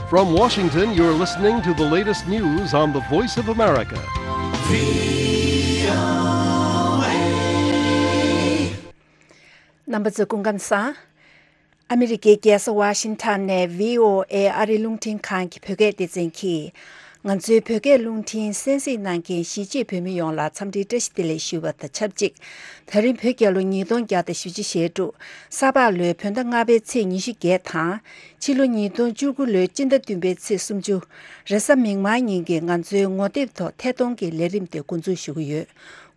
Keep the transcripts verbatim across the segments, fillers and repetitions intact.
From Washington, you're listening to the latest news on the Voice of America. རྣམ་པ་ཚོ་སྐུ་ཁམས་བཟང་། ཨ་མི་རི་ཀའི་རྒྱལ་ས་ཝ་ཤིང་ཊོན་ནས་བྷི་ཨོ་ཨེ་ཨ་རིའི་རླུང་འཕྲིན་ཁང་གི་བོད་སྐད་སྡེ་ཚན་གྱིས། ང་ཚོའི་བོད་སྐད་རླུང་འཕྲིན་གསན་གཟིགས་གནང་མཁན་གཞིས་བྱེས་བོད་མི་ཡོངས་ལ་འཚམས་འདྲིའི་བཀྲ་ཤིས་བདེ་ལེགས་ཞུ་བ་དང་ཆབས་ཅིག་ད་རིང་བོད་རྒྱལ་ལོ་ཉིས་སྟོང་བརྒྱ་དང་བཞི་བཅུ་ཞེ་དྲུག་ས་ཕག་ལོའི་བོད་ཟླ་ལྔ་པའི་ཚེས་ཉི་ཤུ་བརྒྱད་དང་། ཕྱི་ལོ་ཉིས་སྟོང་བཅུ་དགུ་ལོའི་སྤྱི་ཟླ་བདུན་པའི་ཚེས་སུམ་ཅུ། རེས་གཟའ་མིག་དམར་ཉིན་གྱི་ང་ཚོའི་ངོ་དེབ་ཐོག་ཐད་གཏོང་གི་ལས་རིམ་དེ་འགོ་འཛུགས་ཞུ་གི་ཡོད།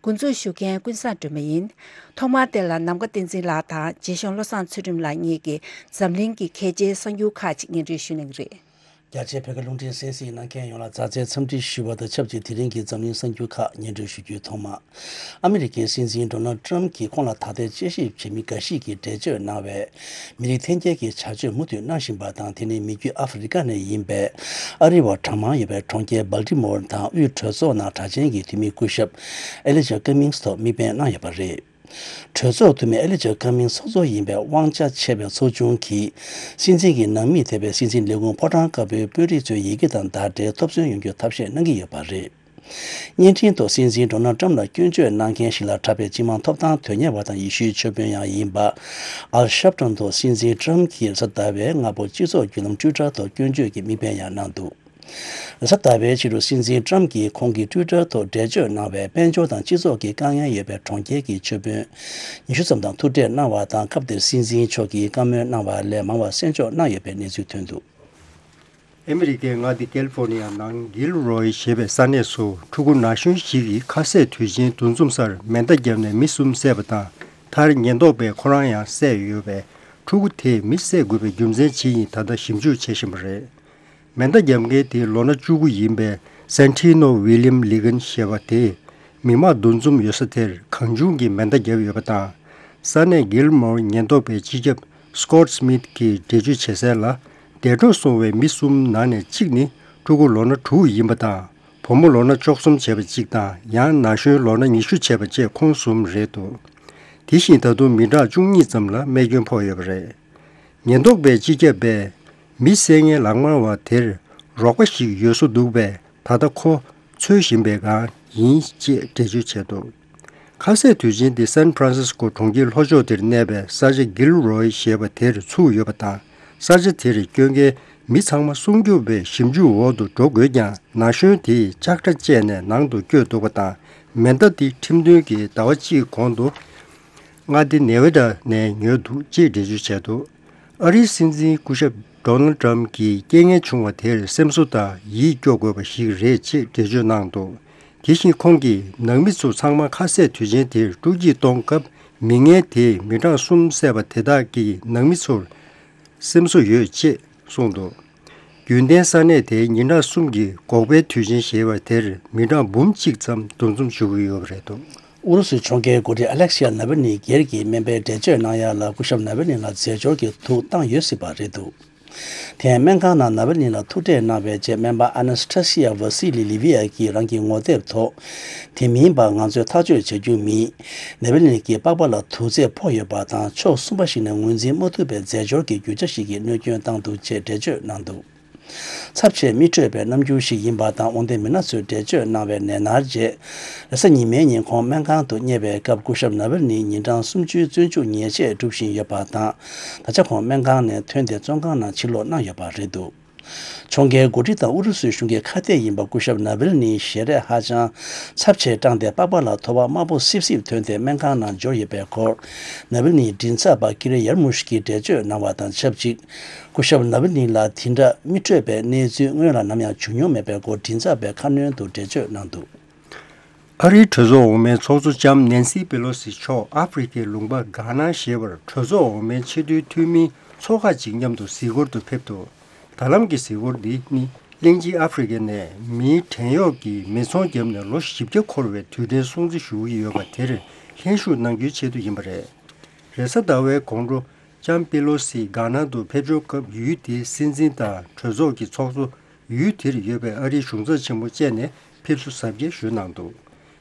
འགོ་འཛུགས་ཞུ་མཁན་ཀུན་བཟང་སྒྲོལ་མ་ཡིན། ཐོག་མར་དེ་ལ་ནམ་མཁའ་བསྟན་འཛིན་ལགས་དང་རྗེ་གཞུང་བློ་བཟང་ཚུལ་ཁྲིམས་ལགས་གཉིས་ཀྱིས་འཛམ་གླིང་གི་གལ་ཆེའི་གསར་འགྱུར་ཁག་ཅིག་སྙན་སྒྲོན་ཞུ་གནང་གི་རེད། རྒྱ་ཆེའི་བོད་སྐད་རླུང་འཕྲིན་གསན་གཟིགས་གནང་མཁན་ཡོངས་ལ་མཛའ་བརྩེའི་འཚམས་འདྲི་ཞུ་བ་དང་ཆབས་ཅིག་དེ་རིང་གི་འཛམ་གླིང་གསར་འགྱུར་ཁག་སྙན་སྒྲོན་ཞུ་རྒྱུའི་ཐོག་མ། ཨ་མི་རི་ཀའི་སྲིད་འཛིན་ཌོ་ནལ་ཊམ་གྱིས་ཁོང་ལ་ད་ལྟའི་དཔྱད་ཞིབ་བྱེད་མི་འགའ་ཞིག་གིས་འགྲེལ་བརྗོད་གནང་བའི་མི་རིགས་འཐེན་འཁྱེར་གྱི་བྱ་སྤྱོད་མུ་མཐུད་གནང་བཞིན་པ་དང་། དེ་ནི་མི་རྒྱུད་ཨ་ཧྥེ་རི་ཀ་ནས་ཡིན་པའི་ཨ་རི་བ་གྲངས་མང་ཡོད་པའི་གྲོང་ཁྱེར་སྦལ་ཏི་མོར་དང་དབུས་གྲོས་ཚོགས་ནང་དྲག་ཆེན་གྱི་འཐུས་མི་སྐུ་ཞབས་ཨེ་ལི་ཇར་ཀ་མིང་སི་ཐོག་དམིགས་འབེན་གནང་ཡོད་པ་རེད། གྲོས་ཚོགས་འཐུས་མི་ཨེ་ལི་ཇར་ཀ་མིང་སི་ཚོགས་གཙོ་ཡིན་པའི་དབང་ཆ་ཆེ་བའི་ཚོགས་ཆུང་གིས་སྲིད་འཛིན་གྱི་ནང་མི་ཐེ་བའི་སྲིད་འཛིན་ལས་ཁུངས་ཕོ་བྲང་དཀར་པོའི་དཔོན་རིགས་ཚོའི་ཡི་གེ་དང་བརྡ་འབྲེལ་ཐོབ་ཚུལ་ཡོང་རྒྱུར་ཐབས་ཤེས་གནང་གི་ཡོད་པ་རེད། བརྙན་འཕྲིན་ཐོག་སྲིད་འཛིན་ཌོ་ནལ་ཊམ་ལ་སྐྱོན་བརྗོད་གནང་མཁན་ཞིག་ལ་གྲགས་པའི་སྤྱི་དམངས་ཐོབ་ཐང་དོན་གཉེར་བ་དང་ཡེ་ཤུའི་ཆོས་དཔོན་ཡང་ཡིན་པ། ཨལ་ཤབ་ཊོན་ཐོག་སྲིད་འཛིན་ཊམ་གྱིས་རེས་གཟའ་ཟླ་བའི་སྔ་པོ་སྤྱི་ཚོགས་བརྒྱུད་ལམ་ཊུའི་ཊར་ཐོག་སྐྱོན་བརྗོད་ཀྱི་དམིགས་འབེན་ཡང་གནང་འདུག་རེས་གཟའ་ཟླ་བའི་ཕྱི་དྲོ་སྲིད་འཛིན་ཊམ་གྱིས་ཁོང་གི་ཊུའི་ཊར་ཐོག་འགྲེལ་བརྗོད་གནང་བའི་དཔལ་འབྱོར་དང་སྤྱི་ཚོགས་ཀྱི་དཀའ་ངལ་ཡོད་པའི་གྲོང་ཁྱེར་གྱི་ཆོས་དཔོན་ཉི་ཤུ་ཙམ་དང་ཐུག་འཕྲད་གནང་བ་དང་། སྐབས་དེར་སྲིད་འཛིན་མཆོག་གིས་བཀའ་མོལ་གནང་བ་ལས་མང་བ་གསན་འཇོག་གནང་ཡོད་པའི་གནས་ཚུལ་ཐོན་འདུག་ཨ་མི་རི་ཀའི་མངའ་སྡེ་ཀལ་ཧྥོར་ནི་ཡ་ནང་གིལ་རོའི་ཞེས་པའི་ས་གནས་སུ་ཕྲུ་གུ་ན་གཞོན་ཞིག་གིས་ཁ་ཟས་དུས་ཆེན་འདུ་འཛོམས་སར་མེ་མདའ་བརྒྱབ་ནས་མི་གསུམ་བསད་པ་དང་། མཐར་ཉེན་རྟོག་པས་ཁོ་རང་ཡང་བསད་ཡོད་པས། ཕྲུ་གུ་དེས་མི་བསད་དགོས་པའི་རྒྱུ་མཚན་ཇི་ཡིན་ད་ལྟ་ཞིབ་འཇུག་བྱེད་བཞིན་པ་རེད། མེ་མདའ་བརྒྱབ་མཁན་དེ་ལོ་ན་བཅུ་དགུ་ཡིན་པའི་སན་ཊི་ནོ་ཝི་ལི་ཡམ་ལི་གན་ཞེས་པ་དེས་མི་མང་འདུ་འཛོམས་ཡོད་ས་དེར་གང་བྱུང་གིས་མེ་མདའ་བརྒྱབ་ཡོད་པ་དང་། ས་གནས་གིལ་མོར་ཉེན་རྟོག་པའི་སྤྱི་ཁྱབ་སི་ཀོ་ཊི་སི་མིད་ཀྱིས་འགྲེལ་བརྗོད་བྱེད་གསལ་ལ། འདས་གྲོངས་སོང་བའི་མི་གསུམ་ནང་ནས་གཅིག་ནི་ཕྲུ་གུ་ལོ་ན་དྲུག་ཡིན་པ་དང་། བུ་མོ་ལོ་ན་བཅུ་གསུམ་བྱས་པ་གཅིག་དང་། ཡང་ན་གཞོན་ལོ་ན་ཉི་ཤུ་བྱས་པ་བཅས་ཁོང་གསུམ་རེད་འདུག་དེ་བཞིན་ད་དུང་མི་གྲངས་བཅུ་གཉིས་ཙམ་ལ་རྨས་སྐྱོན་ཕོག་ཡོད་པ་རེད། ཉེན་རྟོག་པས་སྤྱི་ཁྱབ་པས་མི་བསད་མཁན་ལག་དམར་བ་དེར་རོགས་པ་ཞིག་ཡོད་བཟོ་འདུག་པས། ད་ལྟ་ཁོ་འཚོལ་བཞིན་པའི་སྒང་ཡིན་ཅེས་འགྲེལ་བརྗོད་བྱས་འདུག་ཁ་ཟས་དུས་ཆེན་དེ་སན་ཕྲན་སིས་ཀོ་གྲོང་ཁྱེར་ལྷོ་ཕྱོགས་དེར་གནས་པའི་ས་ཆ་གིལ་རོའི་ཞེས་པ་དེར་ཚུགས་ཡོད་པ་དང་། ས་ཆ་དེར་སྐྱོད་མཁན་མི་ཚང་མ་སྲུང་སྐྱོབ་པའི་ཞིབ་འཇུག་འོག་ཏུ་འགྲོ་དགོས་ཀྱང་། ན་གཞོན་དེས་ལྕགས་དྲ་བཅད་ནས་ནང་དུ་བསྐྱོད་འདུག་པ་དང་། མེ་མདའ་དེ་ཁྲིམས་མཐུན་གྱི་ཟླ་བ་གཅིག་གོང་དུ་མངའ་སྡེ་ནེ་ཝེ་ཌ་ནས་ཉོས་འདུག་ཅེས་འགྲེལ་བརྗོད་བྱས་འདུག་ཨ་རིའི་སྲིད་འཛིན་སྐུ་ཞབས་ཌོ་ནལ་ཊམ་གྱིས་རྐྱེན་ངན་བྱུང་བ་དེར་སེམས་གསོ་དང་ཡིད་སྐྱོ་དགོས་པ་ཞིག་རེད་ཅེས་འགྲེལ་བརྗོད་གནང་འདུག་དེ་བཞིན་ཁོང་གིས་ནང་མི་ཚོ་ཚང་མ་ཁ་ཟས་དུས་ཆེན་དེར་སྤྲོ་སྐྱིད་གཏོང་སྐབས། མི་ངན་དེས་མི་གྲངས་གསུམ་བསད་པ་དེ་དག་གི་ནང་མི་ཚོར་སེམས་གསོ་ཡོད་ཅེས་གསུངས་འདུག་རྒྱུན་ལྡན་ས་གནས་དེའི་ཉིན་གྲངས་གསུམ་གྱི་འགོག་པའི་དུས་ཆེན་ཞེས་པ་དེར་མི་གྲངས་འབུམ་གཅིག་ཙམ་འདུ་འཛོམས་ཞུ་གི་ཡོད་པ་རེད་འདུག་ཨུ་རུ་སུའི་ཕྱོགས་འགལ་འགོ་ཁྲིད་ཨ་ལེག་ཤི་ཡ་ནཱ་ཝལ་ནི་སྒེར་གྱི་སྨན་པའི་འགྲེལ་བརྗོད་གནང་ཡ་ལ་སྐུ་ཞབས་ནཱ་ཝལ་ནི་ལ་རྫས་སྦྱོར་གྱི་དུག་བཏང་ཡོད་སྲིད་པ་རེད་འདུག་དེ་སྨན་ཁང་ནང་ནཱ་ཝལ་ནི་ལ་ཐུག་འཕྲད་གནང་བའི་རྗེས། སྨན་པ་ཨ་ན་སི་ཐ་སི་ཡ་ཝ་སི་ལི་ལི་བི་ཡ་གིས་རང་གི་ངོ་དེབ་ཐོག་དེ་མིན་པ་ང་ཚོས་ཐག་གཅོད་བྱ་རྒྱུ་མིན། ནཱ་ཝལ་ནི་གི་པགས་པ་ལ་དུག་རྫས་ཕོག་ཡོད་པ་དང་། ཕྱོགས་གསུམ་པ་ཞིག་ནས་ངོས་འཛིན་མ་ཐུབ་པའི་རྫས་སྦྱོར་གྱི་རྒྱུ་ཆ་ཞིག་གིས་གནོད་སྐྱོན་བཏང་འདུག་ཅེས་འགྲེལ་བརྗོད་གནང་འདུག་ཚབས་ཆེས་མི་འཕྲོད་པའི་རྣམ་འགྱུར་ཞིག་ཡིན་པ་དང་། དབང་ལྡན་མི་སྣ་ཚོས་འགྲེལ་བརྗོད་གནང་བའི་ནད་མནར་རྗེས། རེས་གཟའ་ཉི་མའི་ཉིན་ཁོང་སྨན་ཁང་དུ་བསྙལ་བའི་སྐབས། སྐུ་ཞབས་ནཱ་ཝལ་ནི་ཉིན་གྲངས་སུམ་ཅུའི་བཙོན་འཇུག་ཉེས་ཆད་སྒྲུབ་བཞིན་ཡོད་པ་དང་། ད་ཆ་ཁོང་སྨན་ཁང་ནས་ཐོན་ཏེ་བཙོན་ཁང་ནང་ཕྱིར་ལོག་གནང་ཡོད་པ་རེད་འདུག་ཕྱོགས་འགལ་འགོ་ཁྲིད་དང་ཨུ་རུ་སུའི་གཞུང་གི་ཁ་གཏད་ཡིན་པ་སྐུ་ཞབས་ནཱ་ཝལ་ནིའི་ཞལ་རས་ཧ་ཅང་ཚབས་ཆེར་བཀྲངས་ཏེ། པགས་པ་ལ་ཐོ་བ་དམར་པོ་སིབ་སིབ་ཐོན་ཏེ་སྨན་ཁང་ནང་འབྱོར་ཡོད་པའི་སྐོར། ནཱ་ཝལ་ནིའི་མགྲིན་ཚབ་པ་ཀི་རེ་ཡར་མུ་ཤི་ཀིས་འགྲེལ་བརྗོད་གནང་བ་དང་ཆབས་ཅིག་སྐུ་ཞབས་ནཱ་ཝལ་ནི་ལ་དེ་འདྲ་མི་འཕྲོད་པའི་གནས་ཚུལ་སྔོན་ལ་ནམ་ཡང་བྱུང་མྱོང་མེད་པའི་སྐོར་མགྲིན་ཚབ་པས་ཁ་སྣོན་དུ་འགྲེལ་བརྗོད་གནང་འདུག་ཨ་རིའི་གྲོས་ཚོགས་འོག་མའི་ཚོགས་གཙོ་ལྕམ་ནན་སི་པེ་ལོ་སི་མཆོག་ཨ་ཧྥེ་རི་ཁའི་ལུང་པ་གྷ་ན་ཞེས་པར་གྲོས་ཚོགས་འོག་མའི་ཆེས་མཐོའི་འཐུས་མིའི་ཚོགས་ཁག་ཅིག་མཉམ་དུ་གཟིགས་སྐོར་དུ་ཕེབས་འདུག་ད་ལམ་གྱི་གཟིགས་སྐོར་འདི་ནི་གླིང་ཆེན་ཨ་ཧྥེ་རི་ཁ་ནས་མིའི་བྲན་གཡོག་གི་མེ་ཚོང་བརྒྱབ་ནས་ལོ་བཞི་བརྒྱ་འཁོར་བའི་དུས་དྲན་སྲུང་བརྩི་ཞུ་གི་ཡོད་པ་དེར་ལྷན་ཞུགས་གནང་རྒྱུའི་ཆེད་དུ་ཡིན་པ་རེད། རེས་གཟའ་ཟླ་བའི་དགོང་དྲོ་ལྕམ་པེ་ལོ་སི་གྷ་ན་དུ་ཕེབས་འབྱོར་སྐབས། ཡུལ་དེའི་སྲིད་འཛིན་དང་གྲོས་ཚོགས་ཀྱི་ཚོགས་གཙོ། ཡུལ་དེར་ཡོད་པའི་ཨ་རིའི་གཞུང་ཚབ་ཆེན་མོ་བཅས་ནས་ཕེབས་བསུ་གཟབ་རྒྱས་ཞུས་གནང་འདུག་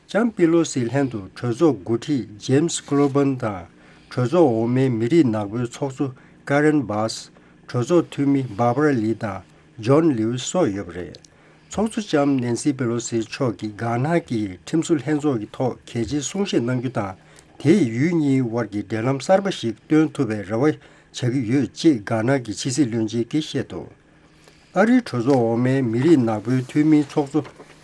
ལྕམ་པེ་ལོ་སིའི་ལྷན་དུ་གྲོས་ཚོགས་འགོ་ཁྲིད་ཇེམ་སི་ཀོ་ལོ་བན་དང་། གྲོས་ཚོགས་འོག་མའི་མི་རིགས་ནག་པོའི་ཚོགས་གཙོ་ཀ་རེན་བྷཱས། གྲོས་ཚོགས་འཐུས་མི་བྷར་བྷ་ར་ལི་དང་ ཇོན་ལིའུ་སོགས་ཡོད་པ་རེད། ཚོགས་གཙོ་ལྕམ་ནན་སི་པེ་ལོ་སི་མཆོག་གིས་གྷ་ན་གྱི་ཁྲིམས་བཟོ་ལྷན་ཚོགས་ཀྱི་ཐོག་གལ་ཆེའི་གསུང་བཤད་གནང་རྒྱུ་དང་། དེས་ཡུལ་གཉིས་དབར་གྱི་འབྲེལ་ལམ་གསར་པ་ཞིག་སྟོན་ཐུབ་པའི་རེ་བ་བྱ་གི་ཡོད་ཅེས་གྷ་ན་གྱི་ཕྱི་སྲིད་བློན་ཆེན་གྱིས་བཤད་འདུག་ཨ་རིའི་གྲོས་ཚོགས་འོག་མའི་མི་རིགས་ནག་པོའི་འཐུས་མིའི་ཚོགས་གཙོ་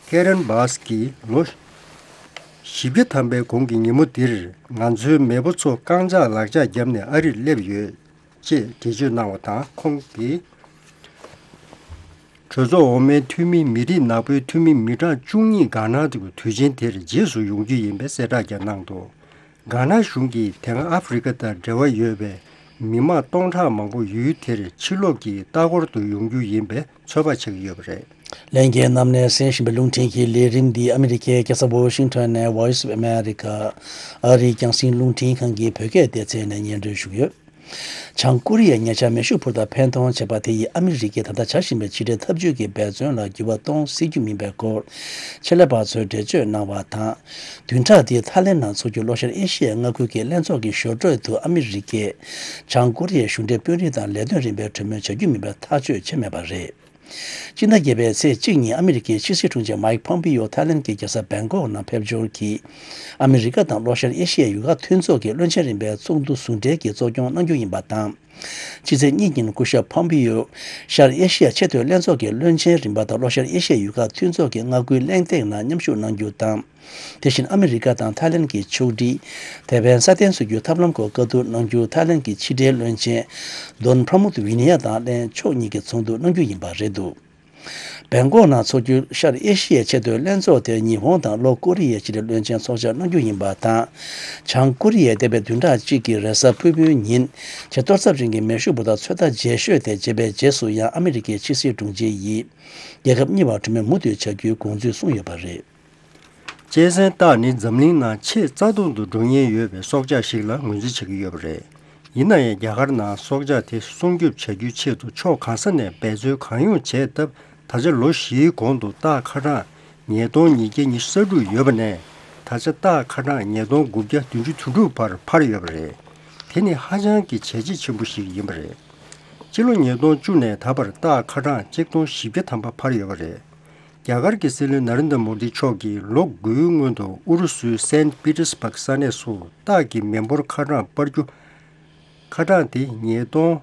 ཀེ་རན་བཱས་ཀྱིས་ལོ་བཞི་བརྒྱ་ཐམ་པའི་གོང་གི་ཉིན་མོ་འདིར་ང་ཚོའི་མེས་པོ་ཚོ་རྐང་ལྕགས་ལག་ལྕགས་བརྒྱབ་ནས་ཨ་རིར་སླེབས་ཡོད། ཅེས་འགྲེལ་བརྗོད་གནང་བ་དང་། ཁོང་གིས་གྲོས་ཚོགས་འོག་མའི་འཐུས་མི་མི་རིགས་ནག་པོའི་འཐུས་མི་མི་གྲངས་བཅུ་གཉིས་གྷ་ན་དུ་དུས་ཆེན་དེར་རྗེས་སུ་ཡོང་རྒྱུ་ཡིན་པའི་གསལ་བསྒྲགས་ཀྱང་གནང་འདུག་གྷ་ན་གཞུང་གིས་དེ་སྔ་ཨ་ཧྥེ་རི་ཁ་དང་འབྲེལ་བ་ཡོད་པའི་མི་མང་སྟོང་ཕྲག་མང་པོ་ཡུལ་དེར་ཕྱིར་ལོག་གིས་ལྟ་སྐོར་དུ་ཡོང་རྒྱུ་ཡིན་པའི་ཚོད་དཔག་བྱེད་ཀྱི་ཡོད་པ་རེད། ལྷན་རྒྱས་རྣམས་ནས་གསན་བཞིན་པའི་རླུང་འཕྲིན་གྱི་ལས་རིམ་འདི་ཨ་མི་རི་ཀའི་རྒྱལ་ས་ཝོ་ཤིང་ཊོན་ནས་Voice of America ཨ་རིའི་རྒྱང་སྲིང་རླུང་འཕྲིན་ཁང་གི་བོད་སྐད་སྡེ་ཚན་ནས་སྙན་སྒྲོན་ཞུ་གི་ཡོད། བྱང་ཀོ་རི་ཡས་ཉེ་ཆར་མེ་ཤུགས་འཕུར་མདའ་འཕེན་གཏོང་བྱས་པ་དེ་ཡིས་ཨ་མི་རི་ཀས་ད་ལྟ་བྱ་བཞིན་པའི་ཕྱི་འབྲེལ་འཐབ་ཇུས་ཀྱི་འབད་བརྩོན་ལ་འགྱུར་བ་གཏོང་སྲིད་རྒྱུ་མིན་པའི་སྐོར་ཆེད་ལས་པ་ཚོས་འགྲེལ་བརྗོད་གནང་བ་དང་། བདུན་ཕྲག་འདིའི་ཐའི་ལེན་ནང་འཚོགས་རྒྱུའི་ལྷོ་ཤར་ཨེ་ཤི་ཡའི་མངའ་ཁུལ་གྱི་ལྷན་ཚོགས་ཀྱི་ཞོར་འཕྲོས་དུ་ཨ་མི་རི་ཀས་བྱང་ཀོ་རི་ཡའི་གཞུང་འབྲེལ་དཔོན་རིགས་དང་ལས་དོན་རིམ་པའི་གྲོས་མོལ་བྱ་རྒྱུ་མིན་པར་ཐག་གཅོད་བྱས་མེད་པ་རེད། སྤྱི་ཟླ་བརྒྱད་པའི་ཚེས་གཅིག་ཉིན་ཨ་མི་རི་ཀའི་ཕྱི་སྲིད་དྲུང་ཆེ་མཱིག་ཕོམ་པིའོ་ཐའི་ལེན་གྱི་རྒྱལ་ས་བེང་ཀོག་ནང་ཕེབས་འབྱོར་གྱིས། ཨ་མི་རི་ཀ་དང་ལྷོ་ཤར་ཨེ་ཤི་ཡའི་ཡུལ་ཁག་མཐུན་ཚོགས་ཀྱི་བློན་ཆེན་རིམ་པའི་ཚོགས་འདུ་ཟུང་འབྲེལ་གྱིས་གཙོ་སྐྱོང་གནང་རྒྱུ་ཡིན་པ་དང་། ཕྱི་ཚེས་གཉིས་ཉིན་སྐུ་ཞབས་ཕོམ་པིའོ་ཤར་ཨེ་ཤི་ཡ་ཆེས་མཐོའི་ལྷན་ཚོགས་ཀྱི་བློན་ཆེན་རིམ་པ་དང་ལྷོ་ཤར་ཨེ་ཤི་ཡའི་ཡུལ་ཁག་མཐུན་ཚོགས་ཀྱི་མངའ་ཁུལ་གླེང་སྟེགས་ནང་མཉམ་ཞུགས་གནང་རྒྱུ་དང་། དེ་བཞིན་ཨ་མི་རི་ཀ་དང་ཐའི་ལེན་གྱི་ཕྱོགས་སྒྲིག་དེ་བས་སྲ་བརྟན་བཟོ་རྒྱུའི་ཐབས་ལམ་སྐོར་བཀའ་བསྡུར་གནང་རྒྱུ་ཐའི་ལེན་གྱི་ཕྱི་འབྲེལ་བློན་ཆེན་དོན་པྲ་མུད་ཝི་ནི་ཡ་དང་ལྷན་ཕྱོགས་གཉིས་ཀྱི་ཚོགས་འདུ་གནང་རྒྱུ་ཡིན་པ་རེད་འདུག་བེང་ཀོག་ནང་འཚོགས་རྒྱུའི་ཤར་ཨེ་ཤི་ཡའི་ཆེས་མཐོའི་ལྷན་ཚོགས་དེར་ཉི་ཧོང་དང་ལྷོ་ཀོ་རི་ཡའི་ཕྱི་འབྲེལ་བློན་ཆེན་ཚོགས་བཅར་གནང་རྒྱུ་ཡིན་པ་དང་། བྱང་ཀོ་རི་ཡས་འདས་པའི་བདུན་ཕྲག་གཅིག་གི་རེས་གཟའ་ཕུར་བུའི་ཉིན་ཆེས་གཏོར་ཚབས་ཆེན་གྱི་མེ་ཤུགས་འཕུར་མདའ་ཚོད་ལྟ་རྗེས་ཤོས་དེ་བརྗེས་པའི་རྗེས་སུ་ཡང་ཨ་མི་རི་ཀའི་ཕྱི་སྲིད་དྲུང་ཆེ་ཡིས་རྒྱལ་ཁབ་གཉིས་བར་གྲོས་མོལ་མུ་མཐུད་བྱ་རྒྱུའི་དགོངས་ཚུལ་གསུངས་ཡོད་པ་རེད། གཅན་གཟན་སྟག་ནི་འཛམ་གླིང་ནང་ཆེས་རྩ་སྟོང་དུ་འགྲོ་ཉེན་ཡོད་པའི་སྲོག་ཆགས་ཤིག་ལ་ངོས་འཛིན་བྱེད་ཀྱི་ཡོད་པ་རེད། ཡིན་ན་ཡང་རྒྱ་གར་ནང་སྲོག་ཆགས་དེ་སྲུང་སྐྱོབ་བྱ་རྒྱུའི་ཆེད་དུ་ཕྱོགས་གང་ས་ནས་འབད་རྩོལ་གང་ཡོང་བྱས་སྟབས། ད་ཆ་ལོ་བཞིའི་གོང་དུ་སྟག་ཁ་གྲངས་ཉིས་སྟོང་ཉིས་བརྒྱ་ཉི་ཤུ་རྩ་དྲུག་ཡོད་པ་ནས། ད་ཆ་སྟག་ཁ་གྲངས་ཉིས་སྟོང་དགུ་བརྒྱ་བདུན་ཅུ་དོན་དྲུག་བར་འཕར་ཡོད་པ་རེད། དེ་ནི་ཧ་ཅང་གི་བྱས་རྗེས་ཆེན་པོ་ཞིག་ཡིན་པ་རེད། སྤྱི་ལོ་ཉིས་སྟོང་བཅུ་ནས་ད་བར་སྟག་ཁ་གྲངས་གཅིག་སྟོང་བཞི་བརྒྱ་ཐམ་པ་འཕར་ཡོད་པ་རེད། རྒྱ་གར་གྱི་སྲིད་བློན་ནཱ་རེན་དྲ་མོ་དི་མཆོག་གིས་ལོ་དགུའི་སྔོན་དུ་ཨུ་རུ་སུའི་སེན་པི་ཏེར་སྦག་ས་གནས་སུ་སྟག་གི་མི་འབོར་ཁ་གྲངས་སྤར་རྒྱུ། ཁ་གྲངས་དེ་ཉིས་སྟོང་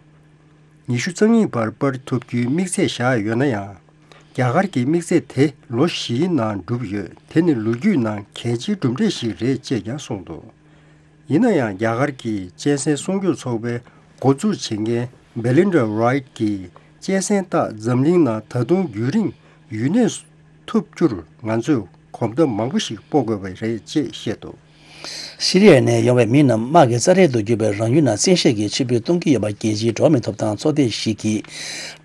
ཉི་ཤུ་རྩ་གཉིས་བར་སྤར་ཐུབ་རྒྱུའི་དམིགས་ཚད་བཞག་ཡོད་ན་ཡང་། རྒྱ་གར་གྱི་དམིགས་ཚད་དེ་ལོ་བཞིའི་ནང་འགྲུབ་ཡོད། དེ་ནི་ལོ་རྒྱུས་ནང་གལ་ཆེའི་གྲུབ་འབྲས་ཤིག་རེད་ཅེས་ཀྱང་གསུངས་འདུག་ཡིན་ན་ཡང་རྒྱ་གར་གྱི་གཅན་གཟན་སྲུང་སྐྱོབ་ཚོགས་པའི་འགོ་འཛུགས་བྱེད་མཁན་Belinda Wright གྱིས་གཅན་གཟན་སྟག་འཛམ་གླིང་ནང་ད་དུང་རྒྱུན་རིང་ཡུན་གནས་ཐུབ་རྒྱུར་ང་ཚོས་གོམ་སྟབས་མང་པོ་ཞིག་སྤོ་དགོས་པ་རེད་ཅེས་བཤད་འདུག་ཤི་རི་ཡ་ནས་ཡོང་བའི་མི་རྣམས་དམག་གི་རྩ་རེད་དུ་གྱུར་པའི་རང་ཡུལ་ནང་བཙན་ཤེད་ཀྱིས་ཕྱིར་འབུད་གཏོང་གི་ཡོད་པ་རྒྱལ་སྤྱིའི་འགྲོ་བ་མིའི་ཐོབ་ཐང་ཚོགས་སྡེ་ཞིག་གིས་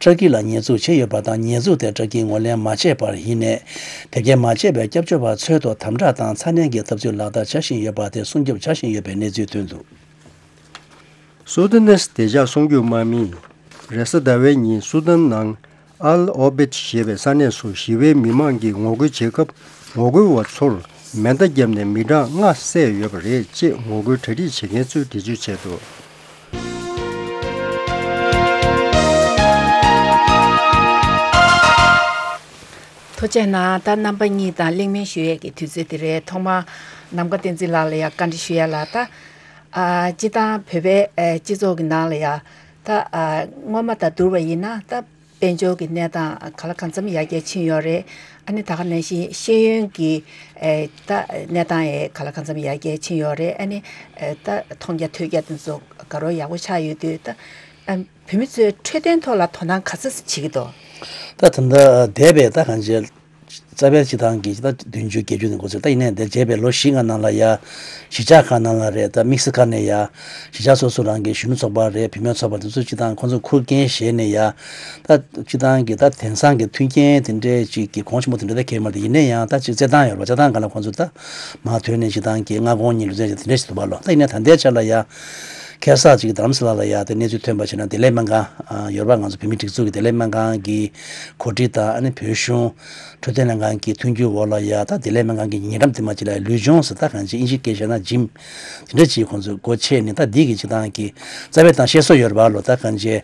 ཏུར་ཀི་ལ་ཉེས་འཛུགས་བྱས་ཡོད་པ་དང་། ཉེས་འཛུགས་དེ་ཏུར་ཀིས་ངོས་ལེན་མ་བྱས་པར་ཡིན་ནའི། དེབ་སྐྱེལ་མ་བྱས་པའི་སྐྱབས་བཅོལ་བ་ཚོའི་ཐོག་དམ་དྲག་དང་ཚ་ནན་གྱི་འཐབ་རྩོད་ལག་བསྟར་བྱ་བཞིན་ཡོད་པ་དེ་སྲུང་སྐྱོབ་བྱ་བཞིན་ཡོད་པའི་གནས་ཚུལ་ཐོན་འདུག་སུ་དཱན་ནིས་བདེ་འཇགས་སྲུང་སྐྱོབ་དམག་མིས་རེས་གཟའ་ཟླ་བའི་ཉིན་སུ་དཱན་ནང་ཨལ་ཨོ་བེད་ཞེས་པའི་ས་གནས་སུ་ཞི་བའི་མི་མང་གིས་ངོ་རྒོལ་བྱེད་སྐབས། ངོ་རྒོལ་བ་ཚོར་མེ་མདའ་བརྒྱབ་ནས་མི་གྲངས་ལྔ་བསད་ཡོད་པ་རེད་ཅེས་ངོ་རྒོལ་གྲ་སྒྲིག་བྱེད་མཁན་ཚོས་འགྲེལ་བརྗོད་བྱས་འདུག་ཐུགས་རྗེ་གནང་། ད་རྣམ་པ་གཉིས་དང་གླེང་མོལ་ཞུ་ཡས་ཀྱི་དུས་ཚོད་དེ་རེད། ཐོག་མར་ནམ་མཁའ་བསྟན་འཛིན་ལགས་ལ་ཡང་བཀའ་འདྲི་ཞུ་ཡ་ལ། ད་ཨ་སྤྱི་བཏང་བོད་པའི་ཨ་སྤྱི་ཚོགས་ཀྱི་ནང་ལ་ཡང་ད་ཨ་སྔོན་མ་དང་བསྡུར་བ་ཡིན་ན། ད་དཔལ་འབྱོར་གྱི་གནས་སྟངས་ག་ལ་གང་འཚམ་ཡར་རྒྱས་ཕྱིན་ཡོད་རེད། ཨ་ནི་ད་ག་ནང་བཞིན་ཤེས་ཡོན་གྱི་ཨེ་ད་གནས་སྟངས་ཡང་ག་ལ་གང་འཚམ་ཡར་རྒྱས་ཕྱིན་ཡོད་རེད། ཨ་ནི་ཨེ་ད་མཐོང་རྒྱ་ཐོས་རྒྱ་དེ་ཚོ་དགའ་རབ་ཡག་པོ་ཆགས་ཡོད་དུས། ད་ཨ་བོད་མི་ཚོས་འཕྲོད་བསྟེན་ཐོག་ལ་དོ་སྣང་ག་ཚོད་བྱེད་ཀྱི་འདུག་ད་ད་ལྟ་འདས་པའི་ད་གང་ཅི། རྩ་བའི་སྤྱི་བཏང་གི་ད་བདུན་ཅུ་བརྒྱད་ཅུ་ནས་འགོ་ཚུགས། ད་ཡིན་ནའི་འདིར་བྱས་པའི་ལོ་བཞི་ལྔ་ནང་ལ་ཡ། གཞིས་ཆགས་ཁག་ནང་ལ་རེད། ད་དམིགས་བསལ་ཁག་ནས་ཡ། གཞིས་ཆགས་སོ་སོ་རང་གི་གཞོན་ནུ་ཚོགས་པ་རེད། བུད་མེད་ཚོགས་པ་དེ་ཚོ་སྤྱི་བཏང་ཁོང་ཚོ་ཁུར་འགན་བཞེས་ནས་ཡ། ད་སྤྱི་བཏང་གི་ད་དེང་སང་གི་མཐུན་རྐྱེན་དེ་འདྲས་ཅིག་གི་གོང་ཆེན་པོ་དེ་འདྲ་ད་གས་མ་རེད། ཡིན་ནའི་ཡང་ད་ཅིག་རྩེད་ཐང་ཡོད་རེད་པ། རྩེད་ཐང་སྒང་ལ་ཁོང་ཚོ་ད་མར་ཐོན་ནས་སྤྱི་བཏང་གི་སྔ་དགོང་གཉིད་ལུས་རྩལ་དེ་འདྲས་ཞིག་འདུག་པ་ལོ། ད་ཡིན་ནའི་ད་ལྟའི་ཆ་ལ་ཡ། ཁ་སང་ཅིག་རྡ་རམ་ས་ལ་ལ་ཡ་དེ་གནས་ཚུལ་ཐོན་པ་བྱས་ན་བདེ་ལེགས་སྨན་ཁང་ཡོད་རེད་པ། ང་ཚོ་བོད་མིའི་སྒྲིག་འཛུགས་ཀྱི་བདེ་ལེགས་སྨན་ཁང་གི་གོ་སྒྲིག་དང་ཨ་ནི་བོད་གཞུང་འཕྲོད་བསྟེན་ལྷན་ཁང་གི་མཐུན་འགྱུར་འོག་ལ་ཡ་ད་བདེ་ལེགས་སྨན་ཁང་གི་ཉེ་འགྲམ་དེ་མ་ཅིག་ལ་ལུས་སྦྱོང་ཟེར་ད་གང་ཅི་ཨིན་ཇིའི་སྐད་བཤད་ན་ཇིམ་དེ་འདྲ་ཅིག་ཁོང་ཚོས་སྒོ་ཕྱེ་ནས་ད་འདི་གི་སྤྱིར་བཏང་གི་རྩ་བའི་ད་བཤད་སྲོལ་ཡོད་རེད་པ་ལོ། ད་གང་ཅི་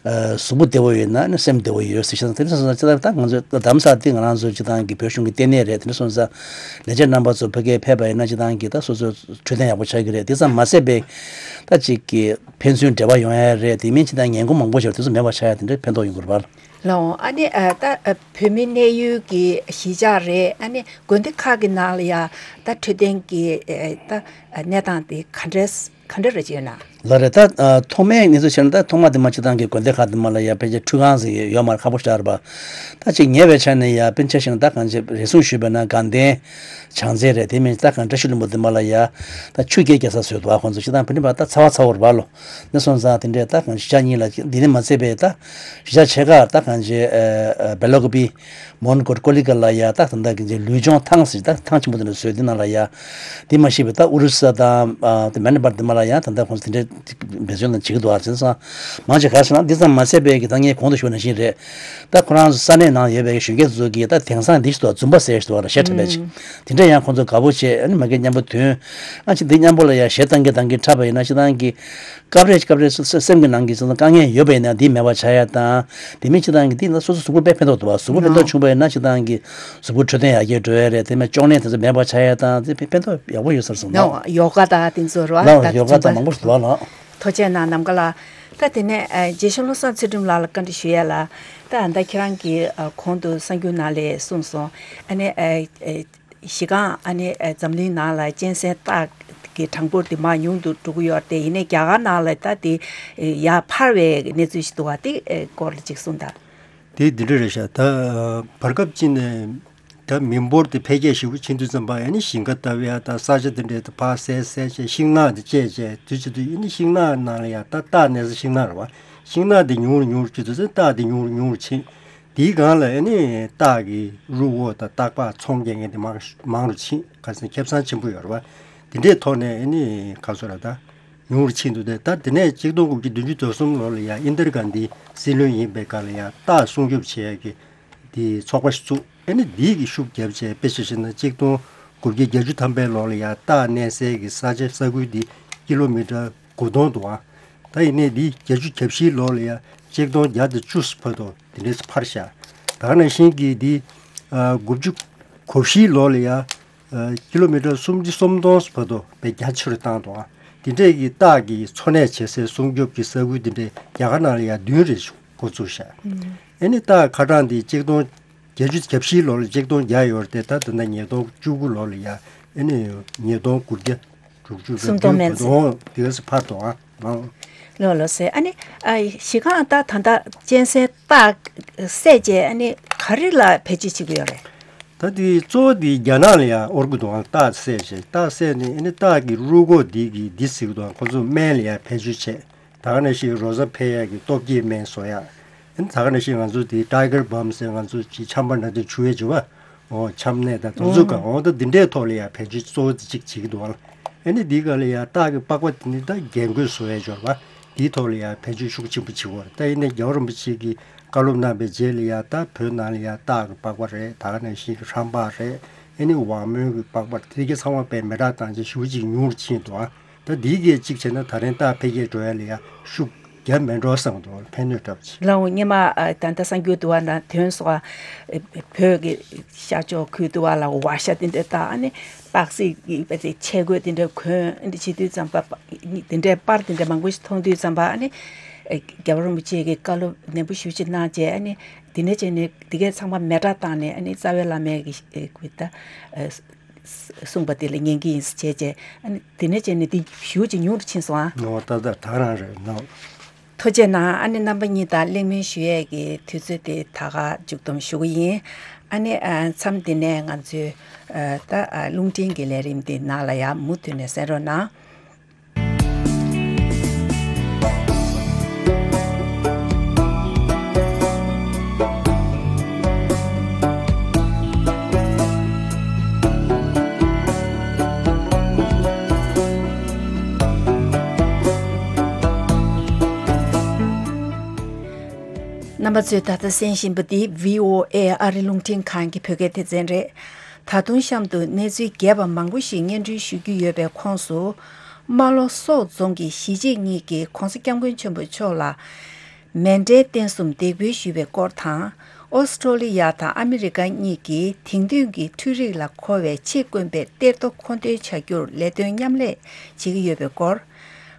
གཟུགས་པོ་བདེ་བོ་ཡོད་ན་ཨ་ནི་སེམས་བདེ་བོ་ཡོད་ཟེར་བཤད་ན་དེ་འདྲ་སོང་ཙང་ད་ང་ཚོ་རྡ་རམ་ས་ལ་འདི་ང་རང་ཚོ་སྤྱིར་བཏང་གི་བོད་གཞུང་གི་ལྟེ་གནས་རེད། དེ་འདྲ་སོང་ཙང་ལས་བྱེད་རྣམ་པ་ཚོ་ཕ་གིར་ཕེབས་པ་ཡིན་ན་སྤྱིར་བཏང་གི་ད་སོ་སོ་འཕྲོད་བསྟེན་ཡག་པོ་ཆགས་ཀྱི་རེད། དེ་ཙམ་མ་ཟད་པའི་ད་ཅིག་གི་ཕན་ཚུན་འབྲེལ་བ་ཡོང་ཡ་རེད། དེ་མིན་སྤྱིར་བཏང་ངན་གོམས་མང་པོ་ཞིག་དེ་ཚོ་མེད་པ་ཆགས་ཡ་དེ་འདྲའི་ཕན་ཐོགས་ཡོང་གི་རེད་པ། ལགས་འོང་། ཨ་ནི་ཨ་ད་ཨ་བོད་མི་གནས་ཡུལ་གྱི་གཞིས་ཆགས་རེད། ཨ་ནི་དགོན་སྡེ་ཁག་གི་ནང་ལ་ཡ་ད་འཕྲོད་བསྟེན་གྱི་ཨ་ད་ཨ་གནས་སྟངས་དེ་ག་འདྲས་ག་འདྲ་རེད་ཅེ་ན། ལགས་རེད། ད་ཨ་ཐོག་མའི་གནས་ཚུལ་བྱས་ན་ད་ཐོག་མ་དེ་མ་སྤྱིར་བཏང་གི་དགོན་སྡེ་ཁག་དེ་མ་ལ་ཡ་ཕལ་ཆེར་ཁྲུས་ཁང་ཟེར་ཡོད་མ་རེད། ཁག་པོ་ཞེ་དྲག་རེད་པ། ད་ཅིག་ཉེ་བའི་ཆ་ནས་ཡ་དཔེར་ན་ཆ་བཞག་ན་ད་གང་ཅི་རེ་ཟུང་ཞུས་པ་ན་དགའ་ལྡན་བྱང་རྩེ་རེད། དེ་མིན་ད་གང་བཀྲ་ཤིས་ལྷུན་པོ་དེ་མ་ལ་ཡ་ད་ཆུ་རྐྱལ་རྒྱག་ས་བཟོས་འདུག་ཨ་ཁོང་ཚོ་སྤྱིར་བཏང་བོད་རིགས་པ་ད་ཚ་བ་ཚ་བོ་རེད་པ་ལོ། ནས་སོང་ཙང་དེ་འདྲས་ད་གང་གཞིས་ཆགས་གཉིས་ལ་འདི་ནས་མ་ཚད་པའི་ད་གཞིས་ཆགས་ཆེ་ཁག་ད་གང་ཅི་ཨ་ཨ་སྦེ་ལ་ཀོ་པི་མོན་གྷོ་ཀོ་ལི་གྷལ་ལ་ཡ་ད་ད་ད་གང་ཅི་ལུས་སྦྱོང་ཐང་ཟེར་ད་ཐང་ཆེན་པོ་དེ་འདྲ་བཟོས། དེ་ནང་ལ་ཡ་དེ་མ་ཤེས་པའི་ད་ཨུ་རུ་སུ་དང་ཨ་དེ་མེན་པར་དེ་མ་ལ་ཡ་ད་ད་ཁོང་ཚོ་དེ་འདྲས་འབད་བརྩོན་དང་བྱེད་ཀྱི་འདུག་ཨ་བྱས་ཙང་མང་ཆེ་ག་རེ་ཟེར་ན་འདི་ཙམ་མ་ཚད་པའི་གི་ད་ངས་གོང་དུ་ཞུས་པ་ནང་བཞིན་རེད། ད་ཁོ་རང་ཚོ་ས་གནས་ནང་ཡོད་པའི་གཞོན་སྐྱེས་ཚོ་གིས་ད་དེང་སང་འདི་ཞིག་འདུག་ཨ་ཛུམ་པ་ཟེར་ཞིག་འདུག་ཨ་གཞས་འཁྲབ་པའི་ཅིག་དེ་འདྲ་ཡང་ཁོང་ཚོ་དགའ་པོ་བྱས། ཨ་ནི་མ་གི་མཉམ་པོ་ཐོན། ཨ་ཅིག་འདི་མཉམ་པོ་ལ་ཡ་གཞས་བཏང་གི་བཏང་གི་འཁྲབ་པ་ཡིན་ན་སྤྱིར་བཏང་གི་སྐབས་རེ་སྐབས་རེ་སེམས་ཀྱི་ནང་གི་དཀའ་ངལ་ཡོད་པ་ཡིན་ན་འདི་མེད་པ་ཆགས་ཡ་དང་། དེ་མིན་སྤྱིར་བཏང་གི་འདི་ན་སོ་སོ་གཟུགས་པོ་དཔེ་ཕན་ཐོགས་འདུག་བ། གཟུགས་པོ་ཕན་ཐོགས་བྱུང་བ་ཡིན་ན་སྤྱིར་བཏང་གི་གཟུགས་པོ་འཕྲོད་བསྟེན་ཡག་གི་འགྲོ་ཡ་རེད། དེ་མིན་གཅོང་ནད་དེ་ཚོ་མེད་པ་ཆགས་ཡ་དང་དེ་ཕན་ཐོགས་ཡག་པོ་ཡོད་ས་རེད་བསམ་ལགས། ཡོ་ག་དང་དེ་ཚོ་རེད་བ། ལགས་ད་ཡོ་ག་དང་མང་པོ་ཞིག་འདུག་བ་ལགས། ཐུགས་རྗེ་གནང་ནམ་མཁའ་ལགས། ད་དེ་ནས་ཨ་རྗེ་བཙུན་བློ་བཟང་ཚུལ་ཁྲིམས་ལགས་ལ་བཀའ་འདྲི་ཞུ་ཡ་ལ། ད་ད་ཁྱེད་རང་གིས་ཨ་གོང་དུ་གསར་འགྱུར་ནང་ལ་གསུངས་སོང་། ཨ་ནི་ཨ་ཨ་གཞི་རྐང་ཨ་ནི་ཨ་འཛམ་གླིང་ནང་ལ་གཅན་གཟན་སྟག་གི་གྲངས་འབོར་དེ་མར་ཉུང་དུ་འགྲོ་གི་ཡོད་རེད་དེ། ཡིན་ནའི་རྒྱ་གར་ནང་ལ་ད་དེ་ཡར་འཕར་བའི་གནས་ཚུལ་ཞིག་འདུག་བ། དེ་སྐོར་ལ་ཅིག་གསུངས་དང་། དེ་འདི་འདྲ་རེད་ཤག་ད་བར་སྐབས་ཅིག་ནས་ད་མི་འབོར་དེ་འཕེལ་རྒྱས་ཞེ་པོ་ཕྱིན་དུས་ཙམ་པ་ཨ་ནི་ཞིང་ཁ་ལྟ་བུ་ཡ་ད་ས་ཆ་དེ་འདྲའི་ད་ཕར་བསལ་བསལ་བྱས་ཤིང་ནགས་དེ་བཅད་བྱས་དུས་ཚོད་དུ་ཨ་ནི་ཤིང་ནགས་ནང་ལ་ཡ་ད་སྟག་གནས་ས་ཤིང་ནགས་རེད་བ། ཤིང་ནགས་དེ་ཉུང་རུ་ཉུང་རུ་བཅུག་དུས་ཚོད་སྟག་དེ་ཉུང་རུ་ཉུང་རུ་ཕྱིན། དེའི་སྒང་ལ་ཨ་ནི་སྟག་གི་རུས་ཨོ་དང་སྟག་ལྤགས་ཚོང་རྒྱག་མཁན་དེ་མང་མང་རུ་ཕྱིན། ཁ་སང་ཁེ་བཟང་ཆེན་པོ་ཡོད་རེད་བ། དེ་འདྲའི་ཐོག་ནས་ཨ་ནི་ག་ཚོད་ར་ད་ཉུང་རུ་ཕྱིན་འདུག་སྟེ། ད་དེ་ནས་གཅིག་སྟོང་དགུ་བརྒྱ་བདུན་ཅུ་དོན་གསུམ་ལོ་ལ་ཡ་ཨིན་དར་གྷན་དྷི་སྲིད་བློན་ཡིན་པའི་སྐབས་ལ་ཡ་སྟག་སྲུང་སྐྱོབ་བྱེད་ཡ་གི་དེ་ཚོགས་པ་ཞིག་བཙུགས། ཨ་ནི་འདིའི་གི་ཤུགས་བརྒྱབ་བྱས་དཔེ་ཆ་བཞག་ན་གཅིག་སྟོང་དགུ་བརྒྱ་བརྒྱད་ཅུ་ཐམ་པའི་ལོ་ལ་ཡ་སྟག་གནས་སའི་གི་ས་ཆ་ས་ཁུལ་འདི་ཀི་ལོ་མི་ཊར་དགུ་སྟོང་འདུག་ཨ། ད་ཡིན་ནའི་འདི་བརྒྱད་ཅུ་གྱ་བཞིའི་ལོ་ལ་ཡ་གཅིག་སྟོང་བརྒྱ་དང་བཅུ་བར་དུ་དེ་འདྲས་འཕར་ཤག་ད་ག་ནང་བཞིན་གི་འདི་ཨ་དགུ་བཅུ་གོ་བཞིའི་ལོ་ལ་ཡ་ཨ་ཀི་ལོ་མི་ཊར་སུམ་ཅུ་སོ་གསུམ་བར་དུ་དཔེ་རྒྱ་ཆེ་རུ་བཏང་འདུག་ཨ། དེ་འདྲས་ཀྱི་སྟག་གི་འཚོ་གནས་བྱེད་སའི་སྲུང་སྐྱོབ་ཀྱི་ས་ཁུལ་དེ་འདྲས་རྒྱ་གར་ནང་ལ་ཡ་བདུན་རེ་འགོ་བཙུགས་ཤག་ཨ་ནི་སྟག་ཁ་གྲངས་དེ་གཅིག་སྟོང་བརྒྱད་ཅུ་གྱ་བཞིའི་ལོ་ལ་གཅིག་སྟོང་བརྒྱ་ཡོད་རེད་དེ། ད་ད་ལྟ་ཉིས་སྟོང་བཅུ་དགུ་ལོ་ལ་ཡ་ཨ་ནི་ཉིས་སྟོང་དགུ་བརྒྱ་དྲུག་ཅུ་རེ་སུམ་སྟོང་མན་ཙམ། དེ་ག་ཚོད་འཕར་འདུག་ཨ། ལོ་ལོ་ཟེར། ཨ་ནི་ཨ་གཞི་རྐང་ད་ད་ལྟ་གཅན་གཟན་སྟག་བསད་རྗེས་ཨ་ནི་ག་རེ་ལ་བེད་སྤྱོད་བྱེད་ཀྱི་ཡོད་རེད། ད་དེ་གཙོ་བོ་དེ་རྒྱ་ནག་ལ་ཡང་དབོར་གྱི་འདུག་ཨང་། སྟག་བསད་བྱས་སྟག་བསད་ནས་ཨ་ནི་སྟག་གི་རུས་ཁོག་འདི་གི་འདི་ཟེར་གྱི་འདུག་ཨང་། ཁོ་ཚོ་སྨན་ལ་ཡང་བེད་སྤྱོད་བྱས། ད་ག་ནང་བཞིན་རོ་ཚ་འཕེལ་ཡག་གི་སྟོབས་སྐྱེད་སྨན་བཟོ་ཡག་ཨ་ནི་ད་ག་ནང་བཞིན་ང་ཚོ་དེ་ཊའི་གར་བྷམ་ཟེར་ང་ཚོ་ཅིག་ཆམ་པ་འདྲ་དེ་བྱུག་ཡས་བྱུག་པ། འོ་ཆམ་ནད་དང་དེ་ཚོ་གང་འོ་ད་འདི་འདྲའི་ཐོག་ལ་ཡང་བེད་སྤྱོད་གཙོ་བོ་དེ་གཅིག་བྱེད་ཀྱི་འདུག་ཨང་། ཨ་ནི་འདིའི་སྒང་ལ་ཡང་སྟག་གི་པགས་པ་དེ་ནི་ད་རྒྱན་གོས་བཟོ་ཡས་འབྱོར་པ་འདིའི་ཐོག་ལ་ཡང་བེད་སྤྱོད་ཤུགས་ཆེན་པོ་བྱེད་ཀྱི་ཡོད་རེད། ད་ཡིན་ནའི་རྒྱལ་བ་རིན་པོ་ཆེ་གིས་བཀའ་སློབ་གནང་བའི་རྗེས་ལ་ཡང་ད་བོད་ནང་ལ་ཡང་སྟག་གི་པགས་པ་རེད། ད་ག་ནང་བཞིན་ཧྲམ་པ་རེད། ཨ་ནི་ཝང་མོན་གྱི་པགས་པ་དེ་གའི་ཚང་མ་དཔེ་མེ་སྲེག་བཏང་བྱས་ཞེ་པོ་ཅིག་ཉུང་རུ་ཕྱིན་འདུག་ཨང་། ད་འདིའི་གི་གཅིག་བྱས་ན་ད་རིང་སྟག་འཕེལ་རྒྱས་འགྲོ་ཡ་ལ་ཡང་ཤུགས་རྒྱབ་མེད་འགྲོ་བསམ་འདུག་ཕན་གནོད་འདྲ་པོ་ཅིག་ལའོ་སྔོན་མ་ཨ་ད་ལྟ་གསར་འགྱུར་དུ་བ་ན་དོན་སོགས་ཨ་བོད་ཀྱི་ཤར་ཕྱོགས་ཁུལ་དུ་བ་ལ་ཝ་ཤ་དེ་འདྲ་དང་ཨ་ནི་སྟག་གཟིག་གི་ཆས་གོས་དེ་འདྲ་གོན་ཨ་ནི་བྱེད་དུས་ཙམ་པ་དེ་འདྲའི་པར་དེ་འདྲ་མང་པོ་ཞིག་མཐོང་དུས་ཙམ་པ་ཨ་ནི་རྒྱལ་བ་རིན་པོ་ཆེ་གིས་བཀའ་སློབ་ནན་པོ་ཞེ་པོ་ཅིག་གནང་བྱས། ཨ་ནི་དེ་ནས་བྱས་ནས་དེ་གའི་ཚང་མ་མེ་སྲེག་བཏང་ནས་ཨ་ནི་རྩ་བའི་བླ་མའི་གི་ད། གསུངས་པ་དེ་ལ་ཉན་གྱི་ཡིན་ཟེར་བྱས་བྱས། ཨ་ནི་དེ་ནས་བྱས་ནས་དེ་ཞེ་པོ་ཅིག་ཉུང་དུ་ཕྱིན་སོང་ཨ། ངོ་ཏག་ཏག་ད་རང་རེད་ནོ། ཐུགས་རྗེ་གནང་། ཨ་ནི་རྣམ་པ་གཉིས་དང་གླེང་མོལ་ཞུ་ཡས་ཀྱི་དུས་ཚོད་དེ་ད་ག་མཇུག་བསྡོམས་ཞུ་གི་ཡིན། ཨ་ནི་ཨ་མཚམས་འདི་ནས་ང་ཚོའི་ཨ་ད་ཨ་རླུང་འཕྲིན་གྱི་ལས་རིམ་འདི་ནང་ལ་ཡང་མུ་མཐུད་ནས་གསན་རོགས་གནང་། རྣམ་པ་ཚོས་ད་ལྟ་གསན་བཞིན་པ་འདི་བྷི་ཨོ་ཨེ་ཨ་རི་རླུང་འཕྲིན་ཁང་གི་བོད་སྐད་སྡེ་ཚན་རེད། ད་དུང་གཤམ་དུ་གནས་ཚུལ་རྒྱས་པ་མང་པོ་ཞིག་སྙན་སྒྲོན་ཞུ་རྒྱུ་ཡོད་པའི་ཁོངས་སུ། རྨ་ལྷོ་སོག་རྫོང་གི་གཞིས་བྱེས་གཉིས་ཀྱིས་༸གོང་ས་༸སྐྱབས་མགོན་ཆེན་པོ་མཆོག་ལ་མཎྜལ་རྟེན་གསུམ་འདེགས་འབུལ་ཞུས་པའི་སྐོར་དང་། ཨོ་སི་ཀྲོ་ལི་ཡ་དང་ཨ་མི་རི་ཀ་གཉིས་ཀྱིས་དེང་དུས་ཀྱི་འཕྲུལ་རིག་ལ་མཁོ་བའི་ཆེས་དཀོན་པའི་གཏེར་རྡོ་མཁོ་འདོན་བྱ་རྒྱུར་ལས་དོན་མཉམ་ལས་བྱེད་ཀྱི་ཡོད་པའི་སྐོར།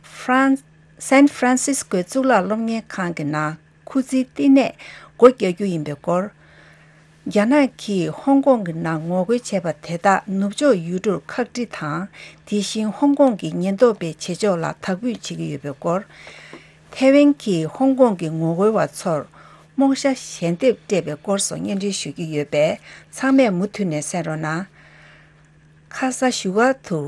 ཧྥ་རན། སན་ཧྥ་རན་སིས་ཀོའི་གཙུག་ལག་སློབ་གཉེར་ཁང་གི་ནང་སྐུ་ཚེའི་བསྟི་གནས་སྒོ་རྒྱག་རྒྱུ་ཡིན་པའི་སྐོར། རྒྱ་ནག་གིས་ཧོང་ཀོང་གི་ནང་ངོ་རྒོལ་བྱས་པ་དེ་དག་ནུབ་ཕྱོགས་ཡུལ་གྲུར་ཁག་དཀྲི་དང་། དེ་བཞིན་ཧོང་ཀོང་གི་ཉེན་རྟོག་པའི་བྱེད་ཕྱོགས་ལ་དག་འབུད་བྱེད་ཀྱི་ཡོད་པའི་སྐོར། ཐའེ་ཝན་གྱིས་ཧོང་ཀོང་གི་ངོ་རྒོལ་བ་ཚོར་རྨོག་ཞྭ་ཞལ་འདེབས་སྤྲད་པའི་སྐོར་སོགས་སྙན་སྒྲོན་ཞུ་རྒྱུ་ཡོད་པས། ཚང་མས་མུ་མཐུད་ནས་གསན་རོགས་གནང་། ཁ་ས་བཞུགས་སྒར་དུ།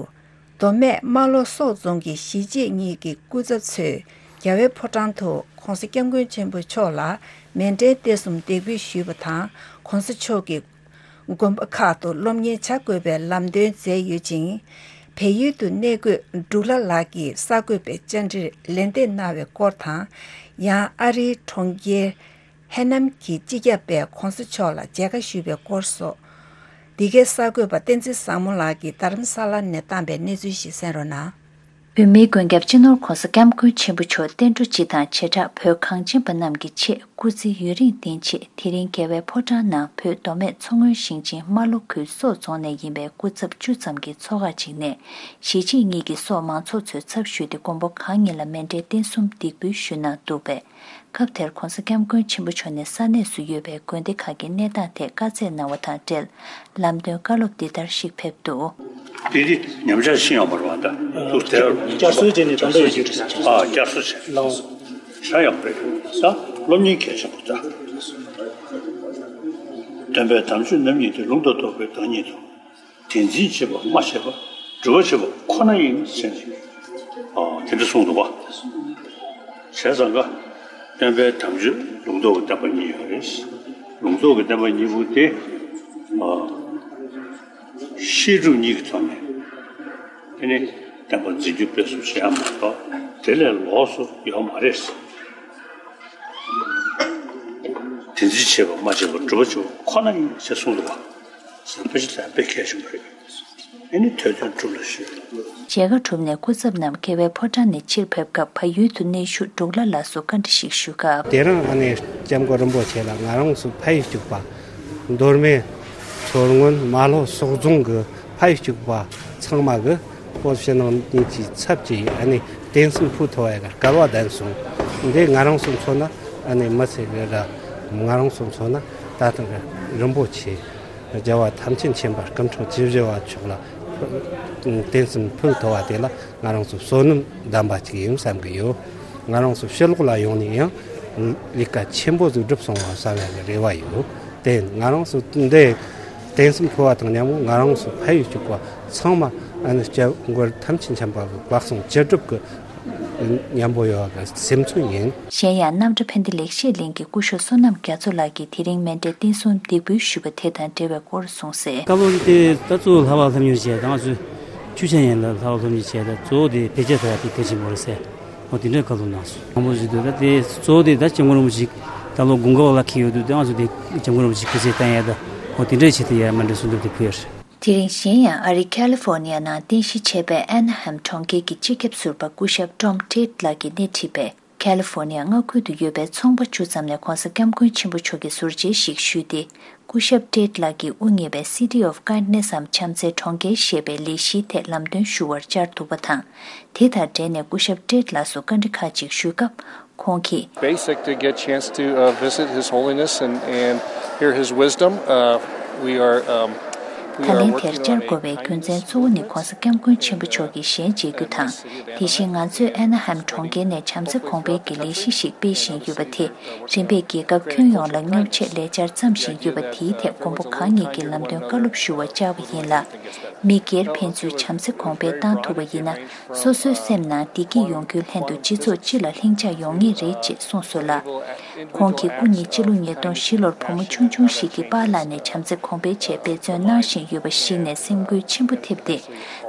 མདོ་སྨད་རྨ་ལྷོ་སོག་རྫོང་གི་གཞིས་བྱེས་གཉིས་ཀྱི་སྐུ་ཚབ་ཚོས་རྒྱལ་བའི་ཕོ་བྲང་དུ་༸གོང་ས་༸སྐྱབས་མགོན་ཆེན་པོ་མཆོག་ལ་མཎྜལ་རྟེན་གསུམ་འདེགས་འབུལ་ཞུས་པ་དང་། ༸གོང་ས་མཆོག་གིས་དགོན་པ་ཁག་ཏུ་སློབ་གཉེར་བྱ་དགོས་པའི་ལམ་སྟོན་མཛད་ཡོད་ཅིང་། བལ་ཡུལ་དུ་གནས་འཁོད་འབྲུག་ལྷ་ལགས་ཀྱིས་གསར་འགོད་པའི་བཅར་འདྲིར་ལན་འདེབས་གནང་བའི་སྐོར་དང་། ཡང་ཨ་རིའི་གྲོང་ཁྱེར། ཧེ་ནམ་གྱི་སྤྱི་ཁྱབ་པས་༸གོང་ས་མཆོག་ལ་མཇལ་ཁ་ཞུས་པའི་སྐོར་སོགས། འདི་གའི་གསར་འགོད་པ་བསྟན་འཛིན་བཟང་མོ་ལགས་ཀྱིས་རྡ་རམ་ས་ལ་ནས་བཏང་པའི་གནས་ཚུལ་ཞིག་གསན་རོགས་གནང་། བོད་མིའི་མགོན་སྐྱབས་སྤྱི་ནོར་༸གོང་ས་༸སྐྱབས་མགོན་ཆེན་པོ་མཆོག་བསྟན་འགྲོ་སྤྱི་དང་བྱེ་བྲག་བོད་གངས་ཅན་པ་རྣམས་ཀྱི་ཆེད་སྐུ་ཚེ་ཡུན་རིང་བརྟན་ཆེད། དེ་རིང་རྒྱལ་བའི་ཕོ་བྲང་ནང་བོད་མདོ་སྨད་མཚོ་སྔོན་ཞིང་ཆེན་རྨ་ལྷོ་ཁུལ་སོག་རྫོང་ནས་ཡིན་པའི་སྐུ་ཚབ་བཅུ་ཙམ་གྱི་ཚོགས་ཁག་ཅིག་ནས་གཞིས་བྱེས་གཉིས་ཀྱི་སོག་མང་ཚོགས་ཚོའི་ཚབ་ཞུས་ཏེ་མགོན་པོ་གང་ཉིད་ལ་མཎྜལ་རྟེན་གསུམ་འདེགས་འབུལ་ཞུས་གནང་འདུག་པས། སྐབས་དེར་༸གོང་ས་༸སྐྱབས་མགོན་ཆེན་པོ་མཆོག་ནས་ས་གནས་སུ་ཡོད་པའི་དགོན་སྡེ་ཁག་གི་གནས་སྟངས་ཐད་བཀའ་སྩལ་གནང་བ་དང་འབྲེལ། ལམ་སྟོན་བཀའ་སློབ་འདི་ལྟར་ཞིག་ཕེབས་འདུག། དེ་དེ་ཉམས་ཆག་ཕྱིན་ཡོད་མ་རེད་བ། ད་ལྟ་དུ་དེར་བསྐྱར་གསོའི་རྗེས་ནས་ད་ལྟ་ཡོད་ཀྱི་རེད། ཨ། བསྐྱར་གསོ་བྱས། ལགས། ཤ་ཡག་པོ་རེད། ད་སློབ་གཉེར་གལ་ཆེན་པོ་ད། སྟོན་པའི་དམ་ཆོས་རྣམ་གཉིས་ཏེ། ལུང་དང་རྟོགས་པའི་བདག་ཉིད་དོ། དེ་འཛིན་བྱེད་པ་སྨྲ་བྱེད་པ། སྒྲུབ་པ་བྱེད་པ་ཁོ་ན་ཡིན་ཟེར་ནས། ཨ། དེ་འདྲ་གསུངས་འདུག་བ། བྱས་ཙང་ཀ། སྟོན་པའི་དམ་ཆོས་ལུང་རྟོགས་ཀྱི་བསྟན་པ་གཉིས་ཡོད་རེད། ལུང་རྟོགས་ཀྱི་བསྟན་པ་གཉིས་པོ་དེ། ཨ། བཤད་སྒྲུབ་གཉིས་ཀྱི་ཐོག་ནས། དེ་ནི་བསྟན་པ་འཛིན་སྐྱོང་སྤེལ་གསུམ་བྱེད་ཡ་མ་གཏོགས་དེ་ལས་ལོགས་སུ་ཡོད་མ་རེད། དེ་འཛིན་བྱེད་པ་སྨྲ་བྱེད་པ། སྒྲུབ་པ་བྱེད་པ་ཁོ་ན་ཡིན་ཞེས་གསུངས་འདུག་བ། ཟེར་དཔེ་ཆ་དེ་དཔེ་གལ་ཆེན་པོ་རེད། ཨེ་ནི་ཐོས་དོན་སྒྲུབ་ལ་གཞོལ། མཇལ་ཁ་གྲུབ་ནས་སྐུ་ཚབ་རྣམས་རྒྱལ་བའི་ཕོ་བྲང་ནས་ཕྱིར་ཕེབས་སྐབས་བལ་ཡུལ་དུ་གནས་བཞུགས་འབྲུག་ལྷ་ལགས་སུ་བཀའ་འདྲི་ཞིག་ཞུས་སྐབས། དེ་རིང་ཨ་ནི་༸སྐྱབས་མགོན་རིན་པོ་ཆེ་ལ་ང་རང་ཚོ་ཕ་ཡུལ་གཅིག་པ། མདོ་སྨད། མཚོ་སྔོན། རྨ་ལྷོ་སོག་རྫོང་གི་ཕ་ཡུལ་གཅིག་པ་ཚང་མ་གི་བོད་ཕྱི་ནང་གཉིས་ཀྱི་ཚབ་ཀྱིས་ཨ་ནི་རྟེན་གསུམ་ཕུལ་ཐུབ་པའི་སྐལ་བ་ལྡན་སོང་། འདི་ང་རང་ཚོ་མཚོན་ན་ཨ་ནི་མི་ཚེ་གི་ར། ང་རང་ཚོ་མཚོན་ན་ད་ཐེངས་རིན་པོ་ཆེ། རྒྱལ་བ་ཐམས་ཅད་མཁྱེན་པ་སྐུ་ཕྲེང་བཅུ་བཞི་པ་མཆོག་ལ་རྟེན་གསུམ་ཕུལ་ཐུབ་པ་དེ་ལ་ང་རང་ཚོ་བསོད་ནམས་ལྡན་པ་ཅིག་ཡིན་བསམ་གྱི་ཡོད། ང་རང་ཚོ་ཕྱི་ལོགས་ལ་ཡོང་ནས་ཡང་ལས་ཀ་ཆེན་པོ་ཟིག་བསྒྲུབས་སོང་བ་བསམ་ཡག་གི་རེ་བ་ཡོད། དེ་ང་རང་ཚོ་འདི་རྟེན་གསུམ་ཕུལ་བ་དང་མཉམ་པོ་ང་རང་ཚོ་ཕ་ཡུལ་གཅིག་པ་ཚང་མ་ཨ་ནི་སྐྱབས་མགོན་ཐམས་ཅད་མཁྱེན་པ་གི་བཀའ་གསུང་ཅི་སྒྲུབ་ཀྱི་མཉམ་པོ་ཡོད་པ་གི་སེམས་ཚོར་ཡིན། གཞན་ཡང་རྣམ་གྲྭ་ཕན་བདེ་ལེགས་བཤད་གླིང་གི་སྐུ་ཞབས་བསོད་ནམས་རྒྱ་མཚོ་ལགས་ཀྱིས་དེ་རིང་མཎྜལ་རྟེན་གསུམ་འདེགས་འབུལ་ཞུས་པ་དེ་དང་འབྲེལ་བའི་སྐོར་གསུངས་གསལ། བཀའ་སློབ་དེ་ད་གཙོ་བོ་ལྷག་པར་སློབ་གཉེར་བྱས། ད་ང་ཚོས་ཆོས་འཆད་ཡན་ལ་ལྷག་པར་སློབ་གཉེར་བྱས། ད་གཙོ་བོ་དེ་བེད་སྤྱོད་ཐུབ་ཡ་དེ་གལ་ཆེན་པོ་རེད་ཟེར། འོ་དེ་འདྲའི་བཀའ་སློབ་གནང་སོང་། མང་པོ་ཞིག་འདུག་ད་དེ་གཙོ་བོ་དེ་ད་སྐྱབས་མགོན་རིན་པོ་ཆེ་ད་ལོ་དགུང་ཁ་པ་ལ་འཁེལ་ཡོད་འདུག་ད་ང་ཚོ་དེ་སྐྱབས་མགོན་རིན་པོ་ཆེ་སྐུ་ཚེ་བརྟན་ཡ་ད་འོ་དེ་འདྲའི་ཆེད་དུ་ཡ་མཎྜལ་གསུམ་འདེགས་འབུལ་དེ་ཕུལ་ཡ་རེད། དེ་རིང་གཞན་ཡང་ཨ་རི་ཁ་ལི་ཧྥོ་ནི་ཡ་ནང་རྟེན་གཞི་བྱས་པའི་ཨེ་ན་ཧེམ་གྲོང་ཁྱེར་གྱི་སྤྱི་ཁྱབ་ཟུར་པ་སྐུ་ཞབས་ཀྲོམ་ཏྲེད་ལགས་ཀྱིས་སྣེ་ཁྲིད་པའི་ཁ་ལི་ཧྥོ་ནི་ཡ་མངའ་ཁུལ་དུ་ཡོད་པའི་ཚོང་པ་བཅུ་ཙམ་ནས་༸གོང་ས་༸སྐྱབས་མགོན་ཆེན་པོ་མཆོག་གི་ཟུར་མཇལ་ཞིག་ཞུས་ཏེ། སྐུ་ཞབས་ཏྲེད་ལགས་ཀྱིས་དབུ་བརྙེས་པའི་City of Kindness འམ་བྱམས་བརྩེའི་གྲོང་ཁྱེར་ཞེས་པའི་ལས་གཞིའི་ཐད་ལམ་སྟོན་ཞུ་བར་བཅར་འདུག་པ་དང་། དེ་དང་འབྲེལ་ནས་སྐུ་ཞབས་ཏྲེད་ལགས་སུ་བཀའ་འདྲི་ཁག་ཅིག་ཞུས་སྐབས། ཁོང་གིས། Basic to get chance to uh, visit His Holiness and, and hear His wisdom. Uh, we are, um, we ད་are ལན་དེར་working བཅར་on a དགོས་པའི་རྒྱུ་མཚན་གཙོ་བོ་ནི་༸གོང་ས་༸སྐྱབས་མགོན་ཆེན་པོ་མཆོག་གིས་ཞལ་མཇལ་རྒྱུ་དང་། དེ་བཞིན་ང་ཚོས་ཨེ་ན་ཧེམ་གྲོང་ཁྱེར་ནས་བྱམས་བརྩེ་གོང་འཕེལ་གྱི་ལས་གཞི་ཞིག་སྤེལ་བཞིན་ཡོད་པ་དེ་རིམ་པས་རྒྱལ་ཁབ་ཁྱོན་ཡོངས་ལ་མཉམ་ཆེད་ལས་འཆར་བརྩམས་བཞིན་ཡོད་པ་དེའི་ཐད་མགོན་པོ་གང་ཉིད་ཀྱིས་ལམ་སྟོན་བཀའ་སློབ་ཞུ་བར་བཅར་བ་ཡིན་ལ། མི་སྒེར་ཕན་ཚུན་བྱམས་བརྩེ་གོང་འཕེལ་བཏང་ཐུབ་པ་ཡིན་ན། སོ་སོའི་སེམས་ནང་བདེ་སྐྱིད་ཡོང་རྒྱུའི་ལྷན་དུ་སྤྱི་ཚོགས་སྤྱི་ལ་ལྷིང་འཇགས་ཡོང་ངེས་རེད་ཅེས་གསུངས་སོང་ལ། ཁོང་གིས་སྐུ་ཉིད་སྤྱི་ལོ་ཉིས་སྟོང་བཞི་ལོར་བུ་མོ་ཆུང་ཆུང་ཞིག་གི་པཱ་ལགས་ནས་བྱམས་བརྩེ་གོང་འཕེལ་ཆེད་འབད་བརྩོན་གནང་བཞིན། ཡོད་པ་ཞིག་ནས་སེམས་འགུལ་ཆེན་པོ་ཐེབས་ཏེ།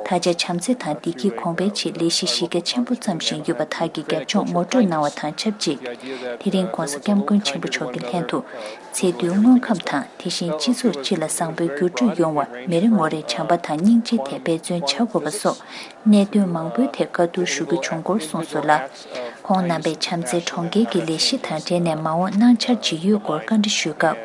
ད་ཆ་བྱམས་བརྩེ་དང་བདེ་སྐྱིད་གོང་འཕེལ་ཆེད་ལས་གཞི་གཞི་རྒྱ་ཆེན་པོ་བརྩམས་བཞིན་ཡོད་པ་དག་གི་རྒྱབ་ལྗོངས་ངོ་སྤྲོད་གནང་བ་དང་ཆབས་ཅིག་དེ་རིང་༧གོང་ས་༧སྐྱབས་མགོན་ཆེན་པོ་མཆོག་གི་ལྷན་དུ། ཚེ་དུས་དངོས་ཁམས་དང་དེ་བཞིན་སྤྱི་ཚོགས་སྤྱི་ལ་བཟང་པོའི་འགྱུར་འགྲོས་ཡོང་བར་མི་རེ་ངོ་རེས་བྱམས་པ་དང་སྙིང་རྗེ་ཐད་འབད་བརྩོན་བྱ་དགོས་པ་སོགས་གནད་དོན་མང་པོའི་ཐད་བཀའ་བསྡུར་ཞུ་རྒྱུ་བྱུང་སྐོར་གསུངས་སོང་ལ། ཁོང་རྣམ་པས་བྱམས་བརྩེ་གྲོང་ཁྱེར་གྱི་ལས་གཞི་དང་འབྲེལ་ནས་མ་འོངས་གནང་འཆར་ཇི་ཡོད་སྐོར་བཀའ་འདྲི་ཞུས་སྐབས།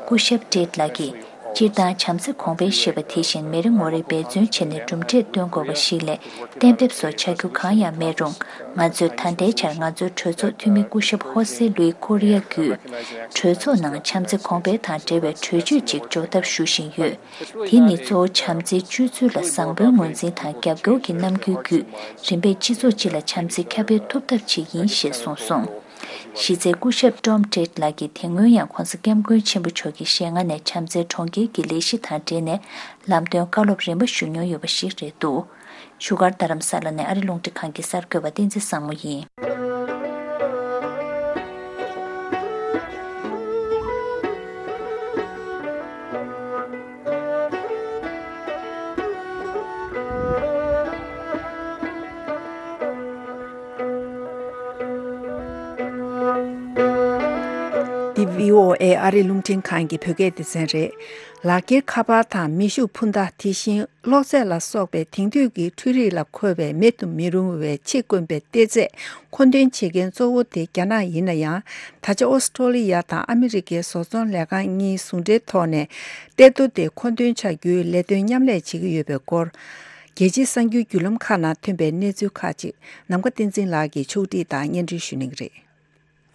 སྐུ་ཞབས་ཏྲེད་ལགས་ཀྱིས། སྤྱིར་བཏང་བྱམས་བརྩེ་གོང་འཕེལ་ཞེས་པ་དེ་བཞིན་མི་རེ་ངོ་རེས་འབད་བརྩོན་བྱས་ནས་གྲུབ་འབྲས་སྟོན་དགོས་པ་ཞིག་ལས་གཏན་འབེབས་སོགས་བྱ་རྒྱུ་གང་ཡང་མེད་རུང་། ང་ཚོས་ད་ལྟའི་ཆར་ང་ཚོའི་གྲོས་ཚོགས་འཐུས་མི་སྐུ་ཞབས་ཧོ་སེ་ལུའི་ཀོ་རི་ཡ་བརྒྱུད། གྲོས་ཚོགས་ནང་བྱམས་བརྩེ་གོང་འཕེལ་དང་འབྲེལ་བའི་གྲོས་ཆོད་ཅིག་འཇོག་ཐབས་ཞུ་བཞིན་ཡོད། དེ་ནི་གཙོ་བོ་བྱམས་བརྩེའི་སྤྱོད་ཚུལ་ལ་བཟང་པོའི་ངོས་འཛིན་དང་རྒྱབ་སྐྱོར་གྱི་རྣམ་འགྱུར་བརྒྱུད། རིམ་པས་སྤྱི་ཚོགས་སྤྱི་ལ་བྱམས་བརྩེ་ཁྱབ་སྤེལ་ཐུབ་ཐབས་ཆེད་ཡིན་ཞེས་གསུངས་སོང་། གཞི་རྩའི་སྐུ་ཞབས་ཀྲོམ་ཏྲེད་ལགས་ཀྱིས་དེ་སྔོན་ཡང་༧གོང་ས་༧སྐྱབས་མགོན་ཆེན་པོ་མཆོག་གི་ཞལ་སྔ་ནས་བྱམས་བརྩེ་གྲོང་ཁྱེར་གྱི་ལས་གཞི་དང་འབྲེལ་ནས་ལམ་སྟོན་བཀའ་སློབ་རིམ་པ་ཞུས་མྱོང་ཡོད་པ་ཞིག་རེད་འདུག་བཞུགས་སྒར་རྡ་རམ་ས་ལ་ནས་ཨ་རི་རླུང་འཕྲིན་ཁང་གི་གསར་འགོད་པ་བསྟན་འཛིན་བཟང་མོ་ཡིན། འདི་བྷི་ཨོ་ཨེ་ཨ་རི་རླུང་འཕྲིན་ཁང་གི་བོད་སྐད་སྡེ་ཚན་རེད། ལག་འཁྱེར་ཁ་པར་དང་མེ་ཤུགས་འཕུར་མདའ། དེ་བཞིན་གློག་རྫས་ལ་སོགས་པའི་དེང་དུས་ཀྱི་འཕྲུལ་རིག་ལ་མཁོ་བའི་མེད་དུ་མི་རུང་བའི་ཕྱི་དཀོན་པའི་གཏེར་རྫས་མཁོ་འདོན་བྱེད་མཁན་གཙོ་བོ་དེ་རྒྱ་ནག་ཡིན་ན་ཡང་། ད་ཆ་ཨོ་སི་ཀྲོ་ལི་ཡ་དང་ཨ་མི་རི་ཀའི་བཟོ་ཚོང་ལས་ཁང་གཉིས་ཟུང་འབྲེལ་ཐོག་ནས་གཏེར་རྡོ་དེ་མཁོ་འདོན་བྱ་རྒྱུའི་ལས་དོན་མཉམ་ལས་བྱེད་ཀྱི་ཡོད་པའི་སྐོར། རྒྱལ་སྤྱིའི་གསར་འགྱུར་བརྒྱུད་ལམ་ཁག་ནང་ཐོན་པའི་གནས་ཚུལ་ཁག་ཅིག་ནམ་མཁའ་བསྟན་འཛིན་ལགས་ཀྱིས་ཕྱོགས་སྒྲིག་དང་སྙན་སྒྲོན་ཞུ་གནང་གི་རེད།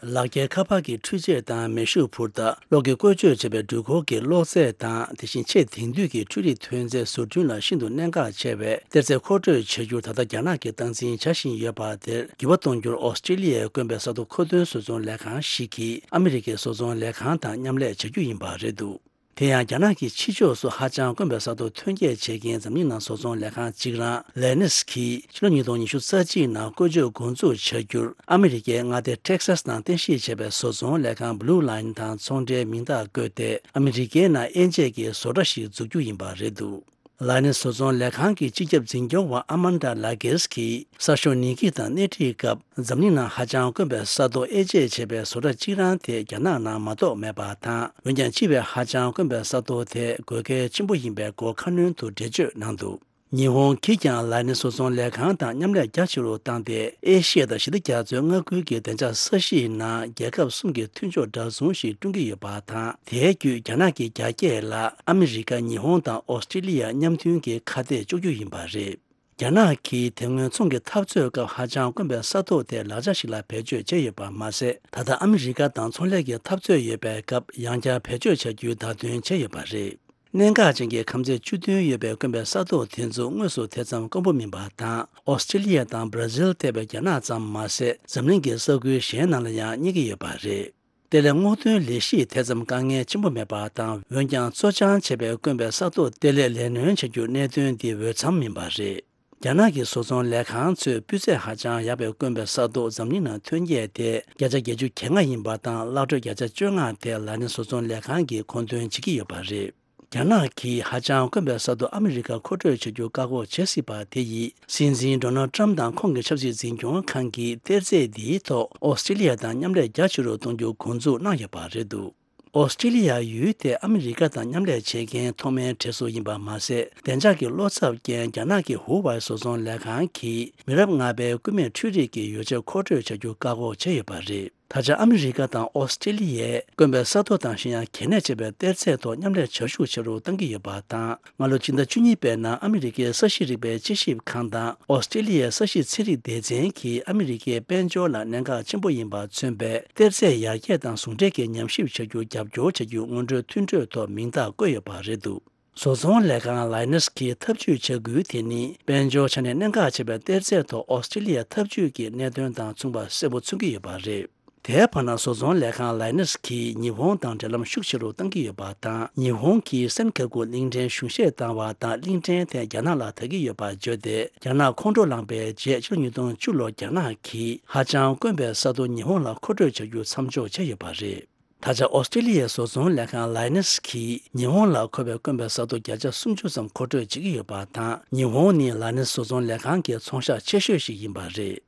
ལག་འཁྱེར་ཁ་པར་གྱི་འཕྲུལ་ཆས་དང་མེ་ཤུགས་འཕུར་མདའ། གློག་གིས་བཀོལ་སྤྱོད་བྱས་པའི་འགྲུལ་འཁོར་གྱི་གློག་རྫས་དང་། དེ་བཞིན་ཆེས་དེང་དུས་ཀྱི་འཕྲུལ་རིག་ཐོན་རྫས་བཟོ་སྐྲུན་ལ་ཤིན་ཏུ་གནད་འགག་ཆེ་བའི་གཏེར་རྫས་མཁོ་སྤྲོད་བྱ་རྒྱུར་ད་ལྟ་རྒྱ་ནག་གིས་སྟངས་འཛིན་བྱ་བཞིན་ཡོད་པ་དེར་འགྱུར་བ་གཏོང་རྒྱུར་ཨོ་སི་ཀྲི་ལི་ཡའི་དཀོན་པའི་ས་ཐོ་མཁོ་འདོན་བཟོ་ཚོང་ལས་ཁང་ཞིག་གིས་ཨ་མི་རི་ཀའི་བཟོ་ཚོང་ལས་ཁང་དང་མཉམ་ལས་བྱ་རྒྱུ་ཡིན་པ་རེད་འདུག་དེ་ཡང་རྒྱ་ནག་གི་ཕྱི་ཕྱོགས་སུ་ཧ་ཅང་དཀོན་པའི་ས་ཐོ་ཐོན་སྐྱེད་བྱེད་མཁན་འཛམ་གླིང་ནང་བཟོ་ཚོང་ལས་ཁང་གཅིག་རང་ལེ་ནིས་ཀྱིས་ཕྱི་ལོ་ཉིས་སྟོང་ཉི་ཤུ་རྩ་གཅིག་ནང་བཀོལ་སྤྱོད་འགོ་འཛུགས་བྱ་རྒྱུར་ཨ་མི་རི་ཀའི་མངའ་སྡེ་ཊེག་སཱས་ནང་རྟེན་གཞི་བྱས་པའི་བཟོ་ཚོང་ལས་ཁང་Blue Line་དང་ཚོང་འབྲེལ་མིང་རྟགས་བཀོད་དེ། ཨ་མི་རི་ཀའི་ནང་དབྱེ་འབྱེད་ཀྱི་བཟོ་གྲྭ་ཞིག་འཛུགས་རྒྱུ་ཡིན་པ་རེད་འདུག་ལ་ནི་བཟོ་ཚོང་ལས་ཁང་གི་སྤྱི་ཁྱབ་འཛིན་སྐྱོང་བ་ཨ་མན་ཌ་ལ་གེས་ཀྱིས་གསར་ཤོག་ནིག་གི་དང་སྣེ་ཁྲིད་སྐབས། འཛམ་གླིང་ནང་ཧ་ཅང་དཀོན་པའི་ས་རྡོ་དབྱེ་འབྱེད་བྱས་པའི་བཟོ་གྲྭ་གཅིག་རང་དེ་རྒྱ་ནག་ནང་མ་གཏོགས་མེད་པ་དང་། འོན་ཀྱང་། སྤྱི་པའི་ཧ་ཅང་དཀོན་པའི་ས་རྡོ་དེ་དགོས་གལ་ཆེན་པོ་ཡིན་པའི་སྐོར་ཁ་སྣོན་དུ་འགྲེལ་བརྗོད་གནང་འདུག་ཉི་ཧོང་གིས་ཀྱང་ལ་ནི་བཟོ་ཚོང་ལས་ཁང་དང་མཉམ་ལས་རྒྱ་ཆེ་རུ་བཏང་སྟེ། ཨེ་ཤི་ཡ་དང་ཞི་བདེ་རྒྱ་མཚོའི་མངའ་ཁུལ་གྱི་བདེ་འཇགས་ས་གཞིའི་ནང་རྒྱལ་ཁབ་གསུམ་གྱི་མཐུན་ཕྱོགས་འདྲ་མཚུངས་ཤིག་བསྐྲུན་གྱི་ཡོད་པ་དང་། དེའི་བརྒྱུད་རྒྱ་ནག་གི་རྒྱ་སྐྱེད་ལ་ཨ་མི་རི་ཀ། ཉི་ཧོང་དང་ཨོ་སི་ཀྲི་ལི་ཡ་མཉམ་མཐུན་གྱི་ཁ་གཏད་གཅོག་རྒྱུ་ཡིན་པ་རེད། རྒྱ་ནག་གིས་དེ་སྔོན་ཚོང་གི་འཐབ་རྩོད་སྐབས་ཧ་ཅང་དཀོན་པའི་ས་ཐོག་དེ་ལག་ཆ་ཞིག་ལ་བེད་སྤྱོད་བྱས་ཡོད་པ་མ་ཟད། ད་ལྟ་ཨ་མི་རི་ཀ་དང་ཚོང་ལས་ཀྱི་འཐབ་རྩོད་ཡོད་པའི་སྐབས་ཡང་བསྐྱར་བེད་སྤྱོད་བྱ་རྒྱུའི་བརྡ་སྟོན་བྱས་ཡོད་པ་རེད། གནད་འགག་ཅན་གྱི་ཁམས་ཚད་བཅུ་བདུན་ཡོད་པའི་དཀོན་པའི་ས་ཐོག་དེ་ཚོ་དངོས་སུ་དེ་ཙམ་དཀོན་པོ་མིན་པ་དང་། ཨོ་སི་ཀྲི་ལི་ཡ་དང་བྷ་ར་ཟིལ་ཐེ་བའི་རྒྱ་ནག་ཙམ་མ་ཟད། འཛམ་གླིང་གི་ས་ཁུལ་གཞན་ནང་ལ་ཡང་རྙེད་ཀྱི་ཡོད་པ་རེད། གཏེར་ལས་སྔོག་འདོན་ལས་གཞིས་དེ་ཙམ་དཀའ་ངལ་ཆེན་པོ་མེད་པ་དང་། འོན་ཀྱང་། བཙོ་སྦྱང་བྱས་པའི་དཀོན་པའི་ས་ཐོག་གཏེར་ལས་ལས་སྣོན་བྱ་རྒྱུ་གནད་དོན་འདི་འོས་འཚམ་མིན་པ་རེད། རྒྱ་ནག་གི་བཟོ་ཚོང་ལས་ཁང་ཚོས་སྤུས་ཚད་ཧ་ཅང་ཡག་པའི་དཀོན་པའི་ས་ཐོག་འཛམ་གླིང་ནང་ཐོན་སྐྱེད་དེ་བརྒྱ་ཆ་བརྒྱད་ཅུ་གྱ་ལྔ་ཡིན་པ་དང་། གླ་སྤྲོད་བརྒྱ་ཆ་བཅོ་ལྔ་དེ་ལ་ནི་བཟོ་ཚོང་ལས་ཁང་གིས་མཁོ་འདོན་བྱེད་ཀྱི་ཡོད་པ་རེད། རྒྱ་ནག་གིས་ཧ་ཅང་དཀོན་པའི་ས་ཐོག་ཨ་མི་རི་ཀར་མཁོ་སྤྲོད་བྱ་རྒྱུ་བཀག་འགོག་བྱེད་སྲིད་པ་དེ་ཡིས། སྲིད་འཛིན་ཌོ་ནལ་ཊམ་དང་ཁོང་གི་ཆབ་སྲིད་འཛིན་སྐྱོང་ཁང་གིས་གཏེར་རྫས་འདིའི་ཐོག་ཨོ་སི་ཀྲི་ལི་ཡ་དང་མཉམ་ལས་རྒྱ་ཆེ་རུ་གཏོང་རྒྱུ་འགོ་འཛུགས་གནང་ཡོད་པ་རེད་འདུག་ཨོ་སི་ཀྲི་ལི་ཡ་ཡུལ་དེ་ཨ་མི་རི་ཀ་དང་མཉམ་ལས་བྱེད་མཁན་ཐོག་མའི་གྲས་སུ་ཡིན་པ་མ་ཟད། བདེ་འཇགས་ཀྱི་བློ་འཚབ་རྐྱེན། རྒྱ་ནག་གི་ཧུ་ཝའེ་བཟོ་ཚོང་ལས་ཁང་གིས་མི་རབས་ལྔ་པའི་སྐུད་མེད་འཕྲུལ་རིག་གི་ཡོ་བྱད་མཁོ་སྤྲོད་བྱ་རྒྱུ་བཀག་འགོག་བྱས་ཡོད་པ་རེད། ད་ཆ་ཨ་མི་རི་ཀ་དང་ཨོ་སི་ཀྲི་ལི་ཡས་དཀོན་པའི་ས་ཐོག་དང་གཞན་ཡང་གལ་གནད་ཆེ་བའི་གཏེར་རྫས་ཐོག་མཉམ་ལས་བྱ་ཤུགས་ཆེ་རུ་གཏང་གི་ཡོད་པ་དང་། སྔ་ལོ་སྤྱི་ཟླ་བཅུ་གཉིས་པའི་ནང་ཨ་མི་རི་ཀའི་ས་གཤིས་རིག་པའི་དཔྱད་ཞིབ་ཁང་དང་ཨོ་སི་ཀྲི་ལི་ཡའི་ས་གཤིས་ཚན་རིག་སྡེ་ཚན་གྱིས་ཨ་མི་རི་ཀའི་དཔལ་འབྱོར་ལ་གནད་འགག་ཆེན་པོ་ཡིན་པ་མཚོན་པའི་གཏེར་རྫས་ཡར་རྒྱས་དང་ཟུང་འབྲེལ་གྱི་ཉམས་ཞིབ་བྱ་རྒྱུར་རྒྱབ་སྐྱོར་བྱ་རྒྱུའི་སྔོན་འགྲོའི་མཐུན་གྲོས་ཐོག་མིང་རྟགས་བཀོད་ཡོད་པ་རེད་འདུག་བཟོ་ཚོང་ལས་ཁང་ལའི་ནས་ཀྱིས་ཐབས་ཇུས་བྱ་འགུལ་དེ་ནི་དཔལ་འབྱོར་ཆ་ནས་གནད་འགག་ཆེ་བའི་གཏེར་རྫས་ཐོག་ཨོ་སི་ཀྲི་ལི་ཡའི་ཐབས་ཇུས་ཀྱི་གནད་དོན་དང་མཚུངས་པ་གསལ་པོ་མཚོན་གྱི་ཡོད་པ་རེད། དེའི་བར་ན། བཟོ་ཚོང་ལས་ཁང་ལའི་ནས་ཀྱིས་ཉི་ཧོང་དང་འབྲེལ་ལམ་ཤུགས་ཆེ་རུ་གཏང་གི་ཡོད་པ་དང་། ཉི་ཧོང་གིས་སན་ཁ་ཀུ་གླིང་ཕྲན་གཞུང་བཞེས་བཏང་བ་དང་། གླིང་ཕྲན་དེ་རྒྱ་ནག་ལ་ད་གི་ཡོད་པ་བརྗོད་དེ། རྒྱ་ནག་ཁོང་ཁྲོ་ལངས་པའི་རྗེས་ཕྱི་ལོ་ཉིས་སྟོང་བཅུ་ལོར་རྒྱ་ནག་གིས་ཧ་ཅང་དཀོན་པའི་ས་རྡོ་ཉི་ཧོང་ལ་མཁོ་སྤྲོད་བྱ་རྒྱུ་མཚམས་འཇོག་བྱས་ཡོད་པ་རེད། ད་ཆ་ཨོ་སི་ཀྲི་ལི་ཡའི་བཟོ་ཚོང་ལས་ཁང་ལའི་ནེ་སི་གིས་ཉི་ཧོང་ལ་མཁོ་བའི་དཀོན་པའི་ས་རྡོ་བརྒྱ་ཆ་སུམ་ཅུ་ཙམ་མཁོ་སྤྲོད་བྱེད་ཀྱི་ཡོད་པ་དང་། ཉི་ཧོང་ནི་ལའི་ནེ་སི་བཟོ་ཚོང་ལས་ཁང་གི་ཚོང་ཤག་ཆེ་ཤོས་ཤིག་ཡིན་པ་རེད།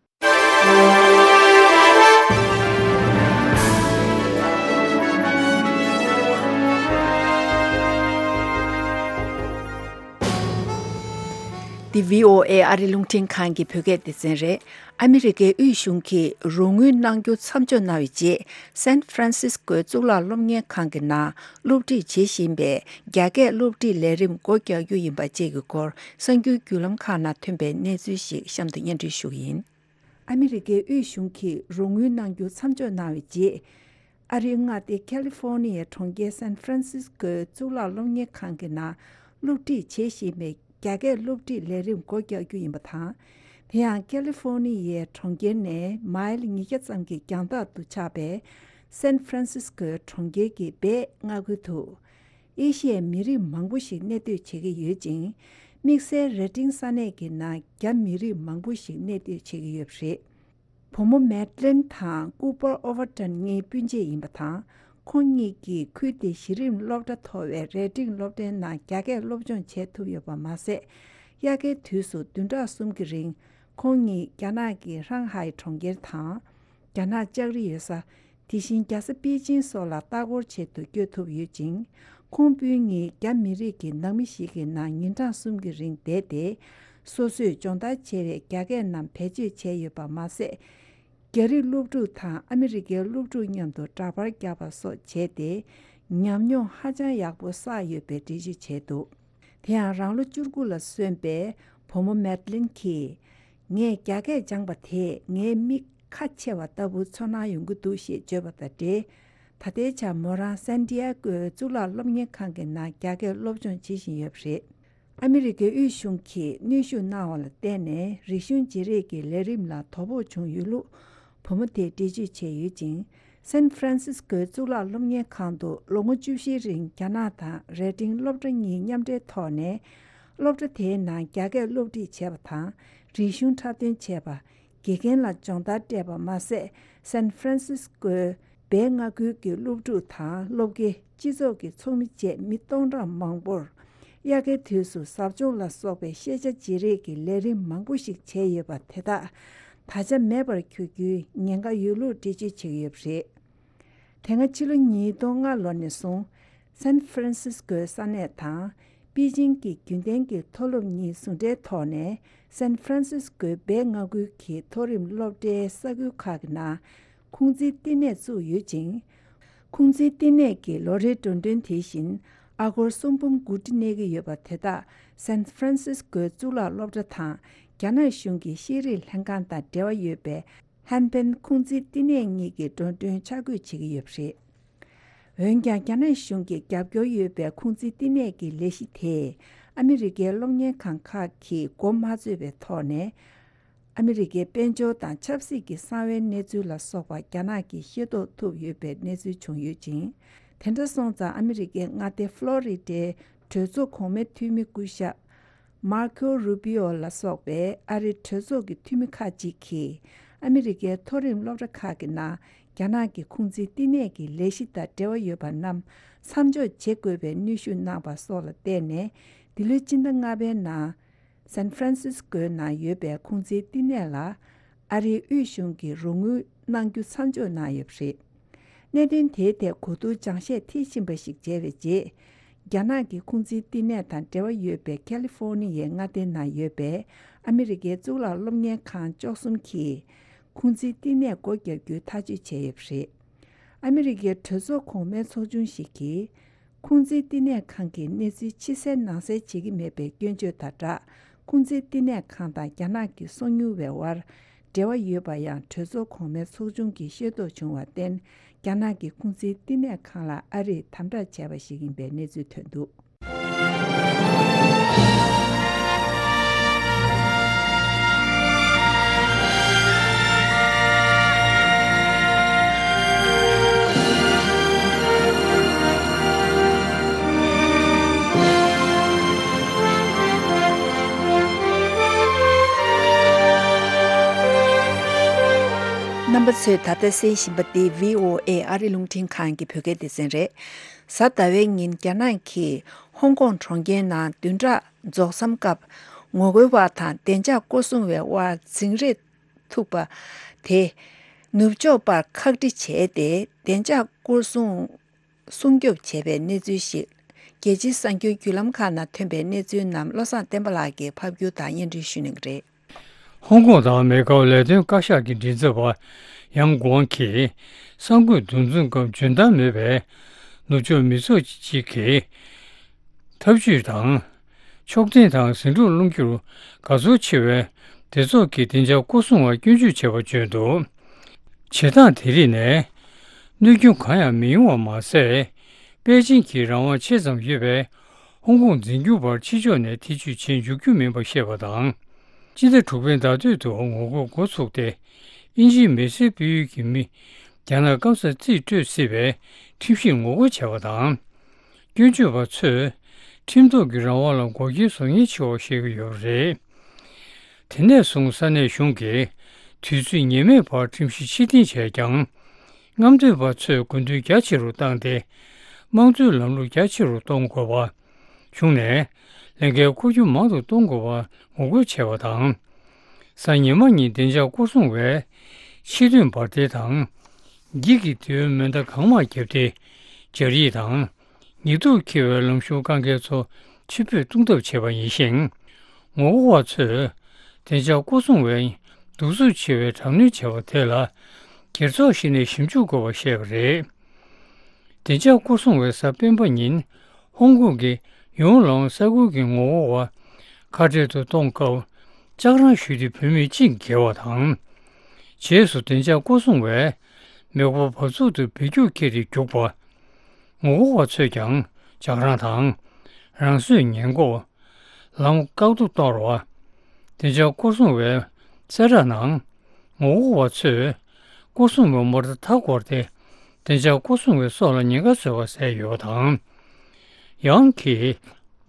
འདི་བྷི་ཨོ་ཨེ་ཨ་རི་རླུང་འཕྲིན་ཁང་གི་བོད་སྐད་སྡེ་ཚན་རེད། ཨ་མི་རི་ཀའི་དབུས་གཞུང་གིས་རོགས་དངུལ་གནང་རྒྱུ་མཚམས་འཇོག་གནང་བའི་རྗེས། སན་ཧྥ་རན་སིས་ཀོའི་གཙུག་ལག་སློབ་གཉེར་ཁང་གི་ནང་སློབ་ཁྲིད་བྱེད་བཞིན་པའི་རྒྱ་སྐད་སློབ་ཁྲིད་ལས་རིམ་སྒོ་རྒྱག་རྒྱུ་ཡིན་པ་བཅས་ཀྱི་སྐོར། གསར་འགྱུར་བརྒྱུད་ལམ་ཁག་ནང་ཐོན་པའི་གནས་ཚུལ་ཞིག་གཤམ་དུ་སྙན་སྒྲོན་ཞུ་གི་ཡིན། ཨ་མི་རི་ཀའི་དབུས་གཞུང་གིས་རོགས་དངུལ་གནང་རྒྱུ་མཚམས་འཇོག་གནང་བའི་རྗེས། ཨ་རིའི་མངའ་སྡེ་ཁ་ལི་ཧྥོ་ནི་ཡའི་གྲོང་ཁྱེར་སན་ཧྥ་རན་སིས་ཀོའི་གཙུག་ལག་སློབ་གཉེར་ཁང་གི་ནང་སློབ་ཁྲིད་བྱེད་བཞིན་པའི་རྒྱ་སྐད་སློབ་ཁྲིད་ལས་རིམ་སྒོ་རྒྱག་རྒྱུ་ཡིན་པ་དང་། དེ་ཡང་ཁ་ལི་ཧྥོ་ནི་ཡའི་གྲོང་ཁྱེར་ནས་མའིལ་ཉིས་བརྒྱ་ཙམ་གྱི་རྒྱང་ཐག་ཏུ་ཆགས་པའི་སན་ཧྥ་རན་སིས་ཀོའི་གྲོང་ཁྱེར་གྱི་སྦས་མངའ་ཁུལ་དུ། ཨེ་ཤི་ཡའི་མི་རིགས་མང་པོ་ཞིག་གནས་སྡོད་བྱེད་ཀྱི་ཡོད་ཅིང་། དམིགས་བསལ་རེ་ཏིང་ས་གནས་ཀྱི་ནང་རྒྱ་མི་རིགས་མང་པོ་ཞིག་གནས་སྡོད་བྱེད་ཀྱི་ཡོད་པ་རེད། བུ་མོ་མེད་ལིན་དང་ཀུ་པར་ཨོ་ཝར་ཏན་གཉིས་སྤུན་མཆེད་ཡིན་པ་དང་། ཁོང་གཉིས་ཀྱིས་ཁུལ་དེའི་གཞི་རིམ་སློབ་གྲྭ་མཐོ་བའི་རེ་ཏིང་སློབ་གྲྭའི་ནང་རྒྱ་སྐད་སློབ་སྦྱོང་བྱེད་ཐུབ་ཡོད་པ་མ་ཟད། དབྱར་ཁའི་དུས་སུ་བདུན་ཕྲག་གསུམ་གྱི་རིང་། ཁོང་གཉིས་རྒྱ་ནག་གི་ཧྲང་ཧའེ་གྲོང་ཁྱེར་དང་། རྒྱ་ནག་ལྕགས་རི་ཡོད་ས། དེ་བཞིན་རྒྱལ་ས་པེ་ཅིང་སོགས་ལ་ལྟ་སྐོར་ཆེད་དུ་བསྐྱོད་ཐུབ་ཡོད་ཅིང་། ཁོང་སྤུན་གཉིས་རྒྱ་མི་རིགས་ཀྱི་ནང་མི་ཞིག་གི་ནང་ཉིན་གྲངས་གསུམ་གྱི་རིང་བསྡད་དེ། སོ་སོས་སྦྱོང་བརྡར་བྱས་པའི་རྒྱ་སྐད་རྣམས་བེད་སྤྱོད་བྱས་ཡོད་པ་མ་ཟད། རྒྱ་རིགས་སློབ་ཕྲུག་དང་ཨ་མི་རི་ཀའི་སློབ་ཕྲུག་མཉམ་དུ་འདྲ་པར་བརྒྱབ་པ་སོགས་བྱས་ཏེ། ཉམས་མྱོང་ཧ་ཅང་ཡག་པོ་བསགས་ཡོད་པའི་འགྲེལ་བརྗོད་བྱས་འདུག་དེ་ཡང་རང་ལོ་བཅུ་དགུ་ལ་སོན་པའི་བུ་མོ་མེད་ལིན་གྱིས། ངས་རྒྱ་སྐད་སྦྱངས་པ་དེས་ངའི་མིག་ཁ་ཕྱེ་བ་ལྟ་བུ་ཚོར་སྣང་ཡོང་གི་འདུག་ཞེས་བརྗོད་པ་དང་འབྲེལ། ད་ལྟའི་ཆར་མོ་རང་སན་ཏི་ཨ་ཀོའི་གཙུག་ལག་སློབ་གཉེར་ཁང་གི་ནང་རྒྱ་སྐད་སློབ་སྦྱོང་བྱེད་བཞིན་ཡོད་པ་རེད། ཨ་མི་རི་ཀའི་དབུས་གཞུང་གིས་གནོན་ཤུགས་གནང་བ་ལ་བརྟེན་ནས། རིག་གཞུང་བརྗེ་རེས་ཀྱི་ལས་རིམ་ལ་དོ་ཕོག་བྱུང་ཡོད་ལུགས་བུ་མོ་དེས་འགྲེལ་བརྗོད་བྱས་ཡོད་ཅིང་། སན་ཧྥ་རན་སིས་ཀོའི་གཙུག་ལག་སློབ་གཉེར་ཁང་དུ་ལོ་ངོ་བཅུ་བཞིའི་རིང་རྒྱ་ནག་དང་རེ་ཏིང་སློབ་གྲྭ་གཉིས་མཉམ་འབྲེལ་ཐོག་ནས། སློབ་གྲྭ་དེའི་ནང་རྒྱ་སྐད་སློབ་ཁྲིད་བྱས་པ་དང་། རིག་གཞུང་འཁྲབ་སྟོན་བྱས་པ། དགེ་རྒན་ལ་སྦྱོང་བརྡར་སྤྲད་པ་མ་ཟད། སན་ཧྥ་རན་སིས་ཀོའི་སྦས་མངའ་ཁུལ་གྱི་སློབ་ཕྲུག་དང་སློབ་དགེ། སྤྱི་ཚོགས་ཀྱི་ཚོགས་མི་བཅས་མི་སྟོང་ཕྲག་མང་པོར། དབྱར་ཁའི་དུས་སུ་ཟབ་སྦྱོང་ལ་སོགས་པའི་ཤེས་བྱ་བརྗེ་རེས་ཀྱི་ལས་རིམ་མང་པོ་ཞིག་བྱས་ཡོད་པ་དེ་དག་ད་ཆ་མེད་པར་གྱུར་རྒྱུའི་ཉེན་ཁ་ཡོད་ལུགས་འགྲེལ་བརྗོད་བྱས་ཡོད་པ་རེད། དེ་སྔ་ཕྱི་ལོ་ཉིས་སྟོང་ལྔ་ལོ་ནས་བཟུང་། སན་ཧྥ་རན་སིས་ཀོའི་ས་གནས་དང་། པེ་ཅིང་གི་རྒྱུན་ལྡན་གྱི་མཐོ་སློབ་གཉིས་ཟུང་འབྲེལ་ཐོག་ནས། སན་ཧྥ་རན་སིས་ཀོའི་སྦས་མངའ་ཁུལ་གྱི་མཐོ་རིམ་སློབ་གྲྭའི་ས་ཁུལ་ཁག་གི་ནང་། ཁུང་ཙི་བསྟི་གནས་བཙུགས་ཡོད་ཅིང་། ཁུང་ཙི་བསྟི་གནས་ཀྱི་ལོ་རེའི་འགྲོ་གྲོན་དེ་བཞིན་ཨ་སྒོར་གསུམ་འབུམ་དགུ་ཁྲི་གནས་ཀྱི་ཡོད་པ་དེ་དག་སན་ཧྥ་རན་སིས་ཀོའི་གཙུག་ལག་སློབ་གྲྭ་དང་རྒྱ་ནག་གཞུང་གི་ཤེས་རིག་ལྷན་ཁང་དང་འབྲེལ་བ་ཡོད་པའི་ཧན་ཕན་ཁུང་ཙི་བསྟི་གནས་གཉིས་ཀྱི་འགྲོ་གྲོན་ཆ་བགོས་བྱེད་ཀྱི་ཡོད་པ་རེད། འོན་ཀྱང་། རྒྱ་ནག་གཞུང་གི་རྒྱབ་སྐྱོར་ཡོད་པའི་ཁུང་ཙི་བསྟི་གནས་ཀྱི་ལས་གཞི་དེས། ཨ་མི་རི་ཀའི་སློབ་གཉེར་ཁང་ཁག་གིས་འགོ་མ་བཙུགས་པའི་ཐོག་ནས། ཨ་མི་རི་ཀའི་དཔལ་འབྱོར་དང་ཆབ་སྲིད་ཀྱི་གསང་བའི་གནས་ཚུལ་ལ་སོགས་པ་རྒྱ་ནག་གིས་ཤེས་རྟོགས་ཐུབ་ཡོད་པའི་གནས་ཚུལ་བྱུང་ཡོད་ཅིང་། དེ་འདྲ་སོང་ཙང་། ཨ་མི་རི་ཀའི་མངའ་སྡེ་ཧྥ་ལོ་རི་ཌའི་གྲོས་ཚོགས་གོང་མའི་འཐུས་མི་སྐུ་ཞབས། མར་ཁོ་རུ་པི་ཨོ་ལ་སོགས་པའི་ཨ་རིའི་གྲོས་ཚོགས་ཀྱི་འཐུས་མི་ཁག་ཅིག་གིས། ཨ་མི་རི་ཀའི་མཐོ་རིམ་སློབ་གྲྭ་ཁག་གི་ནང་རྒྱ་ནག་གི་ཁུང་ཙི་བསྟི་གནས་ཀྱི་ལས་གཞི་དང་འབྲེལ་བ་ཡོད་པ་རྣམས་མཚམས་འཇོག་བྱེད་དགོས་པའི་གནོན་ཤུགས་གནང་བ་སོགས་ལ་བརྟེན་ནས། འདི་ལོའི་སྤྱི་ཟླ་ལྔ་པའི་ནང་། སན་ཧྥ་རན་སིས་ཀོའི་ནང་ཡོད་པའི་ཁུང་ཙི་བསྟི་གནས་ལ། ཨ་རིའི་དབུས་གཞུང་གིས་རོགས་དངུལ་གནང་རྒྱུ་མཚམས་འཇོག་གནང་ཡོད་པ་རེད། གནད་དོན་དེའི་ཐད་གོ་བསྡུར་སྦྱང་བཤད་མཐིལ་ཕྱིན་པ་ཞིག་བྱས་པའི་རྗེས། རྒྱ་ནག་གི་ཁུང་ཙི་བསྟི་གནས་དང་འབྲེལ་བ་ཡོད་པའི་ཁ་ལི་ཧྥོ་ནི་ཡའི་མངའ་སྡེ་ནང་ཡོད་པའི་ཨ་མི་རི་ཀའི་གཙུག་ལག་སློབ་གཉེར་ཁང་བཅུ་གསུམ་གྱིས། ཁུང་ཙི་བསྟི་གནས་སྒོ་རྒྱག་རྒྱུའི་ཐག་གཅོད་བྱས་ཡོད་པ་རེད། ཨ་མི་རི་ཀའི་གྲོས་ཚོགས་གོང་མའི་ཚོགས་ཆུང་ཞིག་གིས། ཁུང་ཙི་བསྟི་གནས་ཁང་གི་གནས་ཚུལ་ཕྱི་གསལ་ནང་གསལ་བྱེད་ཀྱི་མེད་པའི་སྐྱོན་བརྗོད་དང་སྦྲགས། ཁུང་ཙི་བསྟི་གནས་ཁང་དང་རྒྱ་ནག་གི་སོ་ཉུལ་བའི་དབར་འབྲེལ་བ་ཡོད་པ་ཡང་གྲོས་ཚོགས་གོང་མའི་ཚོགས་ཆུང་གིས་ཤེས་རྟོགས་བྱུང་བར་བརྟེན། རྒྱ་ནག་གི་ཁུང་ཙི་བསྟི་གནས་ཁང་ལ་ཨ་རིས་དམ་དྲག་བྱས་པ་ཞིག་ཡིན་པའི་གནས་ཚུལ་ཐོན་འདུག་རྣམ་པ་ཚོས་ད་ལྟ་གསན་བཞིན་པ་འདི་བྷི་ཨོ་ཨེ་ཨ་རི་རླུང་འཕྲིན་ཁང་གི་བོད་སྐད་སྡེ་ཚན་རེད། གཟའ་ཟླ་བའི་ཉིན་རྒྱ་ནག་གིས་ཧོང་ཀོང་གྲོང་ཁྱེར་ནང་བདུན་ཕྲག་རྫོགས་མཚམས་སྐབས་ངོ་རྒོལ་བ་དང་བདེ་འཇགས་སྐོར་སྲུང་བའི་དབར་འཛིང་རེས་ཐུག་པ་དེ་ནུབ་ཕྱོགས་པར་ཁག་དཀྲི་བྱས་ཏེ། བདེ་འཇགས་སྐོར་སྲུང་སྲུང་སྐྱོབ་བྱས་པའི་གནས་ཚུལ་ཞིག་རྒྱལ་སྤྱིའི་གསར་འགྱུར་བརྒྱུད་ལམ་ཁག་ནང་ཐོན་པའི་གནས་ཚུལ་རྣམས་བློ་བཟང་བསྟན་པ་ལགས་ཀྱིས་ཕབ་སྒྱུར་དང་སྙན་སྒྲོན་ཞུ་གནང་གི་རེད། ཧོང་ཀོང་དང་མེ་ཀའོ་ལས་དོན་བཀའ་ཤག་གི་མགྲིན་ཚབ་པ་ཡང་གུའང་གིས་གསར་འགོད་འདུ་འཛོམས་སྐབས་འཇོན་ཐང་མེད་པའི་ནུབ་ཕྱོགས་མི་ཚོགས་ཅིག་གིས་འཐབ་ཇུས་དང་། ཕྱོགས་འཐེན་དང་ཟིང་འཁྲུག་སློང་རྒྱུར་དགའ་ཚོར་ཆེ་བའི་སྡེ་ཚོགས་ཀྱིས་བདེ་འཇགས་སྐོར་སྲུང་བར་སྐྱོན་བརྗོད་བྱས་པ་བརྗོད་འདུག་བྱེད་སྟངས་དེ་རིགས་ནས་གནོད་སྐྱོན་གང་ཡང་མི་ཡོང་བ་མ་ཟད། པེ་ཅིང་གི་རང་དབང་ཆེ་ཙམ་ཡོད་པའི་ཧོང་ཀོང་འཛིན་སྐྱོང་བར་ཕྱི་ཕྱོགས་ནས་ཐེ་བྱུས་བྱེད་འཇུག་རྒྱུ་མིན་པ་བཤད་པ་དང་། སྤྱི་ཟླ་དྲུག་པའི་ཟླ་སྟོད་དུ་ངོ་རྒོལ་འགོ་ཚུགས་ཏེ། དབྱིན་ཇིའི་མི་སེར་སྤེལ་ཡུལ་གྱི་མི་རྒྱ་ནག་སྐམ་སར་རྩིས་སྤྲོད་སྲིད་པའི་ཁྲིམས་གཞིར་ངོ་རྒོལ་བྱས་པ་དང་། སྐྱོན་བརྗོད་པ་ཚོས་ཁྲིམས་ཐོག་གི་རང་དབང་ལ་འགོག་རྐྱེན་བཟོ་ཉེན་ཆེ་བ་བཤད་ཀྱི་ཡོད་པ་རེད། དེ་ནས་བཟུང་ས་གནས་གཞུང་གིས་དུས་ཚོད་ངེས་མེད་བར་ཁྲིམས་གཞི་ཕྱིར་འཐེན་བྱས་ཀྱང་། རྔམ་སྟོན་པ་ཚོས་དགོས་འདུན་རྒྱ་ཆེ་རུ་བཏང་སྟེ། དམངས་གཙོའི་ལམ་ལུགས་རྒྱ་ཆེ་རུ་གཏོང་དགོས་པ། གཞུང་ནས་ལས་འགན་འཁུར་རྒྱུ་མང་དུ་གཏོང་དགོས་པར་ངོ་རྒོལ་བྱས་པ་དང་། གཟའ་ཉི་མ་ཉིན་བདེ་འཇགས་སྐོར་སྲུང་བས་ཕྱི་དོན་འབར་མདེལ་དང་། འགྱིག་གི་མདེའུ་མེ་མདའ་གང་མང་བརྒྱབ་སྟེ། སྦྱར་ཡིག་དང་། ཉེན་རྟོག་འཁྱེར་བའི་ལམ་ཞུགས་བཀག་འགེལ་ཚོ་ཕྱིར་འབུད་གཏོང་ཐབས་བྱས་པ་ཡིན་ཞིང་། ངོ་རྒོལ་བ་ཚོས་བདེ་འཇགས་སྐོར་སྲུང་བས་གདུག་རྩུབ་ཆེ་བའི་དྲག་གནོན་བྱས་པ་དེ་ལ་སྒེར་ཚོགས་ཤིག་ནས་ཞིབ་འཇུག་དགོས་པ་བཤད་པ་རེད། བདེ་འཇགས་སྐོར་སྲུང་བས་གཟའ་སྤེན་པ་ཉིན་ཧོང་ཀོང་གི་ཡོང་ལོང་ས་ཁུལ་གྱི་ངོ་རྒོལ་བ་ཁ་བྲལ་དུ་གཏོང་སྐབས་ལྕགས་རང་གཞུས་ཏེ་བུད་མེད་གཅིག་བརྒྱལ་བ་དང་། རྗེས་སུ་བདེ་འཇགས་སྐོར་སྲུང་བས་མེ་འཁོར་བབས་ཚུགས་དུ་བེད་སྤྱོད་འཁྱེར་ཏེ་རྒྱུགས་པ། ངོ་རྒོལ་བ་ཚོས་ཀྱང་ལྕགས་རང་དང་། རང་སོས་ཉེན་འགོག་ལམ་བཀག་སྡོམ་གཏོང་རོགས། བདེ་འཇགས་སྐོར་སྲུང་བའི་གསལ་བསྒྲགས་ནང་། ངོ་རྒོལ་བ་ཚོས་སྐོར་སྲུང་བའི་མོ་ཊ་མཐའ་བསྐོར་ཏེ། བདེ་འཇགས་སྐོར་སྲུང་བའི་སྲོག་ལ་ཉེན་ཁ་བཟོས་པ་གསལ་ཡོད་པ་དང་། ཡང་གིས་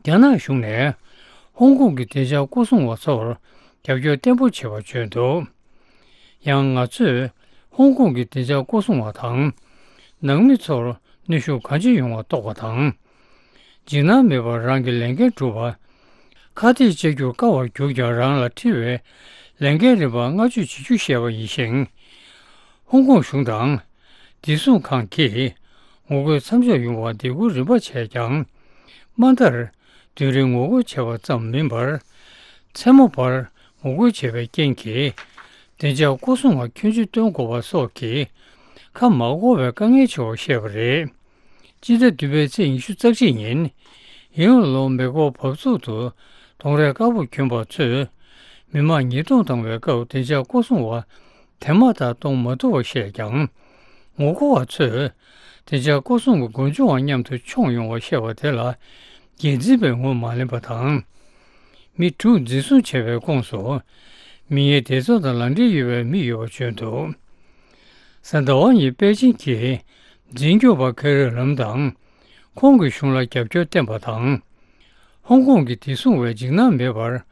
རྒྱ་ནག་གཞུང་ནས་ཧོང་ཀོང་གི་བདེ་འཇགས་སྐོར་སྲུང་བ་ཚོར་རྒྱབ་སྐྱོར་བརྟན་པོ་བྱས་པ་བརྗོད་འདུག་ཡང་ང་ཚོས་ཧོང་ཀོང་གི་བདེ་འཇགས་སྐོར་སྲུང་བ་དང་། ནང་མི་ཚོར་གནོན་ཤུགས་གང་ཆེ་ཡོང་བ་རྟོགས་པ་དང་། འཇིགས་སྣང་མེད་པར་རང་གི་ལས་འགན་སྒྲུབ་པ། ཁ་གཏད་གཅོག་རྒྱུར་དཀའ་བར་གྱུར་ཀྱང་རང་ལ་འཁྲི་བའི་ལས་འགན་རིམ་པ་བསྔགས་བརྗོད་བྱེད་རྒྱུ་ཞེས་པ་ཡིན་ཞིང་། ཧོང་ཀོང་གཞུང་དང་། བདེ་སྲུང་ཁང་གིས་ངོ་རྒོལ་མཚམས་འཇོག་ཡོང་བར་འདེད་སྐུལ་རིམ་པ་བྱས་ཀྱང་། མ་མཐར་བདུན་རེ་ངོ་རྒོལ་བྱས་པ་ཙམ་མིན་པར། མཚན་མོ་བར་ངོ་རྒོལ་བྱས་པའི་རྐྱེན་གྱིས། བདེ་འཇགས་སྐོར་སྲུང་བ་ཁྱོན་ཆེ་བཏོན་དགོས་པ་སོགས་ཀྱིས། ཁ་མ་བསྒོ་བའི་དཀའ་ངལ་ཆེ་བར་བཤད་པ་རེད། སྤྱི་ཟླ་བདུན་པའི་ཚེས་ཉི་ཤུ་རྩ་གཅིག་ཉིན། ཡིན་ལོ་མེ་འཁོར་བབས་ཚུགས་དུ་གདོང་རས་དཀར་པོ་གྱོན་པ་ཚོས། མི་མང་ཉེས་རྡུང་བཏང་བའི་སྐབས་བདེ་འཇགས་སྐོར་སྲུང་བ་དེ་མ་ཐག་གཏོང་མ་ཐུབ་པ་བཤད་ཀྱང་། ངོ་རྒོལ་བ་ཚོས་བདེ་འཇགས་སྐོར་སྲུང་གི་མགོ་མཇུག་དང་མཉམ་དུ་མཆོངས་ཡོང་བ་བཤད་པ་དེ་ལ་འགན་འཛིན་པས་ངོ་མ་ལེན་པ་དང་། མི་དྲུག་འཛིན་བཟུང་བྱས་པའི་ཁོངས་སུ། མི་ངན་སྡེ་ཚོགས་དང་ལག་འབྲེལ་ཡོད་པའི་མི་ཡོད་པ་བརྗོད་འདུག་གཟའ་ཟླ་བ་ཉིན་པེ་ཅིང་གིས་འཛིན་སྐྱོང་བ་ཁེ་རི་ལམ་དང་། ཁོང་གི་གཞུང་ལ་རྒྱབ་སྐྱོར་བསྟན་པ་དང་། ཧོང་ཀོང་གི་བདེ་སྲུང་བས་འཇིགས་སྣང་མེད་པར།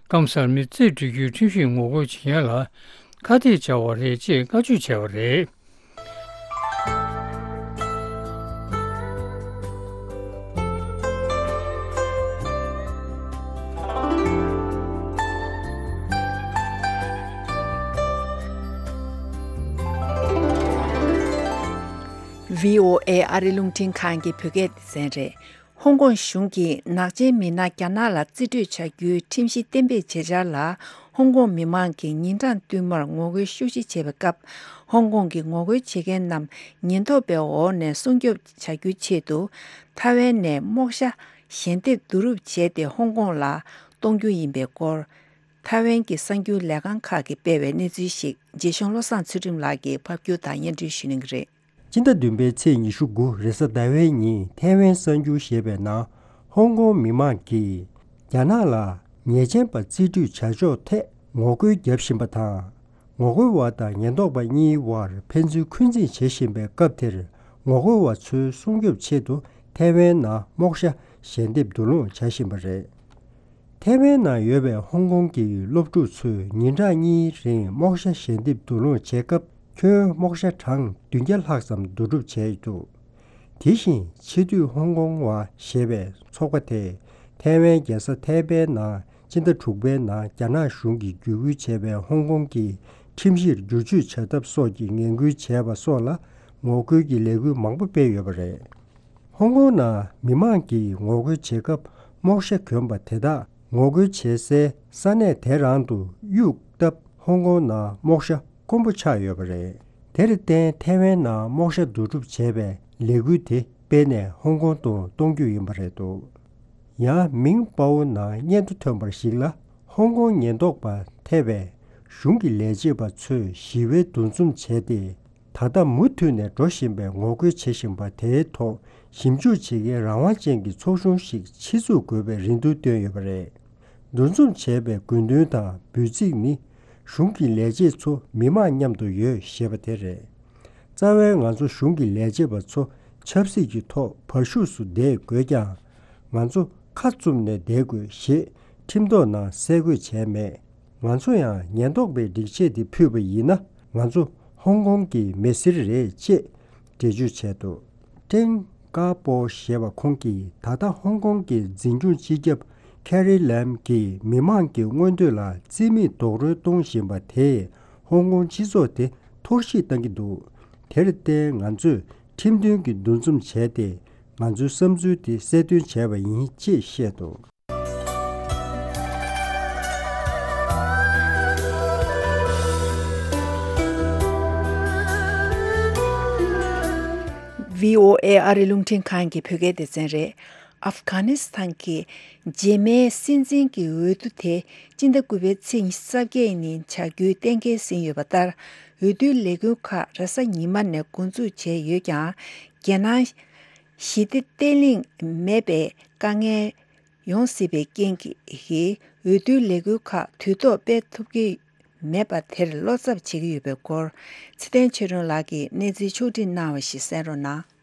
སྐམ་སར་མི་རྩིས་སྤྲོད་རྒྱུའི་ཁྲིམས་གཞིར་ངོ་རྒོལ་བྱེད་མཁན་ལ་ཁ་གཏད་བཅག་པ་རེད་ཅེས་བཀའ་འཁྲོལ་བྱས་པ་རེད། བྷི་ཨོ་ཨེ་ཨ་རི་རླུང་འཕྲིན་ཁང་གི་བོད་སྐད་སྡེ་ཚན་རེད། ཧོང་ཀོང་གཞུང་གིས་ནག་ཅན་མི་སྣ་རྒྱ་ནག་ལ་རྩིས་སྤྲོད་བྱ་རྒྱུའི་ཁྲིམས་གཞི་གཏན་འབེབས་བྱེད་འཆར་ལ། ཧོང་ཀོང་མི་མང་གིས་ཉིན་གྲངས་བསྟུད་མར་ངོ་རྒོལ་ཤུགས་ཆེ་བྱས་པའི་སྐབས། ཧོང་ཀོང་གི་ངོ་རྒོལ་བྱེད་མཁན་རྣམས་ཉེན་རྟོག་པའི་འོག་ནས་སྲུང་སྐྱོབ་བྱ་རྒྱུའི་ཆེད་དུ། ཐའེ་ཝན་ནས་རྨོག་ཞྭ་ཞལ་འདེབས་བསྡུ་རུབ་བྱས་ཏེ་ཧོང་ཀོང་ལ་གཏོང་རྒྱུ་ཡིན་པའི་སྐོར། ཐའེ་ཝན་གྱི་གསར་འགྱུར་ལས་ཁང་ཁག་གིས་སྤེལ་བའི་གནས་ཚུལ་ཞིག་རྗེ་གཞུང་བློ་བཟང་ཚུལ་ཁྲིམས་ལགས་ཀྱིས་ཕབ་སྒྱུར་དང་སྙན་སྒྲོན་ཞུ་གནང་གི་རེད། སྤྱི་ཟླ་བདུན་པའི་ཚེས་ཉི་ཤུ་དགུ་རེས་གཟའ་ཟླ་བའི་ཉིན་ཐའེ་ཝན་གསར་འགྱུར་ཞེས་པའི་ནང་། ཧོང་ཀོང་མི་མང་གིས་རྒྱ་ནག་ལ་ཉེས་ཅན་པ་རྩིས་སྤྲོད་བྱ་ཕྱོགས་ཐད་ངོ་རྒོལ་བརྒྱབ་བཞིན་པ་དང་། ངོ་རྒོལ་བ་དང་ཉེན་རྟོག་པ་གཉིས་དབར་ཕན་ཚུན་འཁོན་འཛིན་བྱེད་བཞིན་པའི་སྐབས་དེར། ངོ་རྒོལ་བ་ཚོའི་སྲུང་སྐྱོབ་ཆེད་དུ་ཐའེ་ཝན་ནང་རྨོག་ཞྭ་ཞལ་འདེབས་བསྡུ་སློང་བྱ་བཞིན་པ་རེད། ཐའེ་ཝན་ནང་ཡོད་པའི་ཧོང་ཀོང་གི་སློབ་ཕྲུག་ཚོས་ཉིན་གྲངས་གཉིས་རིང་རྨོག་ཞྭ་ཞལ་འདེབས་བསྡུ་སློང་བྱེད་སྐབས། ཁྱོན་རྨོག་ཞྭ་གྲངས་བདུན་བརྒྱ་ལྷག་ཙམ་བསྡུ་སྒྲུབ་བྱས་འདུག་དེ་བཞིན་ཕྱི་སྡོད་ཧོང་ཀོང་བ་ཞེས་པའི་ཚོགས་པ་དེས་ཐའེ་ཝན་རྒྱལ་ས་ཐའེ་པེ་ནང་སྤྱི་ཟླ་དྲུག་པའི་ནང་རྒྱ་ནག་གཞུང་གིས་བརྒྱུད་སྐུལ་བྱས་པའི་ཧོང་ཀོང་གི་ཁྲིམས་གཞིར་བསྒྱུར་བཅོས་བྱ་ཐབས་སོགས་ཀྱི་ངན་སྐུལ་བྱས་པ་སོགས་ལ་ངོ་རྒོལ་གྱི་ལས་འགུལ་མང་པོ་སྤེལ་ཡོད་པ་རེད། ཧོང་ཀོང་ནང་མི་མང་གིས་ངོ་རྒོལ་བྱེད་སྐབས་རྨོག་ཞྭ་གྱོན་པ་དེ་དག་ངོ་རྒོལ་བྱེད་སའི་ས་གནས་དེ་རང་དུ་གཡུགས་སྟབས། ཧོང་ཀོང་ནང་རྨོག་ཞྭ་དཀོན་པོ་ཆགས་ཡོད་པ་རེད། དེར་བརྟེན་ཐའེ་ཝན་ནང་རྨོག་ཞྭ་བསྡུ་སྒྲུབ་བྱས་པའི་ལས་འགུལ་དེ་སྤེལ་ནས་ཧོང་ཀོང་དུ་གཏོང་རྒྱུ་ཡིན་པ་རེད་འདུག་ཡང་མིང་པའོ་ནང་སྙན་ཐོ་ཐོན་པར་གཞིགས་ལ། ཧོང་ཀོང་ཉེན་རྟོག་པ་ཐེ་བའི་གཞུང་གི་ལས་བྱེད་པ་ཚོས་ཞི་བའི་འདུ་འཛོམས་བྱས་ཏེ། ད་ལྟ་མུ་མཐུད་ནས་འགྲོ་བཞིན་པའི་ངོ་རྒོལ་བྱེད་བཞིན་པ་དེའི་ཐོག་ཞིབ་འཇུག་བྱེད་མཁན་རང་དབང་ཅན་གྱི་ཚོགས་ཆུང་ཞིག་ཆེད་འཛུགས་དགོས་པའི་རེ་འདུན་བཏོན་ཡོད་པ་རེད། འདུ་འཛོམས་བྱས་པའི་དགོས་འདུན་དང་འབོད་ཚིག་ནི། གཞུང་གི་ལས་བྱེད་ཚོ་མི་མང་མཉམ་དུ་ཡོད་ཞེས་པ་དེ་རེད། རྩ་བའི་ང་ཚོ་གཞུང་གི་ལས་བྱེད་པ་ཚོ་ཆབ་སྲིད་ཀྱི་ཐོག་བར་ཞུགས་སུ་བསྡད་དགོས་ཀྱང་། ང་ཚོ་ཁ་བཙུམ་ནས་བསྡད་དགོས་ཞེས་ཁྲིམས་ཐོག་ནང་གསལ་འགོད་བྱས་མེད། ང་ཚོ་ཡང་ཉེན་རྟོག་པའི་སྒྲིག་ཆས་དེ་ཕུད་པ་ཡིན་ན། ང་ཚོ་ཧོང་ཀོང་གི་མི་སེར་རེད་ཅེས་འགྲེལ་བརྗོད་བྱས་འདུག་ཀྲེང་ཀ་པོ་ཞེས་པ་ཁོང་གིས་ད་ལྟ་ཧོང་ཀོང་གི་འཛིན་སྐྱོང་སྤྱི་ཁྱབ་ཁེ་རི་ལམ་གྱིས་མི་མང་གི་མངོན་འདོད་ལ་རྩིས་མེད་རྡོག་རོལ་གཏོང་བཞིན་པ་དེས་ཧོང་ཀོང་སྤྱི་ཚོགས་དེ་འཐོར་བཤིག་བཏང་གི་འདུག་དེར་བརྟེན་ང་ཚོས་ཁྲིམས་མཐུན་གྱི་འདུ་འཛོམས་བྱས་ཏེ། ང་ཚོའི་བསམ་ཚུལ་དེ་གསལ་སྟོན་བྱས་པ་ཡིན་ཅེས་བཤད་འདུག་ཝི་ཨོ་ཨེ་ཨ་རི་རླུང་འཕྲིན་ཁང་གི་བོད་སྐད་སྡེ་ཚན་རེད། ཨབ་གྷ་ནི་སི་ཐན་གྱི་རྗེས་མའི་སྲིད་འཛིན་གྱི་འོས་བསྡུ་དེ་སྤྱི་ཟླ་དགུ་པའི་ཚེས་ཉི་ཤུ་རྩ་བརྒྱད་ཉིན་བྱ་རྒྱུའི་གཏན་འཁེལ་ཟིན་ཡོད་པ་ལྟར། འོས་བསྡུའི་ལས་འགུལ་ཁག་རེས་གཟའ་ཉི་མ་ནས་འགོ་འཛུགས་བྱས་ཡོད་ཀྱང་། རྒྱལ་ནང་ཞི་བདེ་བརྟན་ལྷིང་མེད་པའི་དཀའ་ངལ་ཡོང་སྲིད་པའི་རྐྱེན་གྱིས། འོས་བསྡུའི་ལས་འགུལ་ཁག་དུས་ཐོག་སྤེལ་ཐུབ་ཀྱི་མེད་པ་དེར་བློ་འཚབ་བྱེད་ཀྱི་ཡོད་པའི་སྐོར། ཚེ་བརྟན་ཆོས་སྒྲོན་ལགས་ཀྱིས་གནས་ཚུལ་ཕྱོགས་སྒྲིག་གནང་བ་ཞིག་གསན་རོགས་གནང་།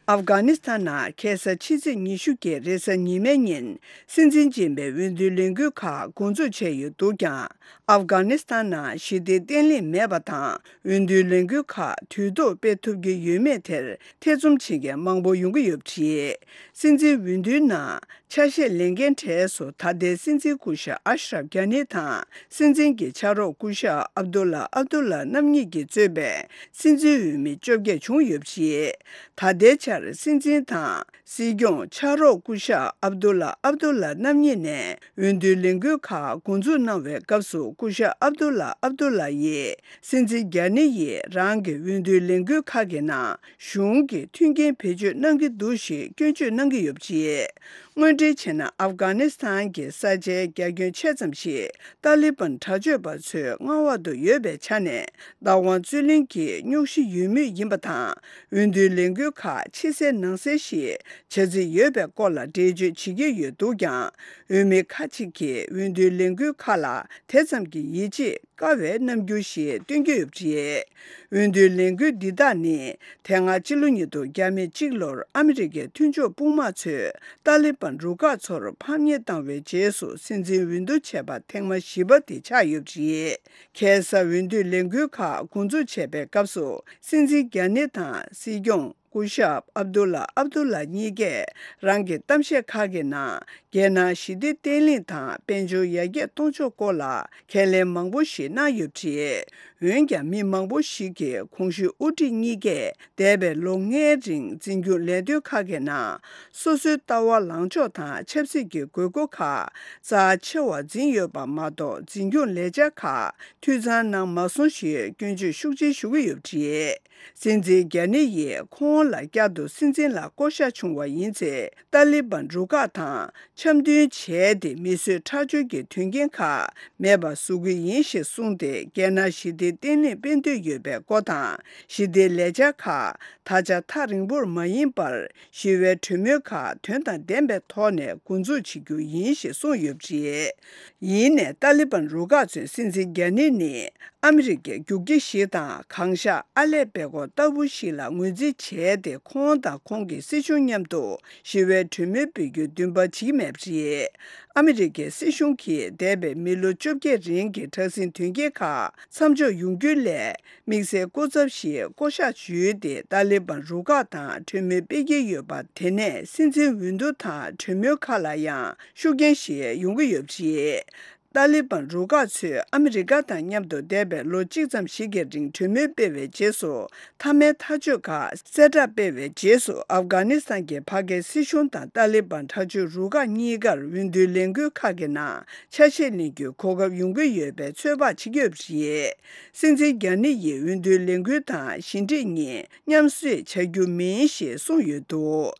ཨབ་གྷ་ནི་སི་ཐན་ནང་ཁ་སང་ཕྱི་ཚེས་ཉི་ཤུ་གི་རེས་གཟའ་ཉི་མའི་ཉིན་སྲིད་འཛིན་རྗེས་མའི་འོས་བསྡུའི་ལས་འགུལ་ཁག་འགོ་འཛུགས་བྱས་ཡོད་འདུག་ཀྱང་། ཨབ་གྷ་ནི་སི་ཐན་ནང་ཞི་བདེ་བརྟན་ལྷིང་མེད་པ་དང་། འོས་བསྡུའི་ལས་འགུལ་ཁག་དུས་ཐོག་སྤེལ་ཐུབ་ཀྱི་ཡོད་མེད་དེར་ཐེ་ཚོམ་བྱེད་མཁན་མང་པོ་ཡོང་གི་ཡོད་པ་རེད། སྲིད་འཛིན་འོས་བསྡུའི་ནང་ཆ་ཤས་ལེན་མཁན་གྲས་སུ་ད་ལྟའི་སྲིད་འཛིན་སྐུ་ཞབས་ཨ་ཤ་རབ་གྷ་ནི་དང་། སྲིད་འཛིན་གྱི་ཕྱག་རོགས་སྐུ་ཞབས་ཨབ་དུ་ལ་ཨབ་དུ་ལ་རྣམ་གཉིས་ཀྱིས་གཙོས་པའི་སྲིད་འཛིན་འོས་མི་བཅོ་བརྒྱད་བྱུང་ཡོད་པ་རེད། ད་ལྟའི་ཆར་སྲིད་འཛིན་དང་། སྲིད་སྐྱོང་ཕྱག་རོགས་སྐུ་ཞབས་ཨབ་དུ་ལ་ཨབ་དུ་ལ་རྣམ་གཉིས་ནས་འོས་བསྡུའི་ལས་འགུལ་ཁག་འགོ་འཛུགས་གནང་བའི་སྐབས་སུ། སྐུ་ཞབས་ཨབ་དུ་ལ་ཨབ་དུ་ལ་ཡིས་སྲིད་འཛིན་གྷ་ནི་ཡིས་རང་གི་འོས་བསྡུའི་ལས་འགུལ་ཁག་གི་ནང་གཞུང་གི་མཐུན་རྐྱེན་བེད་སྤྱོད་གནང་གི་འདུག་ཞེས་སྐྱོན་བརྗོད་གནང་གི་ཡོད་པ་རེད། དངོས་འབྲེལ་བྱས་ན། ཨབ་གྷ་ནི་སི་ཐན་གྱི་ས་ཆའི་རྒྱ་ཁྱོན་ཆེ་ཙམ་ཞིག་ཏཱ་ལི་བན་དྲག་སྤྱོད་པ་ཚོའི་མངའ་འོག་ཏུ་ཡོད་པའི་ཆ་ནས། བདག་དབང་རྩོད་ལེན་གྱི་རྙོག་གཞི་ཡོད་མུས་ཡིན་པ་དང་། འོས་བསྡུའི་ལས་འགུལ་ཁག་ཕྱི་གསལ་ནང་གསལ་ཞིག་བྱ་རྩིས་ཡོད་པའི་སྐོར་ལ་འགྲེལ་བརྗོད་བྱེད་ཀྱི་ཡོད་འདུག་ཀྱང་། འོས་མི་ཁག་ཅིག་གིས་འོས་བསྡུའི་ལས་འགུལ་ཁག་ལ་དེ་ཙམ་གྱི་ཡིད་ཆེས་དཀའ་བའི་རྣམ་འགྱུར་ཞིག་སྟོན་གྱི་ཡོད་པ་རེད། འོས་བསྡུའི་ལས་འགུལ་འདི་དག་ནི། དེ་སྔ་ཕྱི་ལོ་ཉིས་སྟོང་ཉེར་གཅིག་ལོར་ཨ་མི་རི་ཀའི་མཐུན་ཕྱོགས་དཔུང་དམག་ཚོས་ཏཱ་ལི་བན་རུ་ཁག་ཚོར་ཕམ་ཉེས་བཏང་བའི་རྗེས་སུ་སྲིད་འཛིན་འོས་བསྡུ་བྱས་པ་ཐེངས་མ་བཞི་པ་དེ་ཆགས་ཡོད་པ་རེད། ཁ་སང་འོས་བསྡུའི་ལས་འགུལ་ཁག་འགོ་འཛུགས་བྱས་པའི་སྐབས་སུ། སྲིད་འཛིན་གྷ་ནི་དང་སྲིད་སྐྱོང་སྐུ་ཞབས་ཨབ་དུ་ལ་ཨབ་དུ་ལ་གཉིས་ཀས་རང་གི་གཏམ་བཤད་ཁག་གི་ནང་། རྒྱལ་ནང་ཞི་བདེ་བརྟན་ལྷིང་དང་། དཔལ་འབྱོར་ཡར་རྒྱས་གཏོང་ཕྱོགས་སྐོར་ལ་ཁས་ལེན་མང་པོ་ཞིག་གནང་ཡོད་པ་རེད། འོན་ཀྱང་། མི་མང་པོ་ཞིག་གིས་གོང་ཞུས་དབུ་ཁྲིད་གཉིས་ཀས་འདས་པའི་ལོ་ལྔའི་རིང་འཛིན་སྐྱོང་ལས་དོན་ཁག་གི་ནང་། སོ་སོའི་ལྟ་བ་ལངས་ཕྱོགས་དང་ཆབ་སྲིད་ཀྱི་དགོས་མཁོ་ཁག་རྩ་ཆེ་བར་འཛིན་ཡོད་པ་མ་གཏོགས། འཛིན་སྐྱོང་ལས་འཆར་ཁག་འཐུས་ཚང་གནང་མ་སོང་ཞེས་སྐྱོན་བརྗོད་ཤུགས་ཆེ་ཞུ་གི་ཡོད་པ་རེད། སྲིད་འཛིན་གྷ་ནི་ཡིས་ཁོང་ལ་བསྐྱར་དུ་སྲིད་འཛིན་ལ་བསྐོ་གཞག་བྱུང་བ་ཡིན་ཚེ། ཏཱ་ལི་བན་རུ་ཁག་དང་འཆམ་མཐུན་བྱས་ཏེ། མི་གསོད་ཁྲག་སྦྱོར་གྱི་དོན་རྐྱེན་ཁག་མེད་པར་བཟོ་གི་ཡིན་ཞེས་གསུངས་ཏེ། རྒྱལ་ནང་ཞི་བདེ་བརྟན་ལྷིང་སྤེལ་འདོད་ཡོད་པའི་སྐོར་དང་། ཞི་བདེའི་ལས་འཆར་ཁག་ད་ཆ་ཐག་རིང་པོར་མ་ཡིན་པར། ཞི་བའི་གྲོས་མོལ་ཁག་དོན་དང་ལྡན་པའི་ཐོག་ནས་འགོ་འཛུགས་བྱེད་རྒྱུ་ཡིན་ཞེས་གསུངས་ཡོད་པ་རེད། ཡིན་ནའི། ཏཱ་ལི་བན་རུ་ཁག་ཚོའི་སྲིད་འཛིན་གྷ་ནི་ནི། ཨ་མི་རི་ཀའི་རྒྱུག་ཁྱི་ཞིག་དང་། གངས་ཤར་ཨ་ལེ་པེ་ཀོ་ལྟ་བུ་ཞིག་ལ་ངོས་འཛིན་བྱས་ཏེ། ཁོང་དང་ཁོང་གི་སྲིད་གཞུང་མཉམ་དུ་ཞི་བའི་གྲོས་མོལ་སྤེལ་རྒྱུའི་འདུན་པ་བྱེད་ཀྱི་མེད་པ་རེད། ཨ་མི་རི་ཀའི་སྲིད་གཞུང་གིས་འདས་པའི་མི་ལོ་བཅོ་བརྒྱད་རིང་གི་དྲག་ཟིང་དོན་རྐྱེན་ཁག་མཚམས་འཇོག་ཡོང་རྒྱུའི་སླད། དམིགས་བསལ་སྐུ་ཚབ་ཞིག་བསྐོ་གཞག་ཞུས་ཏེ། ཏཱ་ལི་བན་རུ་ཁག་དང་གྲོས་མོལ་སྤེལ་གྱི་ཡོད་པ། དེ་ནས་སྲིད་འཛིན་འོས་བསྡུ་དང་གྲོས་མོལ་ཁག་ལ་ཡང་ཤུགས་རྐྱེན་ཞིག་ཡོང་གི་ཡོད་པ་རེད། ཏཱ་ལི་བན་རུ་ཁག་ཚོས་ཨ་མི་རི་ཀ་དང་མཉམ་དུ་འདས་པའི་ལོ་གཅིག་ཙམ་ཞིག་གི་རིང་གྲོས་མོལ་སྤེལ་བའི་རྗེས་སུ། མཐའ་མའི་ཐག་གཅོད་ཁག་གསལ་བསྒྲགས་སྤེལ་བའི་རྗེས་སུ། ཨབ་གྷ་ནི་སི་ཐན་གྱི་ཕ་སྐད་སྲིད་གཞུང་དང་ཏཱ་ལི་བན་དྲག་སྤྱོད་རུ་ཁག་གཉིས་ཀར་འོས་བསྡུའི་ལས་འགུལ་ཁག་གི་ནང་ཆ་ཤས་ལེན་རྒྱུའི་གོ་སྐབས་ཡོང་གི་ཡོད་པའི་ཚོད་དཔག་བྱེད་ཀྱི་ཡོད་པ་རེད། སྲིད་འཛིན་རྒྱ་ནི་ཡིས་འོས་བསྡུའི་ལས་འགུལ་དང་ཞི་འགྲིག་གཉིས་མཉམ་བསྲེས་བྱ་རྒྱུ་མིན་ཞེས་གསུངས་ཡོད་འདུག་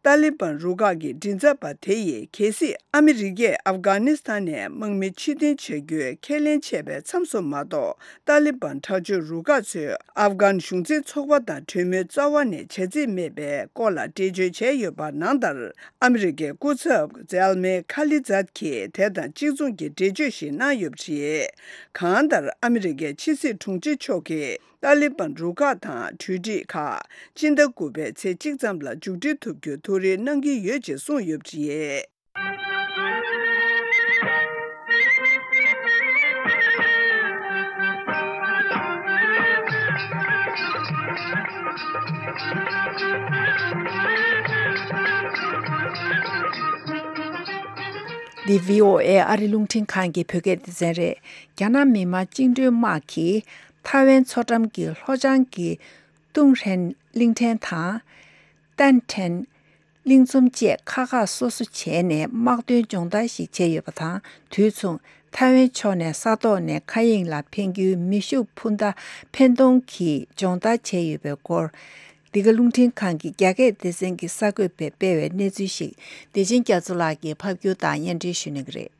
ཏཱ་ལི་བན་རུ་ཁག་གི་མགྲིན་ཚབ་པ་དེ་ཡིས། གལ་སྲིད་ཨ་མི་རི་ཀས་ཨབ་གྷ་ནི་སི་ཐན་ནས་དམག་མི་ཕྱིར་འཐེན་བྱ་རྒྱུའི་ཁས་ལེན་བྱས་པའི་མཚམས་སུ་མ་གཏོགས། ཏཱ་ལི་བན་དྲག་སྤྱོད་རུ་ཁག་ཚོས་ཨབ་གྷན་གཞུང་འཛིན་ཚོགས་པ་དང་གྲོས་མོལ་རྩ་བ་ནས་བྱ་རྩིས་མེད་པའི་སྐོར་ལ་འགྲེལ་བརྗོད་བྱས་ཡོད་པ། ནང་ལྟར། ཨ་མི་རི་ཀའི་སྐུ་ཚབ་ཛེལ་མེ་ཁ་ལི་ཛད་ཀྱིས་དེ་དང་གཅིག་མཚུངས་ཀྱི་འགྲེལ་བརྗོད་ཞིག་གནང་ཡོད་པ་རེད། གང་ལྟར། ཨ་མི་རི་ཀའི་ཕྱི་སྲིད་དྲུང་ཆེ་མཆོག་གིས། ཏཱ་ལི་བན་རུ་ཁག་དང་གྲོས་འགྲིག་ཁག་སྤྱི་ཟླ་དགུ་པའི་ཚེས་གཅིག་ཙམ་ལ་མཇུག་སྒྲིལ་ཐུབ་རྒྱུའི་ཐུགས་རེ་གནང་གི་ཡོད་ཅེས་གསུངས་ཡོད་པ་རེད། འདི་བྷི་ཨོ་ཨེ་ཨ་རི་རླུང་འཕྲིན་ཁང་གི་བོད་སྐད་སྡེ་ཚན་རེད། རྒྱ་ནག་མི་དམངས་བཅིངས་འགྲོལ་དམག་གིས་ཐའེ་ཝན་མཚོ་འགྲམ་གྱི་ལྷོ་བྱང་གི་ཏུང་ཧྲན་གླིང་ཕྲན་དང་། ཏན་ཁྲན་གླིང་ཚོམ་བཅས་ཁག་ཁག་སོ་སོ་བྱས་ནས་དམག་དོན་སྦྱོང་བརྡར་ཞིག་བྱས་ཡོད་པ་དང་། དུས་མཚུངས་ཐའེ་ཝན་ཕྱོགས་ནས་ས་ཐོག་ནས་མཁའ་དབྱིངས་ལ་འཕེན་རྒྱུའི་མེ་ཤུགས་འཕུར་མདའ་འཕེན་གཏོང་གི་སྦྱོང་བརྡར་བྱས་ཡོད་པའི་སྐོར། འདི་ག་རླུང་འཕྲིན་ཁང་གི་རྒྱ་སྐད་སྡེ་ཚན་གྱི་གསར་འགོད་པས་སྤེལ་བའི་གནས་ཚུལ་ཞིག་བདེ་ཆེན་རྒྱ་མཚོ་ལགས་ཀྱིས་ཕབ་སྒྱུར་དང་སྙན་སྒྲོན་ཞུ་གནང་གི་རེད།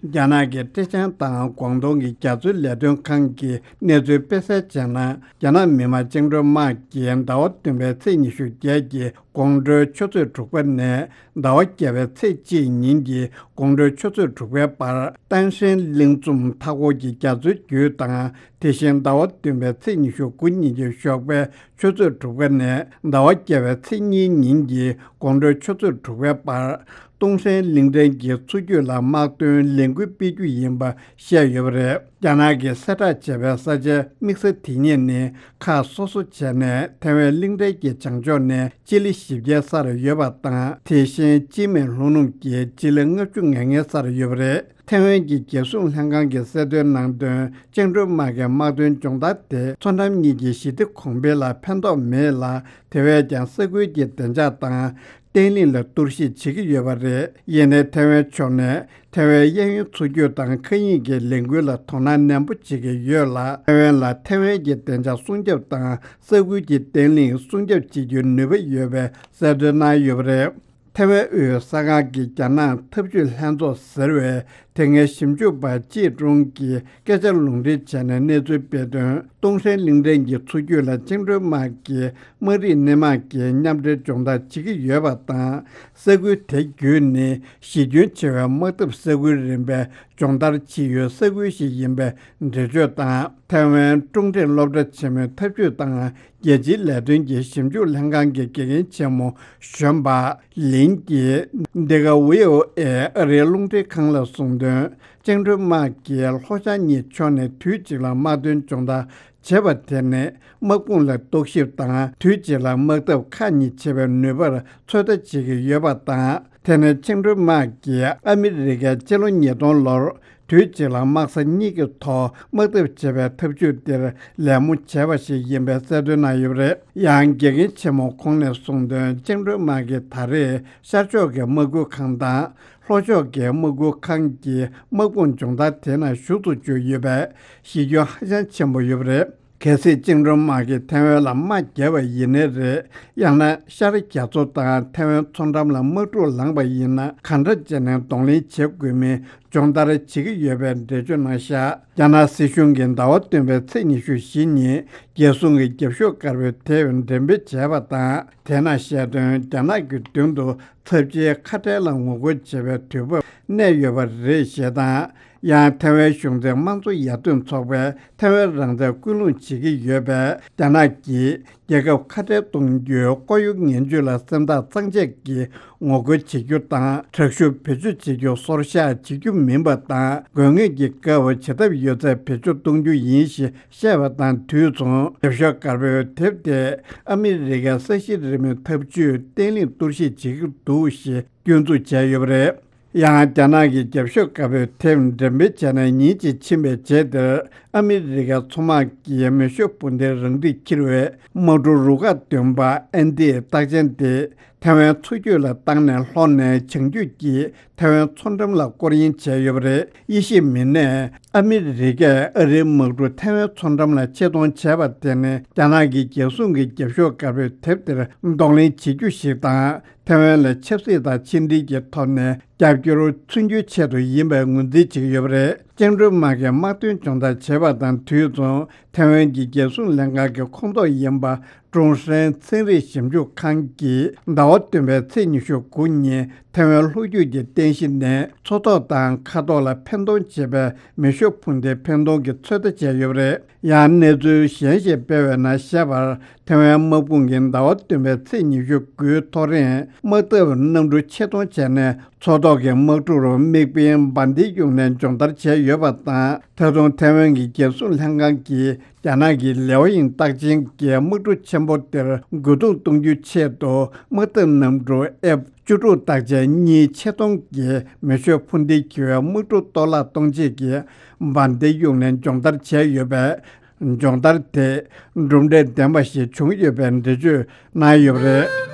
རྒྱ་ནག་གི་ཀྲེ་ཅང་དང་ཀོང་ཏུང་གི་རྒྱ་མཚོའི་ལས་དོན་ཁང་གིས་གནས་ཚུལ་སྤེལ་གསལ་བྱས་ན། རྒྱ་ནག་མི་དམངས་བཅིངས་འགྲོལ་དམག་གིས་ཟླ་བ་བདུན་པའི་ཚེས་ཉི་ཤུ་བརྒྱད་ཀྱི་དགོང་དྲོའི་ཆུ་ཚོད་དྲུག་པ་ནས་ཟླ་བ་བརྒྱད་པའི་ཚེས་གཅིག་ཉིན་གྱི་དགོང་དྲོའི་ཆུ་ཚོད་དྲུག་པའི་བར། ཏན་ཧྲན་གླིང་ཚོམ་མཐའ་འཁོར་གྱི་རྒྱ་མཚོའི་རྒྱུད་དང་། དེ་བཞིན་ཟླ་བ་བདུན་པའི་ཚེས་ཉི་ཤུ་དགུ་ཉིན་གྱི་ཞོགས་པའི་ཆུ་ཚོད་དྲུག་པ་ནས་ཟླ་བ་བརྒྱད་པའི་ཚེས་གཉིས་ཉིན་གྱི་དགོང་དྲོའི་ཆུ་ཚོད་དྲུག་པའི་བར། ཏུང་ཧྲན་གླིང་ཕྲན་གྱི་མཚོ་རྒྱུད་ལ་དམག་དོན་ལས་འགུལ་སྤེལ་རྒྱུ་ཡིན་པ་བཤད་ཡོད་པ་རེད། རྒྱ་ནག་གིས་གསལ་བསྒྲགས་བྱས་པའི་ས་ཆའི་དམིགས་ས་དེ་གཉིས་ནི་ཁག་སོ་སོ་བྱས་ནས་ཐའེ་ཝན་གླིང་ཕྲན་གྱི་བྱང་ཕྱོགས་ནས་སྤྱི་ལེ་བཞི་བརྒྱའི་སར་ཡོད་པ་དང་། དེ་བཞིན་སྤྱི་མིའི་ལྷོ་ནུབ་ཀྱི་སྤྱི་ལེ་ལྔ་བཅུ་ང་ལྔའི་སར་ཡོད་པ་རེད། ཐའེ་ཝན་གྱི་རྒྱལ་སྲུང་ལྷན་ཁང་གིས་གསལ་སྟོན་གནང་དོན། བཅིངས་འགྲོལ་དམག་གིས་དམག་དོན་སྦྱོང་བརྡར་དེ་མཚོ་འགྲམ་གཉིས་ཀྱི་ཞི་བདེ་གོང་འཕེལ་ལ་ཕན་ཐོགས་མེད་ལ། དེ་བས་ཀྱང་ས་ཁུལ་གྱི་བདེ་འཇགས་དང་བརྟན་ལྷིང་ལ་གཏོར་བཤིག་བྱེད་ཀྱི་ཡོད་པ་རེད། ཡིན་ནའི་ཐའེ་ཝན་ཕྱོགས་ནས་ཐའེ་ཝན་གཡས་གཡོན་མཚོ་རྒྱུད་དང་མཁའ་དབྱིངས་ཀྱི་ལས་འགུལ་ལ་དོ་སྣང་ནན་པོ་བྱེད་ཀྱི་ཡོད་ལ། ཐའེ་ཝན་ལ་ཐའེ་ཝན་གྱི་བདེ་འཇགས་སྲུང་སྐྱོབ་དང་ས་ཁུལ་གྱི་བརྟན་ལྷིང་སྲུང་སྐྱོབ་བྱེད་རྒྱུའི་ནུས་པ་ཡོད་པའི་གསལ་སྟོན་གནང་ཡོད་པ་རེད། ཐའེ་ཝན་དབུས་གསར་ཁང་གི་རྒྱ་ནག་འཐབ་ཇུས་ལྷན་ཚོགས་ཟེར་བའི་དེ་སྔའི་ཞིབ་འཇུག་པ་ཅི་ཀྲུང་གིས་སྐད་ཆ་ལུང་འདྲེན་བྱས་ནས་གནས་ཚུལ་སྤེལ་དོན། ཏུང་ཧྲན་གླིང་ཕྲན་གྱི་མཚོ་རྒྱུད་ལ་བཅིངས་འགྲོལ་དམག་གིས་དམག་རིགས་སྣེ་མང་གི་མཉམ་འབྲེལ་སྦྱོང་བརྡར་བྱེད་ཀྱི་ཡོད་པ་དང་། ས་ཁུལ་དེ་བརྒྱུད་ནས་གཞི་ཁྱོན་ཆེ་བའི་དམག་འཐབ་ས་ཁུལ་རིམ་པའི་སྦྱོང་བརྡར་བྱེད་ཡུལ་ས་ཁུལ་ཞིག་ཡིན་པའི་འགྲེལ་བརྗོད་དང་། ཐའེ་ཝན་ཀྲུང་ཀྲེང་སློབ་གྲྭ་ཆེན་མོའི་འཐབ་ཇུས་དང་རྒྱལ་སྤྱིའི་ལས་དོན་གྱི་ཞིབ་འཇུག་ལྷན་ཁང་གི་དགེ་རྒན་ཆེན་མོ་གཞོན་པ་ལིན་གྱིས་འདི་ག་བྷི་ཨོ་ཨེ་ཨ་རིའི་རླུང་འཕྲིན་ཁང་ལ་གསུངས་དོན། བཅིངས་འགྲོལ་དམག་གིས་ལྷོ་བྱང་གཉིས་ཕྱོགས་ནས་དུས་གཅིག་ལ་དམག་དོན་སྦྱོང་བརྡར་བྱེད་པ་དེ་ནི་དམག་དཔུང་ལ་རྟོག་ཞིབ་དང་། དུས་གཅིག་ལ་དམག་འཐབ་ཁག་གཉིས་བྱེད་པའི་ནུས་པར་ཚོད་ལྟ་བྱེད་ཀྱི་ཡོད་པ་དང་། དེ་ནི་བཅིངས་འགྲོལ་དམག་གིས་ཨ་མི་རི་ཀའི་སྤྱི་ལོ་ཉིས་སྟོང་ལོར་དུས་གཅིག་ལ་དམག་ས་གཉིས་ཀྱི་ཐོག་དམག་འཐབ་བྱེད་པའི་ཐབས་ཇུས་འདིར་ལད་མོ་བྱས་པ་ཞིག་ཡིན་པའི་གསལ་སྟོན་གནང་ཡོད་པ་རེད། ཡང་དགེ་རྒན་ཆེན་མོ་ཁོང་ནས་གསུངས་དོན། བཅིངས་འགྲོལ་དམག་གིས་ད་རེས་ཤར་ཕྱོགས་ཀྱི་དམག་ཁུལ་ཁང་དང་། ལྷོ་ཕྱོགས་ཀྱི་དམག་ཁུལ་ཁང་གི་དམག་དཔུང་སྦྱོང་བརྡར་དེ་ནང་ཞུགས་སུ་བཅུག་ཡོད་པས་གཞི་ཁྱོན་ཧ་ཅང་ཆེན་པོ་ཡོད་པ་རེད། གལ་སྲིད་བཅིངས་འགྲོལ་དམག་གིས་ཐའེ་ཝན་ལ་དམག་བརྒྱབ་པ་ཡིན་ནའི་རེད། ཡང་ན་ཤར་རྒྱ་མཚོ་དང་ཐའེ་ཝན་མཚོ་འགྲམ་ལ་དམག་འཁྲུག་ལངས་པ་ཡིན་ན། ག་འདྲ་བྱས་ནས་གདོང་ལེན་བྱེད་དགོས་མིན་སྦྱོང་བརྡར་བྱེད་ཀྱི་ཡོད་པའི་འགྲེལ་བརྗོད་གནང་བཞག་རྒྱ་ནག་སྲིད་གཞུང་གིས་ཟླ་བ་བདུན་པའི་ཚེས་ཉི་ཤུ་བཞི་ཉིན་རྒྱལ་སྲུང་གི་རྒྱབ་ཤོག་དཀར་པོའི་དེབ་འགྲེམས་སྤེལ་བྱས་པ་དང་། དེ་ནང་བཤད་དོན། རྒྱ་ནག་གི་མདུན་དུ་ཚབས་ཆེའི་ཁ་བྲལ་ལ་ངོ་རྒོལ་བྱེད་པའི་དུས་བབ་གནས་ཡོད་པ་རེད་ཞེས་དང་། ཡང་ཐའེ་ཝན་གཞུང་འཛིན་དམངས་གཙོ་ཡར་ཐོན་ཚོགས་པས་ཐའེ་ཝན་རང་བཙན་སྐུལ་སློང་བྱེད་ཀྱི་ཡོད་པས། རྒྱ་ནག་གིས་རྒྱལ་ཁབ་ཁ་བྲལ་གཏོང་རྒྱུའི་ཁོར་ཡུག་ངན་ཇུས་ལ་སེམས་ཐག་གཙང་བཅད་ཀྱིས་ངོ་རྒོལ་བྱེད་རྒྱུ་དང་། དྲག་ཤུགས་བེད་སྤྱོད་བྱེད་རྒྱུ་སོར་བཞག་བྱེད་རྒྱུ་མིན་པ་དང་། དགོས་ངེས་ཀྱི་སྐབས་བྱེད་ཐབས་ཡོད་ཚད་བེད་སྤྱོད་གཏོང་རྒྱུ་ཡིན་ཞེས་བཤད་པ་དང་དུས་མཚུངས། རྒྱབ་ཤོག་དཀར་པོའི་དེབ་དེས་ཨ་མི་རི་ཀའི་ས་གཞི་རིམ་མེའི་འཐབ་ཇུས་བརྟན་ལྷིང་གཏོར་བཤིག་བྱེད་ཀྱི་འདུག་ཞེས་སྐྱོན་འཛུགས་བྱས་ཡོད་པ་རེད། ཡང་རྒྱ་ནག་གི་རྒྱབ་ཤོག་དཀར་པོའི་དེབ་འགྲེམས་སྤེལ་བྱས་ནས་ཉིན་གཅིག་ཕྱིན་པའི་རྗེས་དེར། ཨ་མི་རི་ཀའི་མཚོ་དམག་གིས་མེ་ཤུགས་འཕུར་མདེལ་རང་འགྲིག་འཁྱེར་བའི་དམག་གྲུ་རུ་ཁག་བདུན་པ་ཨན་ཏི་རྟགས་ཅན་དེ་ཐའེ་ཝན་མཚོ་རྒྱུད་ལ་བཏང་ནས་ལྷོ་ནས་བྱང་རྒྱུད་ཀྱི་ཐའེ་ཝན་མཚོ་འགྲམ་ལ་སྐོར་གཡེང་བྱས་ཡོད་པ་རེད། དབྱེ་ཞིབ་མི་སྣས་ཨ་མི་རི་ཀས་ཨ་རིའི་དམག་གྲུ་ཐའེ་ཝན་མཚོ་འགྲམ་ལ་ཆེད་གཏོང་བྱས་པ་དེ་ནི། རྒྱ་ནག་གི་རྒྱལ་སྲུང་གི་རྒྱབ་ཤོག་དཀར་པོའི་དེབ་དེར་གདོང་ལེན་བྱེད་རྒྱུ་ཞིག་དང་། ཐའེ་ཝན་ལ་ཆབ་སྲིད་དང་ཕྱི་འབྲེལ་གྱི་ཐོག་ནས་རྒྱབ་སྐྱོར་མཚོན་རྒྱུའི་ཆེད་དུ་ཡིན་པའི་ངོས་འཛིན་བྱེད་ཀྱི་ཡོད་པ་རེད། བཅིངས་འགྲོལ་དམག་གིས་དམག་དོན་སྦྱོང་བརྡར་བྱས་པ་དང་དུས་མཚུངས། ཐའེ་ཝན་གྱི་རྒྱལ་སྲུང་ལྷན་ཁང་གི་ཁོངས་གཏོགས་ཡིན་པ། ཀྲུང་ཧྲན་ཚན་རིག་ཞིབ་འཇུག་ཁང་གིས་ཟླ་བ་བདུན་པའི་ཚེས་ཉི་ཤུ་དགུ་ཉིན་ཐའེ་ཝན་ལྷོ་རྒྱུད་ཀྱི་རྟེན་གཞི་ནས་མཚོ་ཐོག་དང་མཁའ་ཐོག་ལ་འཕེན་གཏོང་བྱེད་པའི་མེ་ཤུགས་འཕུར་མདེལ་འཕེན་གཏོང་གི་ཚོད་ལྟ་བྱས་ཡོད་པ་རེད། ཡང་གནས་ཚུལ་གཞན་ཞིག་སྤེལ་བའི་ནང་བཤད་པར། ཐའེ་ཝན་དམག་དཔུང་གིས་ཟླ་བ་བདུན་པའི་ཚེས་ཉི་ཤུ་དགུའི་ཐོ་རེངས་དམག་འཐབ་གནམ་གྲུ་ཆེད་གཏོང་བྱས་ནས། མཚོ་ཐོག་གི་དམག་གྲུ་རུ་དམིགས་འབེན་འབར་མདེལ་གཡུགས་ནས་སྦྱོང་བརྡར་བྱས་ཡོད་པ་དང་། ད་དུང་ཐའེ་ཝན་གྱི་རྒྱལ་སྲུང་ལྷན་ཁང་གིས་རྒྱ་ནག་གི་ལེའོ་ཡིང་རྟགས་ཅན་གྱི་དམག་གྲུ་ཆེན་པོ་དེར་རྒོལ་རྡུང་གཏོང་རྒྱུའི་ཆེད་དུ། དམག་འཐབ་གནམ་གྲུ་ཨེཕ་བཅུ་དྲུག་རྟགས་ཅན་གཉིས་ཆེད་གཏོང་གི་མེ་ཤུགས་འཕུར་མདེལ་འཁྱེར་བའི་དམག་གྲུ་གཏོར་བརླག་གཏོང་ཆེད་ཀྱི་འབར་མདེལ་གཡུགས་ནས་སྦྱོང་བརྡར་བྱས་ཡོད་པས། སྦྱོང་བརྡར་དེས་གྲུབ་འབྲས་ལྡན་པ་ཞིག་བྱུང་ཡོད་པའི་འགྲེལ་བརྗོད་གནང་ཡོད་པ་རེད།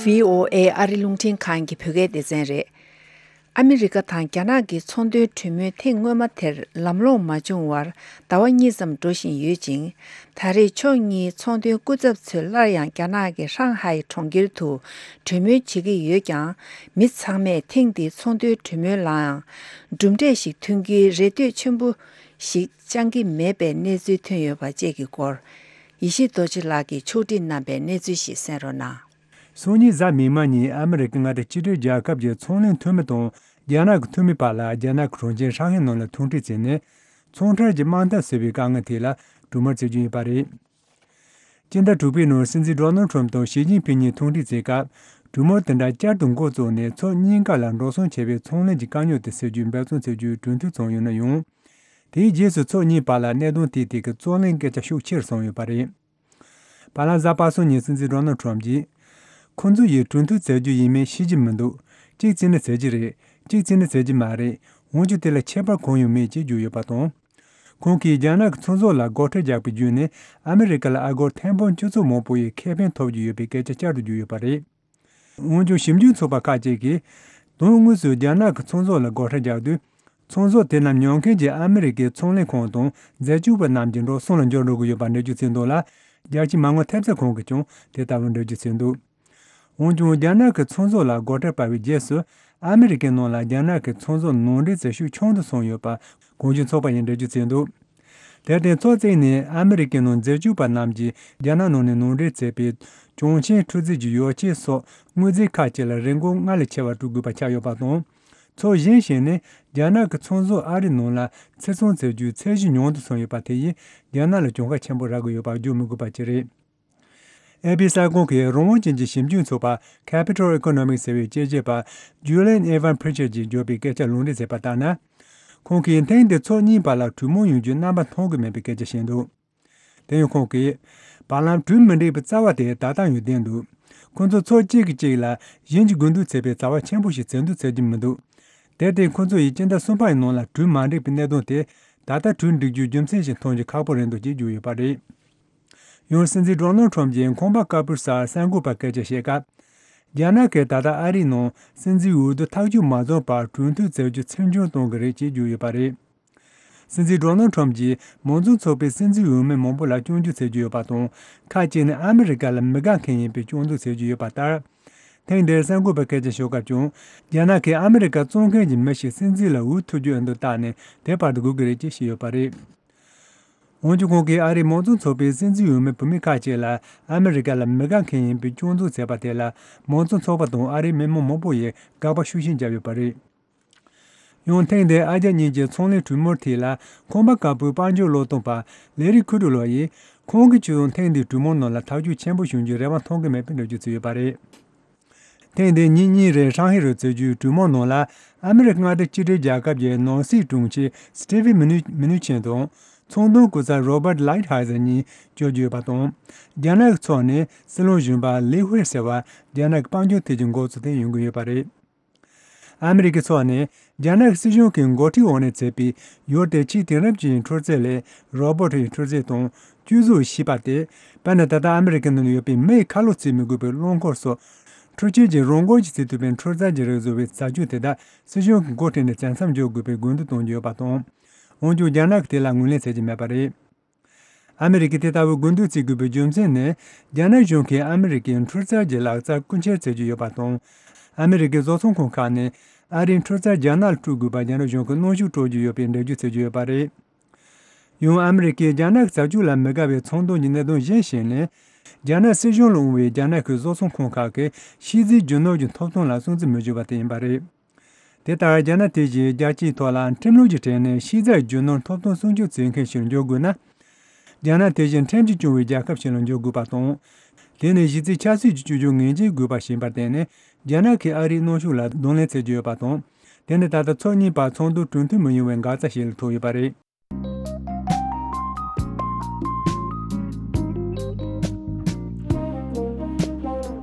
བྷི་ཨོ་ཨེ་ཨ་རི་རླུང་འཕྲིན་ཁང་གི་བོད་སྐད་སྡེ་ཚན་རེད། ཨ་མི་རི་ཀ་དང་རྒྱ་ནག་གི་ཚོང་དོན་གྲོས་མོལ་ཐེངས་སྔོན་མ་དེར་ལམ་ལྷོང་མ་བྱུང་བར་ཟླ་བ་གཉིས་ཙམ་འགྲོ་བཞིན་ཡོད་ཅིང་། ད་རེས་ཕྱོགས་གཉིས་ཚོང་དོན་སྐུ་ཚབ་ཚོས་སླར་ཡང་རྒྱ་ནག་གི་ཧྲང་ཧའེ་གྲོང་ཁྱེར་དུ་གྲོས་མོལ་བྱེད་ཀྱི་ཡོད་ཀྱང་། མི་ཚང་མས་ཐེངས་འདིའི་ཚོང་དོན་གྲོས་མོལ་ལའང་གྲུབ་འབྲས་ཤིག་ཐོན་རྒྱུའི་རེ་ལྟོས་ཆེན་པོ་ཞིག་བཅང་གི་མེད་པའི་གནས་ཚུལ་ཐོན་ཡོད་པ་བཅས་ཀྱི་སྐོར། ཡེ་ཤེས་རྡོ་རྗེ་ལགས་ཀྱིས་ཕྱོགས་སྒྲིག་གནང་པའི་གནས་ཚུལ་ཞིག་གསན་རོགས་གནང་། སང་ཉིན་གཟའ་མིག་དམར་ཉིན་ཨ་མི་རི་ཀའི་མངའ་སྡེ་གཅིག་སྒྲིལ་རྒྱལ་ཁབ་ཀྱི་ཚོང་ལས་འཐུས་མི་དང་རྒྱ་ནག་གི་འཐུས་མི་བར་ལ་རྒྱ་ནག་གི་གྲོང་ཁྱེར་ཧྲང་ཧའེ་ནང་ལ་ཐུག་འཕྲད་བྱས་ནས། ཚོང་ཁྲལ་གྱི་དམག་འཐབ་ཟེར་བའི་དཀའ་ངལ་ཐད་ལ་གྲོས་མོལ་བྱེད་རྒྱུ་ཡིན་པ་རེད། སྤྱི་ཟླ་དྲུག་པའི་ནང་སྲིད་འཛིན་ཌོ་ནལ་ཁྲོམ་དང་ཞི་ཅིན་ཕིང་གཉིས་ཐུག་འཕྲད་བྱེད་སྐབས། གྲོས་མོལ་དེ་འདྲ་བསྐྱར་དུ་འགོ་བཙུགས་ནས་ཕྱོགས་གཉིས་ཀ་ལ་འགྲོ་སོང་ཆེ་བའི་ཚོང་ལས་ཀྱི་དཀའ་རྙོག་དེ་སེལ་རྒྱུའི་འབད་བརྩོན་བྱེད་རྒྱུའི་གྲོས་མཐུན་བྱུང་ཡོད་ན་ཡང་། དེའི་རྗེས་སུ་ཕྱོགས་གཉིས་བར་ལ་གནད་དོན་དེའི་ཐད་ཀྱི་རྩོད་གླེང་སྐད་ཆ་ཤུགས་ཆེར་སོང་ཡོད་པ་རེད། བར་ལམ་གཟའ་པ་སངས་ཉིན་སྲིད་འཛིན་ཌོ་ནལ་ཁྲོམ་གྱིས། ཁོང་ཚོ་ཡིས་གྲོས་མཐུན་བྱེད་རྒྱུ་ཡིན་མིན་ཤེས་ཀྱི་མི་འདུག་གཅིག་བྱས་ན་བྱེད་ཀྱི་རེད། གཅིག་བྱས་ན་བྱེད་ཀྱི་མ་རེད། འོན་ཀྱང་དེ་ལ་ཁྱད་པར་གང་ཡང་མེད་ཅེས་བརྗོད་ཡོད་པ་དང་། ཁོང་གིས་རྒྱ་ནག་གི་ཚོང་ཟོག་ལ་སྒོ་ཁྲལ་རྒྱག་པ་བརྒྱུད་ནས་ཨ་མི་རི་ཀ་ལ་ཨ་སྒོར་ཐེར་འབུམ་བཅུ་ཚོགས་མང་པོ་ཡི་ཁེ་ཕན་ཐོབ་ཀྱི་ཡོད་པའི་སྐད་ཆ་བསྐྱར་དུ་བརྗོད་ཡོད་པ་རེད། འོན་ཀྱང་ཞིབ་འཇུག་ཚོགས་པ་ཁག་ཅིག་གིས། དོན་དངོས་སུ་རྒྱ་ནག་གི་ཚོང་ཟོག་ལ་སྒོ་ཁྲལ་རྒྱག་དུས། ཚོང་ཟོག་དེ་རྣམས་ཉོ་མཁན་གྱི་ཨ་མི་རི་ཀའི་ཚོང་ལས་ཁང་དང་འཛད་སྤྱོད་པ་རྣམས་ཀྱི་འགྲོ་སོང་ལ་འགྱུར་འགྲོ་གི་ཡོད་པ་འགྲེལ་བརྗོད་བྱས་འདུག་ལ། རྒྱལ་སྤྱིའི་མ་དངུལ་ཐེབས་རྩ་ཁང་གིས་ཀྱང་དེ་ལྟ་བུ་འགྲེལ་བརྗོད་བྱས་འདུག་འོན་ཀྱང་རྒྱ་ནག་གི་ཚོང་ཟོག་ལ་སྒོ་ཁྲལ་སྤར་བའི་རྗེས་སུ། ཨ་མི་རི་ཀའི་ནང་ལ་རྒྱ་ནག་གི་ཚོང་ཟོག་ནང་འདྲེན་བྱེད་ཤུགས་ཆུང་དུ་སོང་ཡོད་པ། གོང་ཞུས་ཚོགས་པ་ཡིས་འགྲེལ་བརྗོད་བྱས་འདུག་དེར་བརྟེན་ཚོགས་གཙོས་ནས་ཨ་མི་རི་ཀའི་ནང་འཛད་སྤྱོད་པ་རྣམས་ཀྱིས་རྒྱ་ནག་ནང་ནས་ནང་འདྲེན་བྱས་པའི་གྱོང་ཆེན་འཁྲུག་རྩོད་ཀྱི་ཡོ་བྱད་སོགས་དངོས་རྫས་ཁག་ཅིག་ལ་རིན་གོང་སྔར་ལས་ཆེ་བ་སྤྲོད་དགོས་པ་ཆགས་ཡོད་པ་དང་། ཚོགས་གཞན་ཞིག་ནས་རྒྱ་ནག་གི་ཚོང་ཟོག་ཨ་རིའི་ནང་ལ་ཕྱིར་ཚོང་བྱེད་རྒྱུའི་ཚད་གཞི་ཉུང་དུ་སོང་ཡོད་པ་དེ་ཡིས་རྒྱ་ནག་ལ་གྱོང་ཁ་ཆེན་པོ་རག་གི་ཡོད་པ་བརྗོད་མི་དགོས་པ་ཅིག་རེད། ཨེ་པི་གསར་ཁང་གིས་རང་དབང་ཅན་གྱི་ཞིབ་འཇུག་ཚོགས་པ་Capital Economics ཟེར་བའི་དཔྱད་ཞིབ་པ་Julian Evan Pritchard ཀྱིས་བརྗོད་པའི་སྐད་ཆ་ལུང་འདྲེན་བྱས་པ་ལྟར་ན། ཁོང་གིས་ཐེངས་འདིར་ཚོགས་གཉིས་བར་ལ་གྲོས་མོལ་ཡོང་རྒྱུའི་རྣམ་པ་མཐོང་གི་མེད་པའི་སྐད་ཆ་བཤད་འདུག་དེ་ཡང་ཁོང་གིས། བར་ལམ་གྲོས་མི་འགྲིག་པའི་རྩ་བ་དེ་ད་ལྟ་ཡང་བསྡད་འདུག་ཁོང་ཚོ་ཕྱོགས་གཅིག་གིས་གཅིག་ལ་གཞན་གྱི་དགོས་འདུན་བྱེད་པའི་བྱ་བ་ཆེན་པོ་ཞིག་བྱེད་འདོད་བྱེད་ཀྱི་མི་འདུག་དེར་བརྟེན་ཁོང་ཚོ་ཡིས་སྤྱི་ཟླ་གསུམ་པའི་ནང་ལ་གྲོས་མ་འགྲིག་པའི་གནད་དོན་དེ་ད་ལྟ་གྲོས་འགྲིག་རྒྱུའི་རྒྱུ་མཚན་ཞིག་མཐོང་རྒྱུ་ཁག་པོ་རེད་འདུག་ཅེས་བརྗོད་ཡོད་པ་རེད། ཡང་སྲིད་འཛིན་ཌོ་ནལ་ཁྲོམ་གྱིས་ཁང་པ་དཀར་པོའི་སར་གསར་འགོད་པར་སྐད་ཆ་བཤད་སྐབས། རྒྱ་ནག་གིས་ད་ལྟ་ཨ་རིའི་ནང་སྲིད་འཛིན་འོས་བསྡུ་ཐག་གཅོད་མ་བྱུང་བར་གྲོས་མཐུན་བྱེད་རྒྱུ་ཚུར་འགྱངས་གཏོང་གི་རེད་ཅེས་བརྗོད་ཡོད་པ་རེད། སྲིད་འཛིན་ཌོ་ནལ་ཁྲོམ་གྱིས་མང་གཙོ་ཚོགས་པའི་སྲིད་འཛིན་འོས་མི་མང་པོ་ལ་སྐྱོན་བརྗོད་བྱེད་ཀྱི་ཡོད་པ་དང་། ཁག་ཅིག་ནི་ཨ་མི་རི་ཀ་ལ་མི་དགའ་མཁན་ཡིན་པའི་སྐྱོན་འཛུགས་བྱེད་ཀྱི་ཡོད་པ་ལྟར། ཐེངས་འདིར་གསར་འགོད་པས་སྐད་ཆ་ཤོད་སྐབས་ཀྱང་། རྒྱ་ནག་གིས་ཨ་མི་རི་ཀ་བཙོང་མཁན་གྱི་མི་ཞིག་སྲིད་འཛིན་ལ་འོས་ཐོབ་རྒྱུ་ཨེ་འདུག་བལྟས་ནས་དེ་བར་དུ་སྒུག་གི་རེད་ཅེས་བཤད་ཡོད་པ་རེད། འོན་ཀྱང་ཁོང་གིས་ཨ་རིའི་མང་གཙོ་ཚོགས་པའི་སྲིད་འཛིན་འོས་མི་བུད་མེད་ཁག་ཅིག་ལ་ཨ་མི་རི་ཀ་ལ་མི་དགའ་མཁན་ཡིན་པའི་སྐྱོན་འཛུགས་བྱས་པ་དེ་ལ་མང་གཙོ་ཚོགས་པ་དང་ཨ་རིའི་མི་མང་མང་པོ་ཡིས་དགག་པ་ཤུགས་ཆེན་བརྒྱབ་ཡོད་པ་རེད། ཡང་ཐེངས་འདིའི་ཨ་རྒྱ་གཉིས་ཀྱི་ཚོང་ལས་གྲོས་མོལ་ཐད་ལ་ཁང་པ་དཀར་པོའི་དཔལ་འབྱོར་བློས་གཏོང་པ་ལེ་རི་ཁུ་ཏྲོ་ལགས་ཡིས་ཁོང་གིས་ཁྱོད་ཚོ་ཐེངས་འདིའི་གྲོས་མོལ་ནང་ལ་ཐག་གཅོད་ཆེན་པོ་བྱུང་རྒྱུའི་རེ་བ་མཐོང་གི་མེད་པའི་འགྲེལ་བརྗོད་བྱས་ཡོད་པ་རེད། ཐེངས་འདིའི་ཉིན་གཉིས་རིང་ཧྲང་ཧེ་རུ་བྱེད་རྒྱུའི་གྲོས་མོལ་ནང་ལ་ཨ་མི་རི་ཀ་མངའ་སྡེ་གཅིག་སྒྲིལ་རྒྱལ་ཁབ་ཀྱི་ནང་སྲིད་དྲུང་ཆེ་སི་ཏི་ཝི་མི་ནུ་མི་ནུ་ཆིན་དང་ཚོང་དོན་སྐུ་ཚབ་རོ་བར་ལའིད་ཧའེ་ཟེར་གཉིས་བསྐྱོད་རྒྱུ་ཡོད་པ་དང་། རྒྱ་ནག་གི་ཕྱོགས་ནས་སྲིད་བློན་གཞོན་པ་ལི་ཧུའེ་ཟེར་བ་རྒྱ་ནག་གི་དཔལ་འབྱོར་ཐད་ཀྱི་འགོ་གཙོ་དེ་ཡོང་གི་ཡོད་པ་རེད། ཨ་མི་རི་ཀའི་ཕྱོགས་ནས་རྒྱ་ནག་སྲིད་གཞུང་གི་འགོ་ཁྲིད་འོག་ནས་མཛད་པའི་ཡུལ་དེ་ཆེས་དེང་རབས་ཅན་གྱི་འཕྲུལ་རྩལ་ལས་རོ་བོ་ཊི་ཡི་འཕྲུལ་རྩལ་དང་སྤྱོད་བཟོ་ཞེས་པ་སྟེ། དཔེར་ན་ད་ལྟ་ཨ་མི་རི་ཀའི་ནང་ཡོད་པའི་མི་ཡི་ཁ་ལོ་བརྩེགས་མི་དགོས་པའི་རླངས་འཁོར་སོགས་འཕྲུལ་ཆས་ཀྱི་རང་འགུལ་གྱིས་བརྩེགས་ཐུབ་པའི་འཕྲུལ་རྩལ་གྱི་རིགས་བཟོ་བའི་བྱ་སྤྱོད་དེ་དག་སྲིད་གཞུང་གི་འགོ་ཁྲིད་ནས་བྱས་མཚམས་འཇོག་དགོས་པའི་དགོས་འདུན་བཏོན་གྱི་ཡོད་པ་དང་། འོན་ཀྱང་རྒྱ་ནག་གིས་དེ་ལ་ངོས་ལེན་བྱེད་ཀྱི་མེད་པ་རེད། ཨ་མི་རི་ཀས་དེ་ལྟ་བུའི་དགོས་འདུན་བརྩི་དགོས་པའི་རྒྱུ་མཚན་ནི། རྒྱ་ནག་གཞུང་གིས་ཨ་མི་རི་ཀའི་འཕྲུལ་རྩལ་གྱི་ལག་རྩལ་རྐུ་འཁྱེར་བྱེད་ཀྱི་ཡོད་པ་དང་། ཨ་མི་རི་ཀའི་བཟོ་ཚོང་ཁང་ཁག་ནས་ཨ་རིའི་འཕྲུལ་རྩལ་རྒྱ་ནག་ལ་སྤྲོད་དགོས་པར་རྒྱ་ནག་གཞུང་གིས་གནོན་ཤུགས་སྤྲོད་ཀྱི་ཡོད་པའི་འགྲེལ་བརྗོད་བྱེད་ཀྱི་ཡོད་པ་རེད། ཡང་ཨ་མི་རི་ཀས་རྒྱ་ནག་གི་བྱ་སྤྱོད་ལ་མི་དགའ་བའི་ཚོང་དོན་གྱི་གནད་དོན་གཞིར་བཞག་ནས། རྒྱ་ནག་སྲིད་གཞུང་ལ་དབང་བའི་རྒྱ་ནག་གི་བཟོ་ཚོང་ཁང་ཁག་གིས་ཕྱི་རྫས་རྒྱུ་ནོར་གྱི་ཐོབ་ཐང་ལ་སྲུང་བརྩི་མི་བྱེད་པ་དེ་ཡིན་པ་རེད། དེ་ལྟར་རྒྱ་ནག་དེ་བཞིན་རྒྱལ་སྤྱིའི་ཐོག་ལ་ཁྲིམས་ལུགས་ཀྱི་གྲས་ནས་ཕྱི་རྫས་རྒྱུ་ནོར་ཐོབ་ཐང་སྲུང་སྐྱོབ་བྱེད་མཁན་ཞིག་འགྱུར་དགོས་ན། རྒྱ་ནག་དེ་བཞིན་ཁྲིམས་ཀྱིས་སྐྱོང་བའི་རྒྱལ་ཁབ་ཞིག་ལ་འགྱུར་དགོས་པ་དང་། དེ་ནི་གཞི་རྩའི་ཆབ་སྲིད་ཀྱི་སྤྱོད་ཕྱོགས་ངོས་འཛིན་དགོས་པ་ཞིག་ཡིན་པར་བརྟེན་ནས། རྒྱ་ནག་གིས་ཨ་རིའི་གནོན་ཤུགས་ལ་གདོང་ལེན་བྱེད་ཀྱི་ཡོད་པ་དང་། དེ་ནི་ད་ལྟ་ཕྱོགས་གཉིས་བར་ཚོགས་འདུ་གྲོས་མཐུན་མི་ཡོང་བའི་འགག་རྩ་ཞིག་ལ་ཐུག་ཡོད་པ་རེད།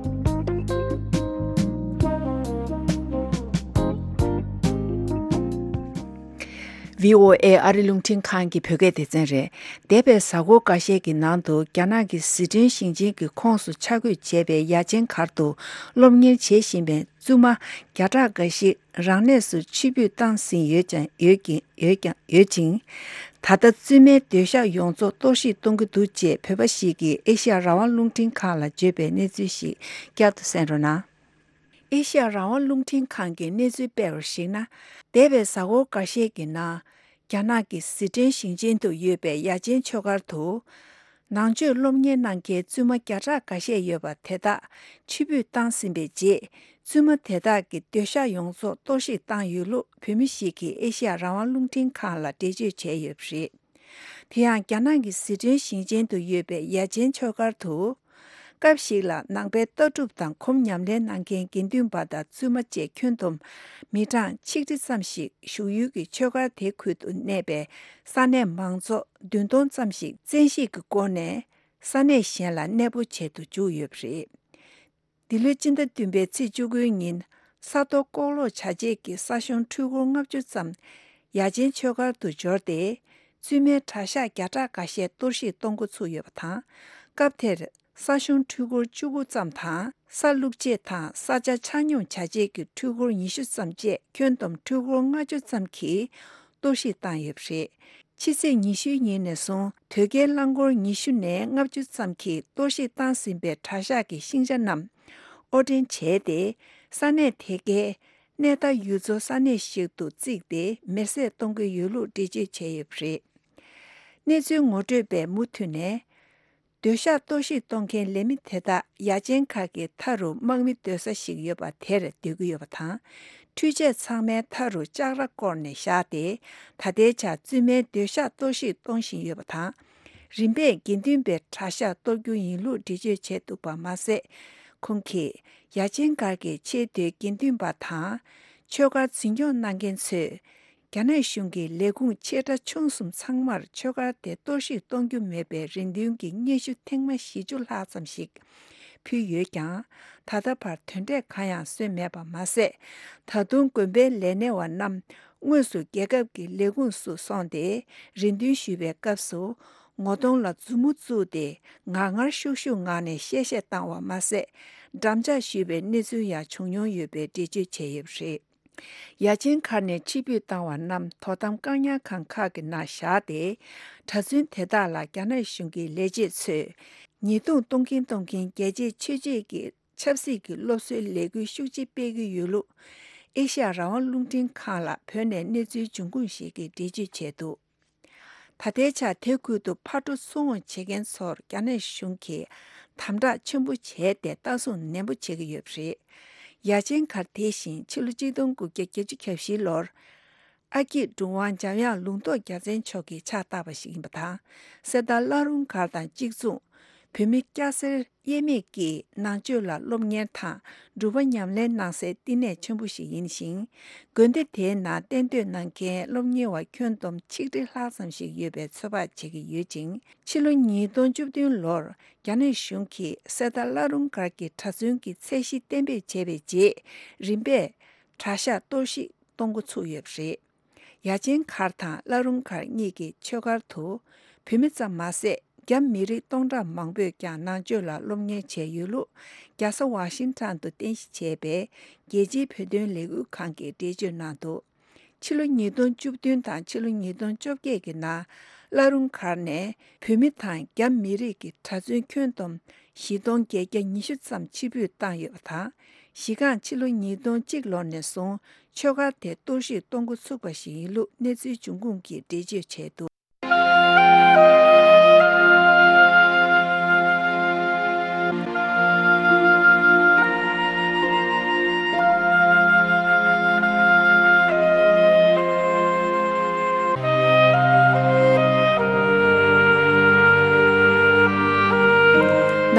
བྷི་ཨོ་ཨེ་ཨ་རི་རླུང་འཕྲིན་ཁང་གི་བོད་སྐད་སྡེ་ཚན་རེད། འདས་པའི་གཟའ་འཁོར་འགའ་ཤས་ཀྱི་ནང་དུ་རྒྱ་ནག་གི་ཟི་ཁྲོན་ཞིང་ཆེན་གྱི་ཁོངས་སུ་ཆ་བགོས་བྱས་པའི་ཡ་ཆེན་སྒར་དུ་སློབ་གཉེར་བྱེད་བཞིན་པའི་བཙུན་མ་བརྒྱ་ཕྲག་འགའ་ཞིག་རང་གནས་སུ་ཕྱིར་འབུད་བཏང་ཟིན་ཡོད་ཀྱང་ཡོད་ཀྱིན་ཡོད་ཀྱང་ཡོད་ཅིང་། ད་ལྟ་བཙུན་མའི་སྡོད་ཤག་ཡོངས་རྫོགས་གཏོར་བཤིག་གཏོང་གི་འདུག་ཅེས་བོད་པ་ཞིག་གིས་ཨེ་ཤ་ཡ་རང་དབང་རླུང་འཕྲིན་ཁང་ལ་བརྗོད་པའི་གནས་ཚུལ་ཞིག་བསྐྱར་དུ་གསན་རོགས་གནང་། ཨེ་ཤ་ཡ་རང་དབང་རླུང་འཕྲིན་ཁང་གིས་གནས་ཚུལ་སྤེལ་བར་གཞིགས་ན། འདས་པའི་གཟའ་འཁོར་འགའ་ཤས་ཀྱི་ནང་། རྒྱ་ནག་གི་ཟི་ཁྲོན་ཞིང་ཆེན་དུ་ཡོད་པའི་ཡ་ཆེན་ཆོས་སྒར་དུ། ནང་ཆོས་སློབ་གཉེར་གནང་མཁན་བཙུན་མ་བརྒྱ་ཕྲག་འགའ་ཤས་ཡོད་པ་དེ་དག་ཕྱིར་འབུད་བཏང་ཟིན་པའི་རྗེས། བཙུན་མ་དེ་དག་གི་སྡོད་ཤག་ཡོངས་རྫོགས་གཏོར་བཤིག་བཏང་ཡོད་ལུགས་བོད་མི་ཞིག་གིས་ཨེ་ཤ་ཡ་རང་དབང་རླུང་འཕྲིན་ཁང་ལ་འགྲེལ་བརྗོད་བྱས་ཡོད་པ་རེད། དེ་ཡང་རྒྱ་ནག་གི་ཟི་ཁྲོན་ཞིང་ཆེན་དུ་ཡོད་པའི་ཡ་ཆེན་ཆོས་སྒར་དུ། སྐབས་ཤིག་ལ་ནང་པའི་ལྟ་གྲུབ་དང་གོམ་ཉམས་ལེན་གནང་མཁན་དགེ་འདུན་པ་དང་བཙུན་མ་བཅས་ཁྱོན་བསྡོམས་མི་གྲངས་ཆིག་ཁྲི་ཙམ་ཞིག་བཞུགས་ཡུལ་གྱི་ཆོས་སྒར་དེ་ཁུལ་དུ་གནས་པའི་ས་གནས་མང་ཚོགས་བདུན་སྟོང་ཙམ་ཞིག་བཙན་ཤེད་ཀྱི་སྒོ་ནས་ས་གནས་གཞན་ལ་གནས་སྤོ་བྱེད་དུ་བཅུག་ཡོད་པ་རེད། འདི་ལོའི་སྤྱི་ཟླ་བདུན་པའི་ཚེས་བཅུ་དགུའི་ཉིན་ས་རྡོ་ལྐོག་ལོག་བྱ་བྱེད་ཀྱི་ས་གཞུང་འཕྲུལ་འཁོར་ལྔ་བཅུ་ཙམ་ཡ་ཆེན་ཆོས་སྒར་དུ་འབྱོར་ཏེ། བཙུན་མའི་གྲྭ་ཤག་བརྒྱ་ཕྲག་འགའ་ཤས་གཏོར་བཤིག་གཏོང་འགོ་ཚུགས་ཡོད་པ་དང་། སྐབས་དེར་ས་གཞུང་འཕྲུལ་འཁོར་བཅུ་དགུ་ཙམ་དང་། ས་བླུགས་བྱེད་དང་ས་ཆ་ཆ་སྙོམས་བྱ་བྱེད་ཀྱི་འཕྲུལ་འཁོར་ཉི་ཤུ་ཙམ་བཅས་ཁྱོན་བསྡོམས་འཕྲུལ་འཁོར་ལྔ་བཅུ་ཙམ་གྱིས་གཏོར་བཤིག་བཏང་ཡོད་པ་རེད། ཕྱི་ཚེས་ཉི་ཤུའི་ཉིན་ནས་བཟུང་དོས་སྐྱེལ་རླངས་འཁོར་ཉི་ཤུ་ནས་ལྔ་བཅུ་ཙམ་གྱིས་གཏོར་བཤིག་བཏང་ཟིན་པའི་གྲྭ་ཤག་གི་ཤིང་ཆ་རྣམས་དབོར་འདྲེན་བྱས་ཏེ། ས་གནས་དེ་གའི་གནས་མཐའ་ཡུལ་ཚོ་ས་གནས་ཤིག་ཏུ་བརྩིས་ཏེ་མེར་སྲེག་གཏོང་གི་ཡོད་ལུགས་འགྲེལ་བརྗོད་བྱས་ཡོད་པ་རེད། གནས་ཚུལ་ངོ་སྤྲོད་པས་མུ་མཐུད་ནས། སྡོད་ཤག་གཏོར་བཤིག་གཏོང་མཁན་ལས་མི་དེ་དག་ཡ་ཆེན་ཁག་གི་མཐའ་རུ་དམག་མི་སྡོད་ས་ཞིག་ཡོད་པ་དེར་སྡོད་ཀྱི་ཡོད་པ་དང་། འཕྲུལ་ཆས་ཚང་མའི་མཐའ་རུ་ལྕགས་ར་བསྐོར་ནས་བཞག་སྟེ། ད་ལྟའི་ཆར་བཙུན་མའི་སྡོད་ཤག་གཏོར་བཤིག་གཏོང་བཞིན་ཡོད་པ་དང་། རིམ་པས་དགེ་འདུན་པའི་གྲྭ་ཤག་གཏོར་རྒྱུ་ཡིན་ལུགས་འགྲེལ་བརྗོད་བྱས་འདུག་པ་མ་ཟད། ཁོང་གིས་ཡ་ཆེན་སྒར་གྱི་ཆེས་མཐོའི་དགེ་འདུན་པ་དང་། ཆོས་སྒར་འཛིན་སྐྱོང་གནང་མཁན་ཚོས། རྒྱ་ནག་གཞུང་གི་ལས་ཁུངས་ཆེ་ཕྲ་ཆུང་གསུམ་ཚང་མར་ཆོས་སྒར་དེ་གཏོར་བཤིག་གཏོང་རྒྱུ་མེད་པའི་རེ་འདུན་གྱི་སྙན་ཞུ་ཐེངས་མ་བཞི་བཅུ་ལྷག་ཙམ་ཞིག་ཕུལ་ཡོད་ཀྱང་། ད་ལྟ་བར་དོན་འབྲས་གང་ཡང་སོན་མེད་པ་མ་ཟད། ད་དུང་དགོན་པའི་ལས་སྣེ་བ་རྣམས་དངོས་སུ་རྒྱལ་ཁབ་ཀྱི་ལས་ཁུངས་སུ་སོང་སྟེ་རེ་འདུན་ཞུ་བའི་སྐབས་སུ། ངོ་གདོང་ལ་མཛུབ་མོ་བཙུགས་ཏེ་ངར་ངར་ཤུགས་ཤུགས་ངང་ནས་གཤེ་གཤེ་བཏང་བ་མ་ཟད། འགྲམ་ལྕག་གཞུས་པའི་གནས་ཚུལ་ཡང་བྱུང་མྱོང་ཡོད་པའི་འགྲེལ་བརྗོད་བྱས་ཡོད་པ་རེད། ཡ་ཆེན་མཁར་ནས་ཕྱིར་འབུད་བཏང་བ་རྣམས་དོ་དམ་བཀག་ཉར་ཁང་ཁག་གི་ནང་བཞག་སྟེ། གྲྭ་བཙུན་དེ་དག་ལ་རྒྱ་ནག་གཞུང་གི་ལས་བྱེད་ཚོས་ཉེས་རྡུང་གཏོང་གིན་གཏོང་གིན་རྒྱལ་གཅེས་ཆོས་གཅེས་ཀྱི་ཆབ་སྲིད་ཀྱི་སློབ་གསོའི་ལས་འགུལ་ཤུགས་ཆེ་སྤེལ་གྱི་ཡོད་ལུགས། ཨེ་ཤ་ཡ་རང་དབང་རླུང་འཕྲིན་ཁང་ལ་བོད་ནས་གནས་ཚུལ་འབྱུང་ཁུངས་ཤིག་གིས་འགྲེལ་བརྗོད་བྱས་འདུག་ད་ལྟའི་ཆར་དེ་ཁུལ་དུ་ཕར་འགྲོ་ཚུར་འོང་བྱེད་མཁན་ཚོར་རྒྱ་ནག་གཞུང་གིས་དམ་དྲག་ཆེན་པོ་བྱས་ཏེ་ལྟ་སྲུང་ནན་པོ་བྱེད་ཀྱི་ཡོད་པ་རེད། ཡ་ཆེན་མཁར་དེ་བཞིན་ཕྱི་ལོ་ཆིག་སྟོང་དགུ་བརྒྱ་བརྒྱད་ཅུ་གྱ་བཞི་ལོར་ཨ་སྐྱིད་གྲུབ་དབང་འཇམ་དབྱངས་ལུང་རྟོགས་རྒྱལ་མཚན་མཆོག་གིས་ཕྱག་བཏབ་པ་ཞིག་ཡིན་པ་དང་། གསེར་རྟ་བླ་རུང་མཁར་དང་གཅིག་མཚུངས། བོད་མི་སྐྱ་སེར་དབྱེ་མེད་ཀྱིས་ནང་ཆོས་ལ་སློབ་གཉེར་དང་སྒྲུབ་པ་ཉམས་ལེན་གནང་སའི་བསྟི་གནས་ཆེན་པོ་ཞིག་ཡིན་ཞིང་། དགོན་སྡེ་དེའི་ནང་གཏན་སྡོད་གནང་མཁན་སློབ་གཉེར་བ་ཁྱོན་བསྡོམས་ཆིག་ཁྲི་ལྷག་ཙམ་ཞིག་ཡོད་པའི་ཚོད་དཔག་བྱེད་ཀྱི་ཡོད་ཅིང་། ཕྱི་ལོ་ཉིས་སྟོང་བཅུ་བདུན་ལོར་རྒྱ་ནག་གཞུང་གིས་གསེར་རྟ་བླ་རུང་མཁར་གྱི་གྲྭ་བཙུན་གྱི་ཚད་གཞི་གཏན་འབེབས་བྱས་པའི་རྗེས། རིམ་པས་གྲྭ་ཤག་གཏོར་བཤིག་གཏོང་འགོ་ཚུགས་ཡོད་པ་རེད། ཡ་ཆེན་མཁར་དང་བླ་རུང་མཁར་གཉིས་ཀྱི་ཆོས་སྒར་དུ་བོད་མི་ཙམ་མ་ཟད། རྒྱ་མི་རིགས་སྟོང་ཕྲག་མང་པོས་ཀྱང་ནང་ཆོས་ལ་སློབ་གཉེར་བྱས་ཡོད་ལུགས། རྒྱལ་ས་ཝ་ཤིང་ཊོན་དུ་རྟེན་གཞི་བྱས་པའི་རྒྱལ་སྤྱིའི་བོད་དོན་ལས་འགུལ་ཁང་གིས་འགྲེལ་བརྗོད་གནང་འདུག་ཕྱི་ལོ་ཉིས་སྟོང་བཅུ་བདུན་དང་ཕྱི་ལོ་ཉིས་སྟོང་བཅོ་བརྒྱད་ཀྱི་ནང་། བླ་རུང་མཁར་ནས་བོད་མི་དང་རྒྱ་མི་རིགས་ཀྱི་གྲྭ་བཙུན་ཁྱོན་བསྡོམས་བཞི་སྟོང་བརྒྱད་བརྒྱ་ཉི་ཤུ་ཙམ་ཕྱིར་འབུད་བཏང་ཡོད་པ་དང་། གཞི་རྐང་ཕྱི་ལོ་ཉིས་སྟོང་གཅིག་ལོ་ནས་བཟུང་ཆོས་སྒར་དེ་གཏོར་བཤིག་གཏོང་འགོ་ཚུགས་པ་ཞིག་ཡིན་ལུགས་གནས་ཚུལ་འབྱུང་ཁུངས་ཀྱིས་འགྲེལ་བརྗོད་བྱས་འདུག་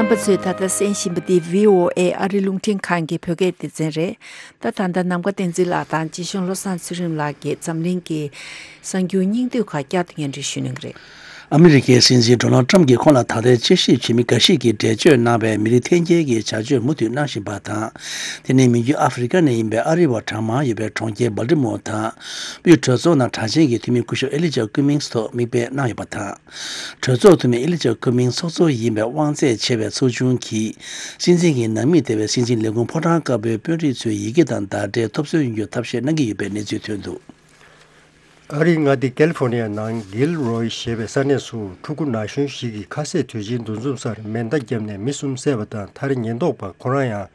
རྣམ་པ་ཚོས་ད་ལྟ་གསན་བཞིན་པ་འདི་བྷི་ཨོ་ཨེ་ཨ་རི་རླུང་འཕྲིན་ཁང་གི་བོད་སྐད་སྡེ་ཚན་རེད། ད་ད་ལྟ་ནམ་མཁའ་བསྟན་འཛིན་ལགས་དང་། རྗེ་གཞུང་བློ་བཟང་ཚུལ་ཁྲིམས་ལགས་ཀྱིས་འཛམ་གླིང་གི་གསར་འགྱུར་སྙིང་བསྡུས་ཁག་བསྐྱར་དུ་སྙན་སྒྲོན་ཞུ་གནང་གི་རེད། ཨ་མི་རི་ཀའི་སྲིད་འཛིན་ཌོ་ནལ་ཊམ་གྱིས་ཁོང་ལ་ད་ལྟའི་དཔྱད་ཞིབ་བྱེད་མི་འགའ་ཞིག་གིས་འགྲེལ་བརྗོད་གནང་བའི་མི་རིགས་འཐེན་འཁྱེར་གྱི་བྱ་སྤྱོད་མུ་མཐུད་གནང་བཞིན་པ་དང་། དེ་ནི་མི་རྒྱུད་ཨ་ཧྥེ་རི་ཀ་ནས་ཡིན་པའི་ཨ་རི་བ་གྲངས་མང་ཡོད་པའི་གྲོང་ཁྱེར་སྦལ་ཏི་མོར་དང་། དབུས་གྲོས་ཚོགས་ནང་དྲག་ཆེན་གྱི་འཐུས་མི་སྐུ་ཞབས་ཨེ་ལི་ཇཱ་ཀུ་མིང་སི་ཐོག་མིག་དཔེ་གནང་ཡོད་པ་དང་། གྲོས་ཚོགས་འཐུས་མི་ཨེ་ལི་ཇཱ་ཀུ་མིང་ཚོགས་གཙོ་ཡིན་པའི་དབང་ཚད་ཆེ་བའི་ཚོགས་ཆུང་གིས། སྲིད་འཛིན་གྱི་ནང་མི་སྡེ་བའི་སྲིད་འཛིན་ལས་ཁུངས་ཕོ་བྲང་དཀར་པོའི་དཔོན་རིགས་ཚོའི་ཡི་གེ་དང་བརྡ་འབྲེལ་ཐོབ་སོན་ཡོང་རྒྱུར་ཐབས་ཤེས་གནང་གི་ཡོད་པའི་གནས་ཚུལ་ཐོན་འདུག་ཨ་རིའི་མངའ་སྡེ་ཀལ་ཧྥོར་ནི་ཡ་ནང་གིལ་རོའི་ཞེས་པའི་ས་གནས་སུ་ཕྲུ་གུ་ན་གཞོན་ཞིག་གིས་ཁ་ཟས་དུས་ཆེན་འདུ་འཛོམས་སར་མེ་མདའ་བརྒྱབ་ནས་མི་གསུམ་བསད་པ་དང་། མཐར་ཉེན་རྟོག་པ་ཁོ་རང་ཡང་།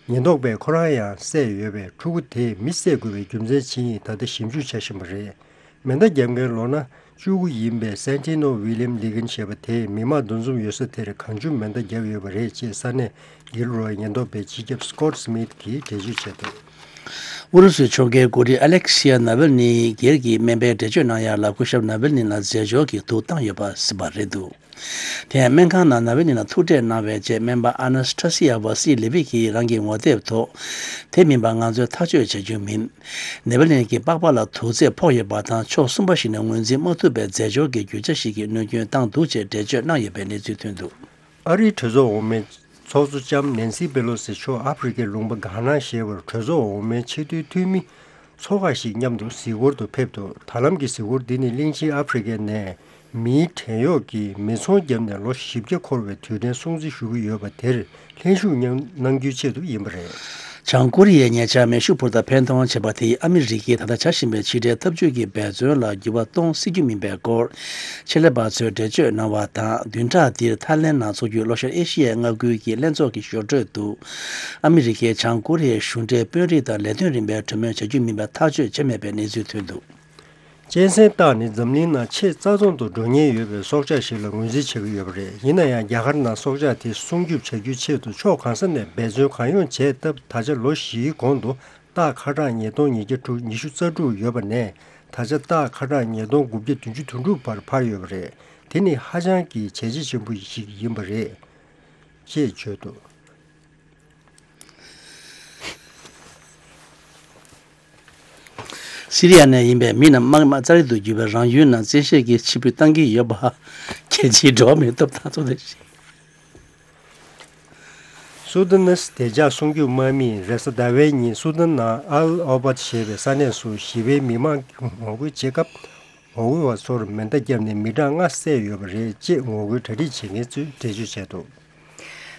ཉེན་རྟོག་པས་ཁོ་རང་ཡང་བསད་ཡོད་པས། ཕྲུ་གུ་དེས་མི་བསད་དགོས་པའི་རྒྱུ་མཚན་ཇི་ཡིན་ད་ལྟ་ཞིབ་འཇུག་བྱ་བཞིན་པ་རེད། མེ་མདའ་བརྒྱབ་མཁན་ལོ་ན་བཅུ་དགུ་ཡིན་པའི་སན་ཏི་ནོ་ཝི་ལི་ཡམ་ལི་གན་ཞེས་པ་དེས་མི་མང་འདུ་འཛོམས་ཡོད་ས་དེར་གང་བྱུང་མེ་མདའ་བརྒྱབ་ཡོད་པ་རེད་ཅེས་ས་གནས་གིལ་རོའི་ཉེན་རྟོག་པའི་སྤྱི་ཁྱབ་སི་ཀོ་ཊི་སི་མིཐ་གིས་འགྲེལ་བརྗོད་བྱས་འདུག་ཨུ་རུ་སུའི་ཕྱོགས་འགལ་འགོ་ཁྲིད་ཨ་ལེག་སི་ཡ་ནཱ་ཝེལ་ནི་སྒེར་གྱི་སྨན་པའི་འགྲེལ་བརྗོད་གནང་ཡག་ལ་སྐུ་ཞབས་ནཱ་ཝེལ་ནི་ལ་རྫས་སྦྱོར་གྱི་དུག་བཏང་ཡོད་པ་གཟིགས་པ་རེད་འདུག་དེ་ཡང་སྨན་ཁང་ནང་ནཱ་ཝེལ་ནི་ལ་ཐུག་འཕྲད་གནང་བའི་རྗེས་སྨན་པ་ཨ་ན་སི་ཐ་སི་ཡ་ཝ་སི་ལེ་བི་གིས་རང་གི་ངོ་དེབ་ཐོག་དེ་མིན་པ་ང་ཚོས་ཐག་གཅོད་བྱ་རྒྱུ་མིན། ནཱ་ཝེལ་ནི་གི་པགས་པ་ལ་དུག་རྫས་ཕོག་ཡོད་པ་དང་ཕྱོགས་གསུམ་པ་ཞིག་ནས་ངོས་འཛིན་མ་ཐུབ་པའི་རྫས་སྦྱོར་གྱི་རྒྱུ་ཆ་ཞིག་གིས་གནོད་སྐྱོན་བཏང་འདུག་ཅེས་འགྲེལ་བརྗོད་གནང་ཡོད་པའི་གནས་ཚུལ་ཐོན་འདུག་ཨ་རིའི་གྲོས་ཚོགས་འོག་མའི་ཚོགས་གཙོ་ལྕམ་ནན་སི་པེ་ལོ་སི་མཆོག་ཨ་ཧྥེ་རི་ཁའི་ལུང་པ་གྷ་ན་ཞེས་པར་གྲོས་ཚོགས་འོག་མའི་ཆེས་མཐོའི་འཐུས་མི་ཚོ་ཁག་ཞིག་མཉམ་དུ་གཟིགས་སྐོར་དུ་ཕེབས་འདུག་ད་ལམ་གྱི་གཟིགས་སྐོར་འདི་ནི་གླིང་ཆེན་ཨ་ཧྥེ་རི་ཁའི་ནས་མིའི་བྲན་གཡོག་གིས་མི་ཚོང་བརྒྱབ་ནས་ལོ་བཞི་བརྒྱ་འཁོར་བའི་དུས་དྲན་སྲུང་བརྩི་ཞུ་གི་ཡོད་པ་དེར་ལྷན་ཞུགས་གནང་རྒྱུའི་ཆེད་དུ་ཡིན་པ་རེད། བྱང་ཀོ་རི་ཡས་ཉེ་ཆར་མེ་ཤུགས་འཕུར་མདའ་འཕེན་གཏོང་བྱས་པ་དེས་ཨ་མི་རི་ཀས་ད་ལྟ་བྱ་བཞིན་པའི་ཕྱི་འབྲེལ་འཐབ་ཇུས་ཀྱི་འབད་བརྩོན་ལ་འགྱུར་བ་གཏོང་སྲིད་རྒྱུ་མིན་པའི་སྐོར་ཆེད་ལས་པ་ཚོས་འགྲེལ་བརྗོད་གནང་བ་དང་། བདུན་ཕྲག་འདིར་ཐའི་ལེན་ནང་འཚོགས་རྒྱུའི་ལྷོ་ཤར་ཨེ་ཤི་ཡའི་མངའ་ཁུལ་གྱི་ལྷན་ཚོགས་ཀྱི་ཞོར་འཕྲོས་དུ། ཨ་མི་རི་ཀས་བྱང་ཀོ་རི་ཡའི་གཞུང་འབྲེལ་དཔོན་རིགས་དང་ལས་དོན་རིམ་པའི་གྲོས་མོལ་བྱ་རྒྱུ་མིན་པའི་ཐག་གཅོད་བྱས་མེད་པའི་གནས་ཚུལ་ཐོན་འདུག་གཅན་གཟན་སྟག་ནི་འཛམ་གླིང་ནང་ཆེས་རྩ་ཚང་དུ་འགྲོ་ཉེན་ཡོད་པའི་སྲོག་ཆགས་ཤིག་ལ་ངོས་འཛིན་བྱེད་ཀྱི་ཡོད་པ་རེད། ཡིན་ན་ཡང་རྒྱ་གར་ནང་སྲོག་ཆགས་དེ་སྲུང་སྐྱོབ་བྱ་རྒྱུའི་ཆེད་དུ་ཕྱོགས་གང་ས་ནས་འབད་བརྩོན་གང་ཡོང་བྱས་སྟབས། ད་ཆ་ལོ་བཞིའི་གོང་དུ་སྟག་ཁ་གྲངས་ཉིས་སྟོང་ཉིས་བརྒྱ་དྲུག་ཉི་ཤུ་རྩ་དྲུག་ཡོད་པ་ནས། ད་ཆ་སྟག་ཁ་གྲངས་ཉིས་སྟོང་དགུ་བརྒྱ་བདུན་ཅུ་དོན་དྲུག་བར་འཕར་ཡོད་པ་རེད། དེ་ནི་ཧ་ཅང་གི་བྱས་རྗེས་ཆེན་པོ་ཞིག་ཡིན་པ་རེད། ཅེས་བརྗོད་འདུག་སི་རི་ཡ་ནས་ཡིན་པའི་མི་རྣམས་དམག་མི་ཙ་རི་དུ་བརྒྱུད་པའི་རང་ཡུལ་ནང་བཙན་ཤེད་ཀྱིས་ཕྱིར་འབུད་བཏང་གི་ཡོད་པ། རྒྱལ་སྤྱིའི་འགྲོ་བ་མིའི་ཐོབ་ཐང་ཚོགས་སྡེ། སུ་དཱན་ནི་བདེ་འཇགས་སྲུང་སྐྱོབ་དམག་མིས་རེས་གཟའ་ཟླ་བའི་ཉིན་སུ་དཱན་ནང་ཨལ་ཨོ་བད་ཞེས་པའི་ས་གནས་སུ་ཞི་བའི་མི་མང་གིས་ངོ་རྒོལ་བྱེད་སྐབས། ངོ་རྒོལ་བ་ཚོར་མེ་མདའ་བརྒྱབ་ནས་མི་གྲངས་ལྔ་བསད་ཡོད་པ་རེད་ཅེས་ངོ་རྒོལ་གྲ་སྒྲིག་བྱེད་མཁན་ཚོས་འགྲེལ་བརྗོད་བྱས་འདུག་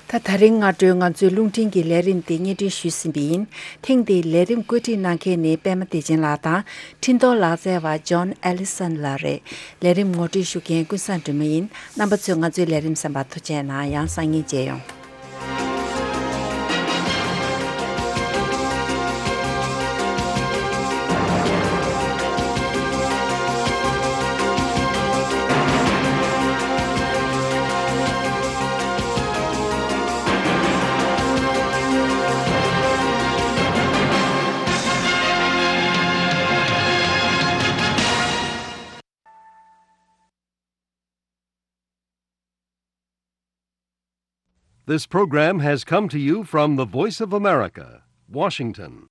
ད་ད་རིང་སྔ་དྲོའི་ང་ཚོའི་རླུང་འཕྲིན་གྱི་ལས་རིམ་འདི་སྙན་སྒྲོན་ཞུས་ཟིན་པ་ཡིན། ཐེངས་འདིའི་ལས་རིམ་བཀོད་སྒྲིག་གནང་མཁན་ནི་པད་མ་བདེ་ཆེན་ལགས་དང་། འཕྲིན་གཏོང་ལག་རྩལ་བ་ཇོན་ཨེ་ལི་སན་ལགས་རེད། ལས་རིམ་ངོ་སྤྲོད་ཞུ་མཁན་ཀུན་བཟང་སྒྲོལ་མ་ཡིན། རྣམ་པ་ཚོས་ང་ཚོའི་ལས་རིམ་གསན་པར་ཐུགས་རྗེ་གནང་། ཡང་སང་ཉིན་མཇལ་ཡོང་། This program has come to you from the Voice of America, Washington.